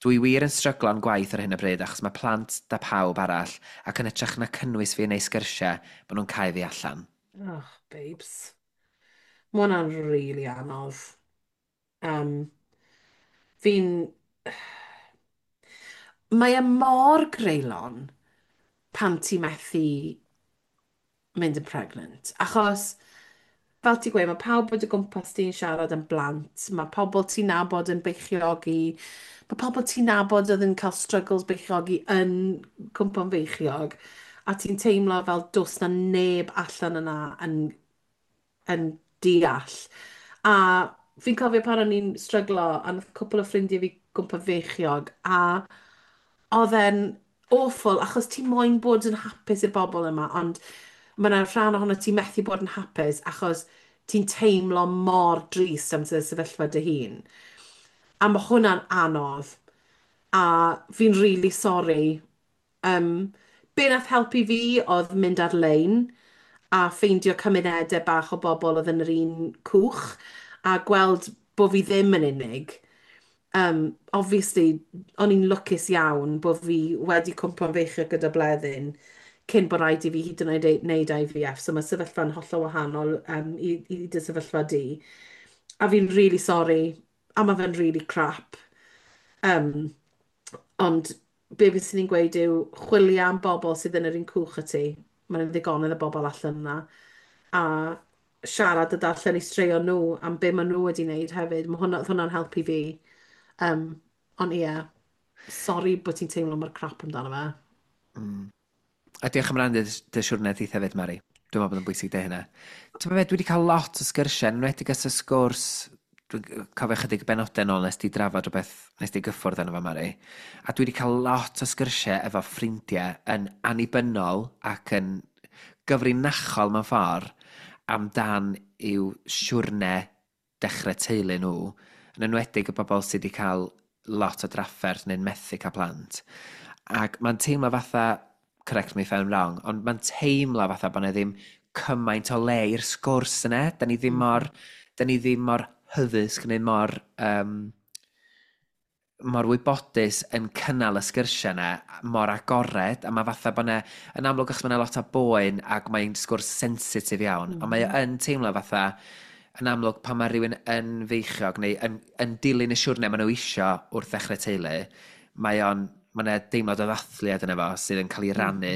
Dwi wir yn stryglo'n gwaith ar hyn o bryd achos mae plant da pawb arall ac yn hytrach na cynnwys fi yn eu sgyrsiau, maen nhw'n cau fi allan. Oh, babes. Mae hwnna'n really anodd. Fi'n... Mae e mor greulon pan ti methu mynd yn pregnant. Achos, fel ti'n gweud, mae pawb bod o gwmpas ti'n siarad am blant, mae pobl ti'n nabod yn beichiogi, mae pobl ti'n nabod oedd yn cael struggles beichiogi yn cwmpo'n feichiog, a ti'n teimlo fel does na neb allan yna yn deall. A fi'n cofio pan o'n i'n stryglo, a nath cwpl o ffrindiau fi gwmpo feichiog, a oedd e'n awful, achos ti moyn bod yn hapus i'r bobl yma, ond mae yna rhan ohono ti methu bod yn hapus achos ti'n teimlo mor drist am dy sefyllfa dy hun. A mae hwnna'n anodd. A fi'n really sorry. Be nath helpu fi oedd mynd ar-lein a ffeindio cymunedau bach o bobl oedd yn yr un cwch a gweld bod fi ddim yn unig. Obviously, o'n i'n lwcus iawn bod fi wedi cwmpo'n feichiog gyda Bleddyn cyn bod rhaid i fi hyd yn oed wneud IVF. So mae sefyllfa'n hollol wahanol i dy sefyllfa di. A fi'n really sorry, a mae fe'n really crap. Ond be fyswn i'n gweud yw chwilio am bobl sydd yn yr un cwch â ti. Mae'n ddigonedd o bobl allan yna. A siarad a darllen eu straeon nhw am be maen nhw wedi wneud hefyd. Mae hwnna'n helpu fi. Ond ie, sori bod ti'n teimlo mor crap amdano fe. A diolch am rannu dy siwrne di hefyd, Mari. Dwi'n meddwl bod yn bwysig de hynna. Ti'n meddwl, dwi wedi cael lot o sgyrsiau, yn enwedig ers y sgwrs, dwi'n cofio chydig benodau nôl nes di drafod rhywbeth, nes di gyffwrdd arno fo, Mari. A dwi wedi cael lot o sgyrsiau efo ffrindiau yn annibynnol ac yn gyfrinachol mewn ffordd amdan i'w siwrne dechrau teulu nhw, yn enwedig y bobl sydd wedi cael lot o drafferth neu'n methu cael plant. Ac mae'n teimlo fatha, correct me if I'm wrong, ond mae'n teimlo fatha bod yna ddim cymaint o le i'r sgwrs yna. Da ni ddim mor hyddysg neu mor wybodus yn cynnal y sgyrsiau yna, mor agored, a mae fatha bod yna, yn amlwg achos mae yna lot o boen ac mae'n sgwrs sensitif iawn, ond mae o yn teimlo fatha, yn amlwg pan mae rhywun yn feichiog neu yn dilyn y siwrne maen nhw isio wrth ddechrau teulu, mae yna deimlad o ddathliad yna fo sydd yn cael ei rannu,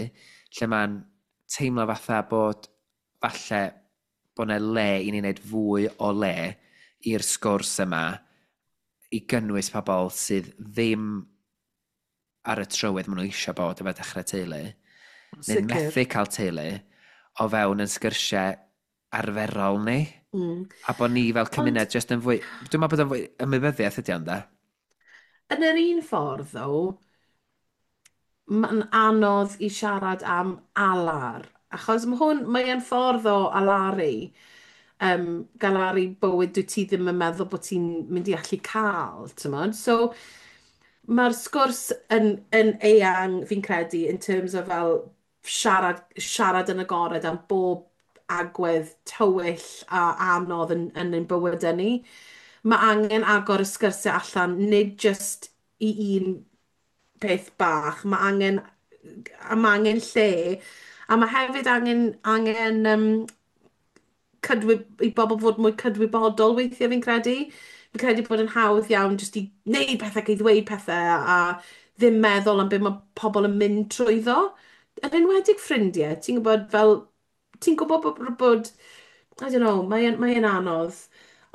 lle mae'n teimlo fatha bod falle bod yna le i ni wneud fwy o le i'r sgwrs yma i gynnwys pobl sydd ddim ar y trywydd maen nhw eisiau bod efo dechrau teulu, neu'n methu cael teulu o fewn yn sgyrsiau arferol ni. A bod ni fel cymuned Ond just yn fwy... Dwi'n meddwl bod yn fwy ymwybyddiaeth ydi ond, de? Yn yr un ffordd, ddo, mae'n anodd i siarad am alar, achos mae hwn, mae'n ffordd o alaru. galaru bywyd dwyt ti ddim yn meddwl bod ti'n mynd i allu cael, ti'mod? So, mae'r sgwrs yn eang, fi'n credu, in terms of fel siarad yn agored am bob agwedd tywyll a anodd yn ein bywydau ni. Mae angen agor y sgyrsiau allan, nid just i un peth bach. Mae angen lle, a mae hefyd angen i bobl fod mwy cydwybodol weithiau fi'n credu. Fi'n credu bod yn hawdd iawn jyst i wneud pethau, i ddweud pethau a ddim meddwl am beth mae pobl yn mynd trwyddo. Yn enwedig ffrindiau, ti'n gwybod fel, ti'n gwybod bod, I don't know, mae anodd.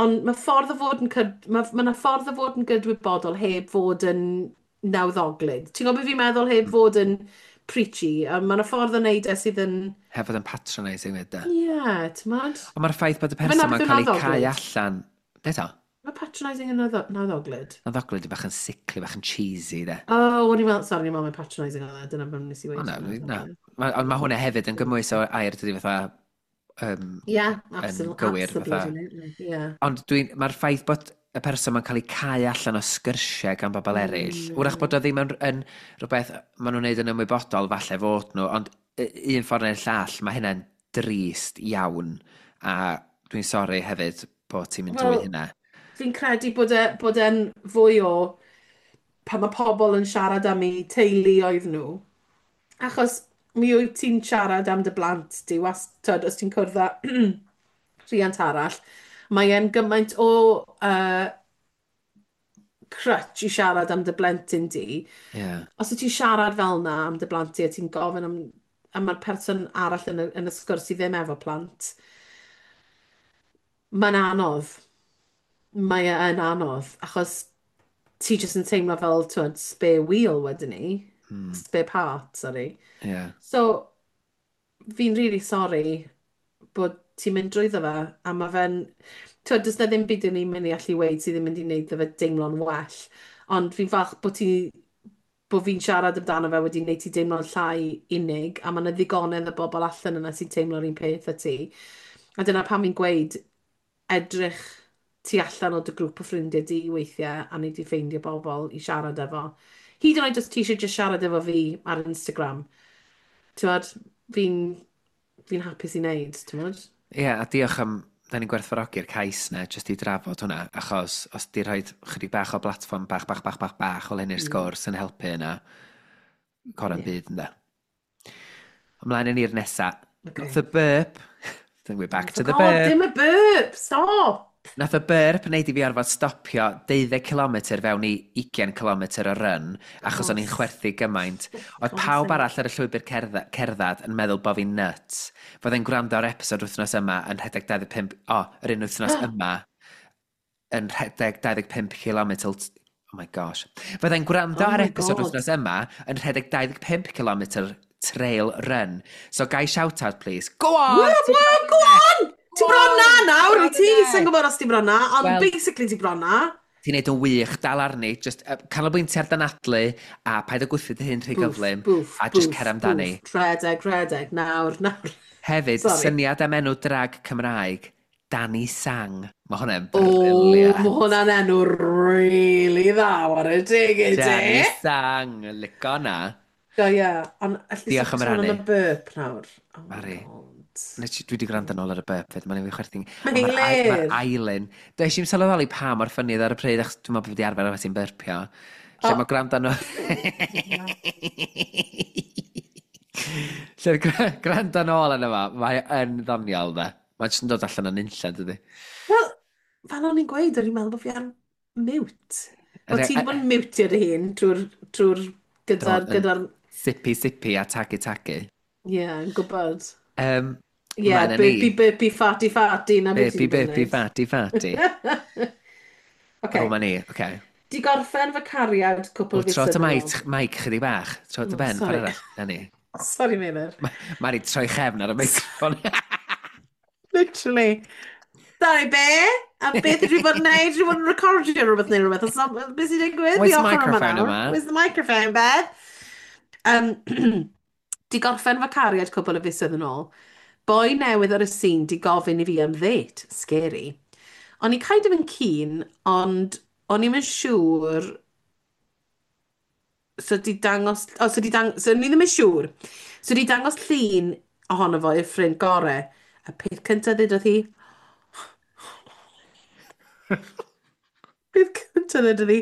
Ond mae 'na ffordd o fod yn gydwybodol heb fod yn nawddoglyd. Ti'n gwybod beth fi'n meddwl heb fod yn preachy? A mae 'na ffordd o wneud e sydd yn Heb fod yn patronising fyd, de. Ie, yeah, ti'mod? Ond mae'r ffaith bod y Fe person na ma'n beth yw cael ei cau nawddoglyd? allan. Be to? Mae patronising yn nawddoglyd? Nawddoglyd yw bach yn sickly, bach yn cheesy, de. Oh, o'n i'n meddwl, sorry, o'n i'n meddwl mae patronising oedd e, dyna beth nes i O weud. na, na. Ond mae hwnna hefyd yn gymwys o air, dydy fatha, Ie, yn gywir, fatha. Absolutely, ie. Ond mae'r ffaith bod y person ma'n cael ei cau allan o sgyrsiau gan bobl eraill, wrach bod o ddim yn rhywbeth maen nhw'n neud yn ymwybodol, falle fod nhw, ond un ffordd neu'r llall, mae hynna'n drist iawn, a dwi'n sori hefyd bod ti'n mynd drwy Wel, hynna. Fi'n credu bod e'n fwy o pan mae pobl yn siarad am eu teuluoedd nhw. Achos mi wyt ti'n siarad am dy blant di, wastad, os ti'n cwrdd â rhiant arall, mae e'n gymaint o crutch i siarad am dy blentyn di. Os wyt ti'n siarad fel na am dy blant di a ti'n gofyn am, a mae'r person arall yn y sgwrs sydd ddim efo plant, mae'n anodd. Mae e yn anodd, achos ti jyst yn teimlo fel, t'wod, spare wheel wedyn ni. Spare part, sorry. So, fi'n really sorry bod ti'n mynd drwyddo fe, a mae fe'n... T'wod, does na ddim byd yn ni'n mynd i allu weud sydd ddim mynd i wneud fe deimlo'n well. Ond fi'n falch bod fi'n siarad amdano fe wedi wneud ti deimlo'n llai unig, a mae yna ddigonedd o bobl allan yna sy'n teimlo'r un peth â ti. A dyna pam fi'n gweud, edrych tu allan o dy grŵp o ffrindiau di weithiau, a nei di ffeindio bobl i siarad efo. Hyd yn oed os ti eisiau just siarad efo fi ar Instagram. T'wod, fi'n hapus i wneud, t'wod? Ie, yeah, a diolch am, da ni'n gwerthfawrogi'r cais na, jyst i drafod hwnna, achos os di rhoi chydig bach o blatfform bach, bach, bach, bach, bach o lenni'r sgwrs yn helpu yna, cora'n byd, ynde. Ymlaen yn i'r nesa. Nath y burp, then we're back to the Oh, burp. Dim y burp, stop! Nath y burp wneud i fi arfod stopio 12 km fewn i 20 km o run, achos o'n i'n chwerthu gymaint. Oedd God's pawb sake. arall ar y llwybr cerdded yn meddwl bod fi'n nuts. Fyddai'n gwrando ar episod wythnos yma yn rhedeg 25... O, yr un wythnos yma yn rhedeg 25 km. Oh my gosh. Fyddai'n gwrando Oh ar my episod God. wythnos yma yn rhedeg 25 km trail run. So, gai shout out, please. Go on! Whoop, whoop, go on! Ti bron na nawr, wyt ti? Bron Sa'n gwybod os ti bron na, ond Wel- basically ti bron na. Ti'n neud yn wych, dal arni, just canolbwyntio ar danadlu, a paid o gwthio dy hun rhy Bwff, gyflym, bwff, a just bwff, cer amdani. bwff. Rhedeg, rhedeg, nawr, nawr. Hefyd, Sorry. syniad am enw drag Cymraeg, Danny Sang. Mae hwnna'n O, brilliant. mae hwnna'n enw really dda, whare teg i ti. Danny Sang, lico na. Do, ie. Ond allu Diolch am sôn am rannu. y burp nawr. Oh my Mari. God. Nes dwi wedi gwrando nôl ar y burp fyd, mae'n ei fi chwerthin. Mae'n Ond hlir. Mae'r Ailyn. Dwi eisiau sylweddoli pa mor funny oedd ar y pryd, achos dwi'n meddwl bod fi wedi arfer efo ti'n burpio. Lle mae gwrando nhw... Lle gwrando nôl arno fo, mae yn ddoniol, de. Mae'n jyst yn dod allan o'n unlla, dydy. Wel, fel o'n i'n gweud, o'n i'n meddwl bod fi ar mute. Wel, ti wedi bod yn mutio dy hun trwy'r gyda'r... Do, yn- gyda'r Sippy, sippy a tagu, tagu. Ie, yn gwybod. Ie, Ymlaen â ni. burpy, burpy, farty, farty, na beth ti Burpy, wedi bod yn burpy, neud. farty, farty. Ocê. O, ma ni, oce. Di gorffen fy cariad cwpl O, o tro fisoedd dy yn mic, ôl. mic chydig bach. Tro dy Oh, ben, ffordd sorry. arall. Na ni. Sorry, Meilir. Mari, troi chefn ar y meicroffon. Literally. Sorry, be? A beth ydw i bod yn neud? Dwi wedi bod yn recordio rhywbeth neu rhywbeth. Os beth sy'n digwydd? Where's Fi the ochr yma microphone nawr. yma? Where's the microphone, Beth? Di gorffen fy cariad cwpl o fisoedd yn ôl. Boi newydd ar y scene di gofyn i fi am ddate. Scary. O'n i kind of yn keen, ond o'n i'm yn siŵr. So di dangos... O, so di dang, so o'n i ddim yn siŵr. So di dangos llun ohono fo i'r ffrind gore. A peth cyntaf ddudodd hi... Peth cyntaf ddudodd hi: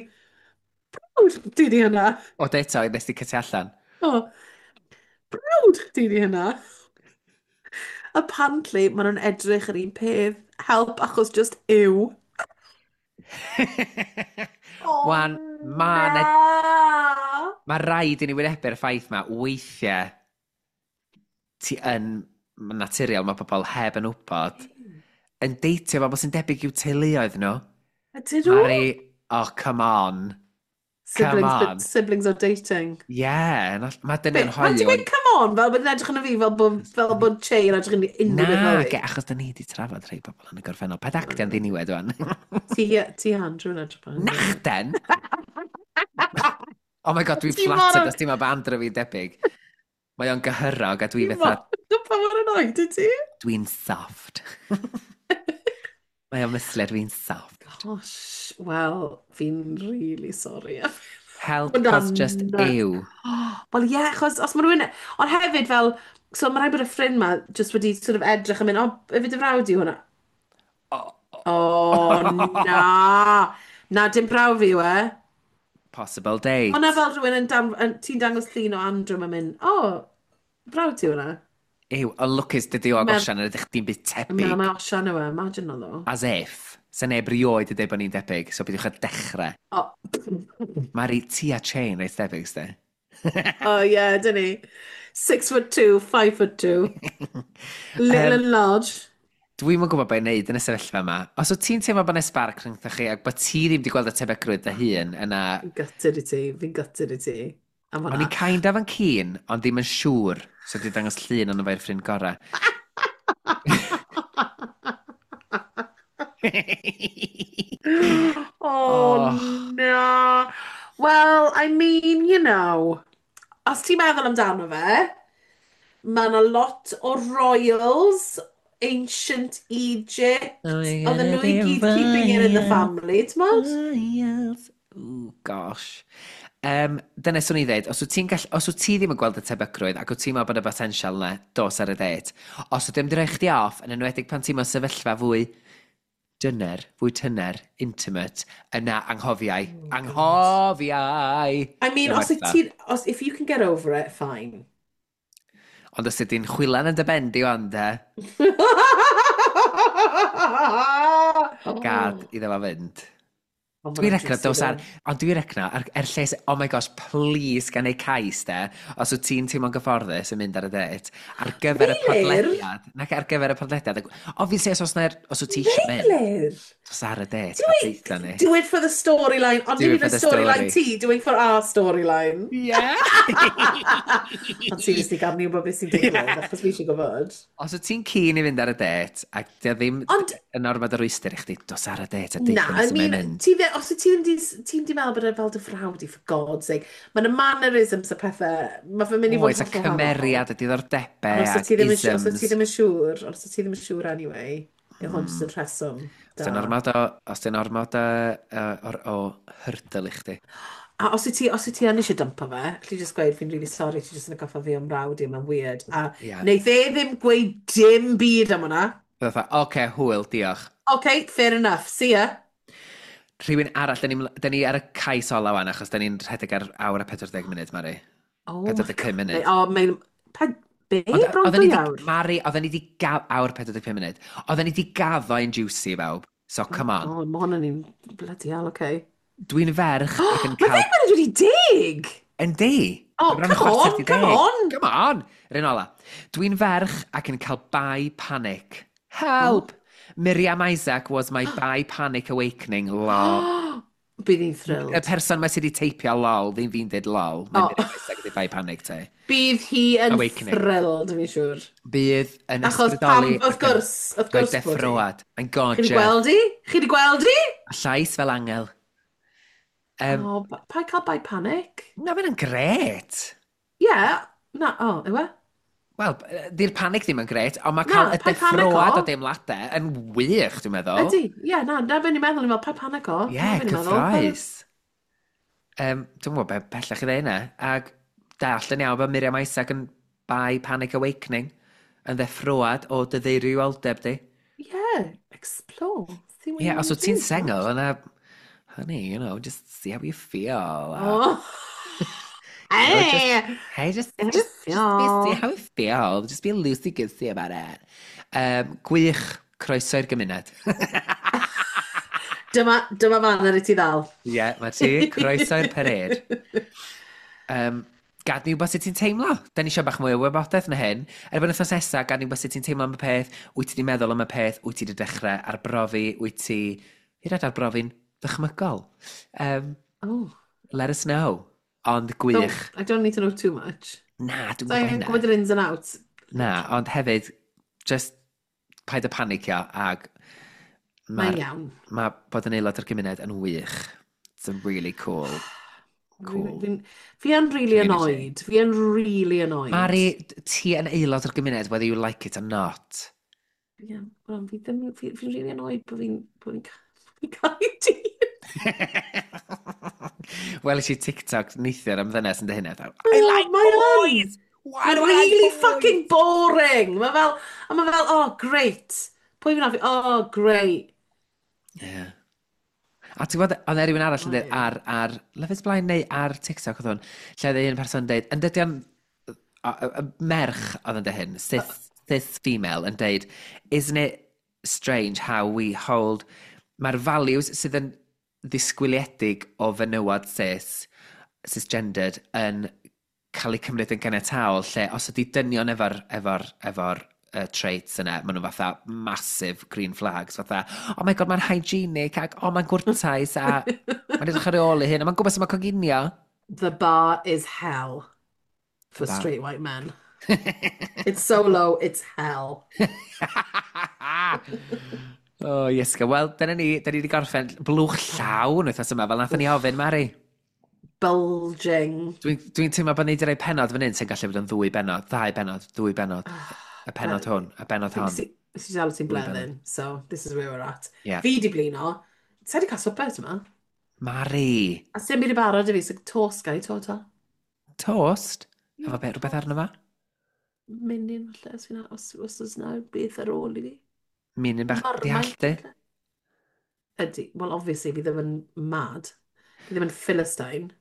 "Brawd chdi 'di hynna." O, deto, nes di cytu allan. O, "Brawd chdi 'di hynna." Apparently, maen nhw'n edrych yr un peth. Help, achos just yw. O, Wan, ma' na! Ma rhaid i ni wynebu'r ffaith ma, weithiau ti yn, ma'n naturiol, mae pobl heb yn wybod, yn deitio bobl sy'n debyg i'w teuluoedd nhw. Ydyn nhw? Mari, oh, come on. Come Siblings, on. but siblings are dating. Yeah, mae Be, dynion pan ti'n hoyw gweud yn "come on", fel bod yn edrych arno fi fel bod Che yn edrych yn unrhyw beth Na, fel ge, fi? achos da ni wedi trafod rhai bobl yn y gorffennol. Paid actio'n ddiniwed wan. Ti Andrew yn edrych fel hynny. Nachden! Oh my God, dwi'n Ti mor... flattered os ti'n meddwl bod Andrew fi'n debyg. Mae o'n gyhyrog a dwi Ti fatha, mor... Pa mor annoyed wyt ti? Dwi'n soft. Mae o'n myslu, dwi'n soft. Gosh, wel, fi'n really sorry. Help, cos Hwnna'n just nuts. ew. Wel ie, yeah, achos os mae rhywun. Ond hefyd fel, so mae rhaid bod y ffrind ma just wedi sort of edrych yn mynd, "O, ife dy frawd yw hwnna?" O, na! Na, dim brawd fi yw e. Possible Hwnna date. fel rhywun yn, dan, yn ti'n dangos llun o Andrew, mae'n mynd, "O, brawd ti hwnna." Ew, ond lwcus dydy o ag Medd, Osian yn edrych dim byd yn meddwl tebyg. mae Osian yw e, imagine o ddo. As if. Sa neb rioed yn dweud bod ni'n debyg, so bydwch a dechrau. O, Mari, ti a Chain reit debyg, sdi? Oh yeah, dyn ni. 6'2", 5'2". Little and large. Dwi'm yn gwybod beth i wneud yn y sefyllfa yma. Os wyt ti'n teimlo bod yna spark rhyngthoch chi ac bod ti ddim wedi gweld y tebygrwydd dy hun yna, Fi'n gutted i ti, fi'n gutted i ti. Am o'n i hwnna. kind of yn keen, ond ddim yn siŵr. So di dangos llun ond efo'r ffrind gorau. Oh, Oh, no. Well, I mean, os ti'n meddwl amdano fe, mae yna lot o royals, ancient Egypt, we're oedden gonna nhw i be gyd keeping it in the royals, family, ti'n? royals. Ooh, gosh. Dyna swn i ddweud, os wyt ti'n gall, os wyt ti ddim yn gweld y tebygrwydd ac wyt ti'n meddwl bod y potensial yna, dos ar y date. Os wyt ti'n rhoi chdi off, yn enwedig pan ti'n mewn sefyllfa fwy dyner, fwy tyner, intimate, yna anghofiau. Oh, God. Anghofiau! I mean, Diolch os wyt Martha. ti, os, if you can get over it, fine. Ond os ydy'n chwilan yn dy ben di wan, de, gad iddo fo fynd. Oh, Dwi'n mae'n recno juicy dos ar. though. Ond dwi'n recno, er lles. Oh my gosh, please gan ei cais, de, os wyt ti'n teimlo'n gyfforddus yn mynd ar y date, ar gyfer y Meilir? podlediad, nac ar gyfer y podlediad, obviously os oes os wyt ti eisiau mynd, Meilir? dos ar y date, Do a it, deitha ni. do it for the storyline, ond Do dim it hyd for yn the storyline story. ti, do it for our storyline. Yeah! Ond seriously, gad ni wybod beth sy'n digwydd, achos fi eisiau gwybod. Os wyt ti'n keen i fynd ar y date, ac di o ddim Ond, yn ormod o rwystr i chdi, dos ar y date a na, deitha ni I sut mae'n mean, mynd. ti dde, os wyt ti ddim di, ti'n di meddwl bod e fel dy frawd i, for God's sake, mae'n y mannerisms a pethau, mae fe'n mynd i fod Oes, yn a hollol wahanol. cymeriad, y Ond diddordebau, os wyt ac ti ddim yn, os wyt ti isms. ddim yn siŵr, os wyt ti ddim yn siŵr anyway, yw hwn jyst yn rheswm Os di'n da. ormod o, os di'n ormod o hurdle i chdi. A os wyt ti yn eisiau dympo fe, alli just gweud, "Fi'n really sorry, ti jyst yn atgoffa fi o'm mrawd i, mae'n weird." A wneith e ddim gweud dim byd am hwnna. Fatha, "Oce, okay, hwyl, diolch." Okay, fair enough, see ya. Rhywun arall, da ni ar y cais ola wan, achos da ni'n rhedeg ar awr a 40 munud, Mari. Oh my 45 God. munud. O, mae'n... Be? Ond Bron oedden 2 ni di, awr? Mari, oedden ni di awr 45 munud. Oedden ni di gaddo un juicy i bawb. So, Oh come on. God, mae hwn yn un. Bloody hell, okay. Dwi'n ferch ac yn Mae cael 9:50! Yndi! Oh, Mae bron yn come chwarter on, di come 10. on! Come on! Yr un ola. Dwi'n ferch ac yn cael bi panic. Oh. Help! Miriam Isaac was my bi panic awakening, lol. Bydd hi'n Y thrilled. person mae sydd wedi teipio lol, ddim fi'n dweud lol. Mae Oh. Miriam Isaac wedi bi panic te. Bydd hi yn Awakening. thrilled, fi'n siŵr. Bydd yn Achos pam, ysbrydoli wrth ac yn gwrs, wrth rhoi gwrs bod hi. deffroad. Mae'n Chi wedi gorgeous. gweld hi? Chi wedi gweld hi? A llais fel angel. Oh, pa cael bi panic? Na, mae'n gret. Ie, yeah, na, oh, yw e? Wel, di'r panic ddim yn gret, ond mae Na, cael y paid panico. deffroad o deimladau yn wych, dwi'n meddwl. Ydy, ie, yeah, na, na fe'n i'n meddwl, ni'n meddwl, paid panico. Ie, Na yeah, be ni'n meddwl. cyffroes. Dwi'n gwybod beth bellach i ddeud yna. Ac dallt yn iawn bod Miriam Isaac yn bi Panic Awakening yn ddeffroad o dy ddeirioldeb di. Yeah, explore. See what Ie, you yeah, os wanna wyt ti'n do, sengl, yna, honey, just see how you feel. A, Oh. you know, just, Hey! hey, just, How you just, just be, see feel. how you feel. Just be loosey-goosey about it. Gwych, croeso i'r gymuned. Dyma fan ar i ti ddal. Ie, yeah, mae ti, croeso i'r parade. Gad ni wybod sut ti'n teimlo. Da ni eisiau bach mwy o wybodaeth na hyn. Erbyn wythnos nesa, gad ni wybod sut ti'n teimlo am y peth, wyt ti wedi meddwl am y peth, wyt ti wedi dechrau arbrofi, wyt ti hyd yn oed arbrofi'n ddychmygol. Oh. Let us know. Ond Don't, gwych. I don't need to know too much. Na, dwi'n So gwybod I'm hynna. gwybod yr ins and outs. Na, ond hefyd, just paid â panicio ag Mae'n mae'r iawn. mae bod yn aelod o'r gymuned yn wych. It's a really cool, cool Fi yn really community. annoyed. Fi yn really annoyed. Mari, ti yn aelod o'r gymuned, whether you like it or not. Yeah, well, fi ddim, fi'n really annoyed bod fi'n cael ei dyn. Wel, i TikTok neithiwr am ddynes yn dy hynny. I like Mae yn. boys! Why Mae'n do I like really boys? fucking boring. Mae fel, a mae fel, oh, great. Pwy fi'n hoffi? Oh, great. Yeah. A ti'n gwybod, oedd e rhywun arall yn dweud Ai. ar Love is Blind neu ar TikTok oedd hwn, lle oedd un person yn dweud, yn dydy o'n, y merch oedd yn dweud hyn, cis female, yn dweud, "Isn't it strange how we hold", mae'r values sydd yn ddisgwyliedig o fenywod cis, cisgendered, yn cael eu cymryd yn ganiataol, lle os ydy dynion efo'r traits yna, maen nhw fatha massive green flags, fatha, "Oh my God, mae'n hygienic, ac oh, mae'n gwrtais, a mae'n edrych ar ôl ei hun, a mae'n gwybod sut mae'n coginio." The bar is hell for The bar. straight white men. It's so low, it's hell. Oh, Iesga. Wel, dyna ni, da ni wedi gorffen blwch llawn wythnos yma, fel nathon ni ofyn, Mari. Bulging. Dwi'n teimlo bod ni wedi rhoi penod fan hyn sy'n gallu bod yn ddwy benod, ddau benod, dwy benod. Y penod hwn, y benod hon. Nes i dal ti'n Dwy bleddyn, so this is where we're at. Yeah. Fi di blino. Sa di cael swper yma? Mari, A sy'n byd i barod i fi, so toast gan i to to. Toast? Efo beth, rhywbeth arno fo? Menyn falle, os oes na beth ar ôl i fi. Menyn bach, di Marmite halltu? falle. Ydy, well obviously fi ddim yn mad. Fi ddim yn Philistine.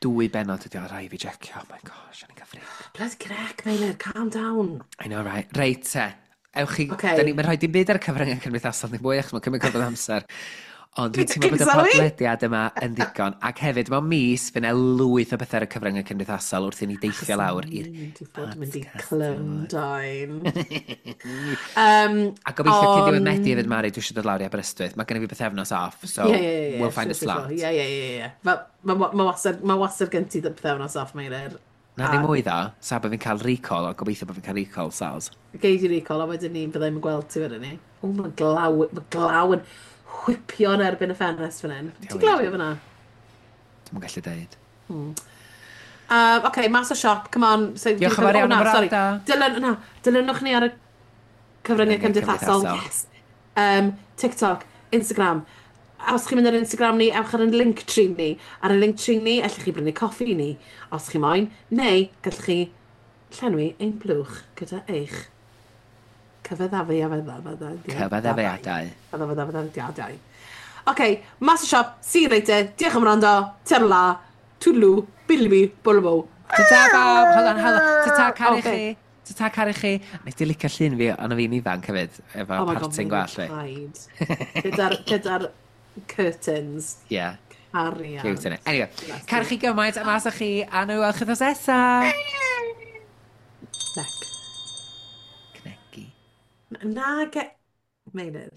Dwy benod ydi o, rhaid fi jecio. Oh my gosh, o'n i'n cael freak. Bloody crec, Meilir, calm down. I know, right. Reit te. Ewch chi. Ocê. Da ni, mae'n rhoi dim byd ar y cyfryngau cymdeithasol ni mwy, achos mae'n cymryd cyfnod amser. Ond dwi'n teimlo bod y Sorry? podlediad yma yn ddigon. Ac hefyd, mewn mis, fydd yna lwyth o bethau ar y cyfryngau cymdeithasol wrth i ni deithio lawr i'r Dwi'n fod yn mynd i podcast. Clymdain. A gobeithio cyn diwedd Ond- Medi hefyd, Mari, dwi eisiau dod lawr i Aberystwyth. Mae gen i fi bythefnos off, so Ie. we'll find a slot. Ie. Mae wastad gen ti pythefnos off, Meilir. Na ddim mwy ddo, sa bod fi'n cael recall, ond gobeithio bod fi'n cael recall, Sals. Gei di recall, a wedyn ni byddai'n gweld ti wedyn ni. O, mae glaw yn whipio yn erbyn y ffenest fan hyn. Ti'n glawio fyna? Dwi'm yn gallu deud. OK, mas o siop, come on. So, Diolch yn fawr iawn na, am sorry. wrando. Dilyn, na, dilynwch ni ar y cyfryngau Cyfryngau cymdeithasol. cymdeithasol. Yes. TikTok, Instagram. A os chi'n mynd ar Instagram ni, ewch ar ein Linktree ni. Ar y Linktree ni, allwch chi brynu coffi ni, os chi moyn, neu gallwch chi llenwi ein blwch gyda eich cyfeddafu a fedda. Cyfaddefiadau. Cyfaddefiadau. OK, mas o siop, see you later. Diolch am wrando. Ta-ra, toodaloo, bidly bwlbo. Ta-ta bawb! Hold on, hold on. Ta-ta, caru Ocê. chi. Ta-ta, caru chi. Nes di licio llun fi, ond fi'n ifanc hefyd, efo Oh my God, parting gwallt fi. paid. Gyda'r curtains. Yeah, Cariad. cute, innit? Anyway, caru chi gymaint, a mas â chi, a nhw weld chi wythnos nesa. Nec. Cnegi. Na, ge... Meilir.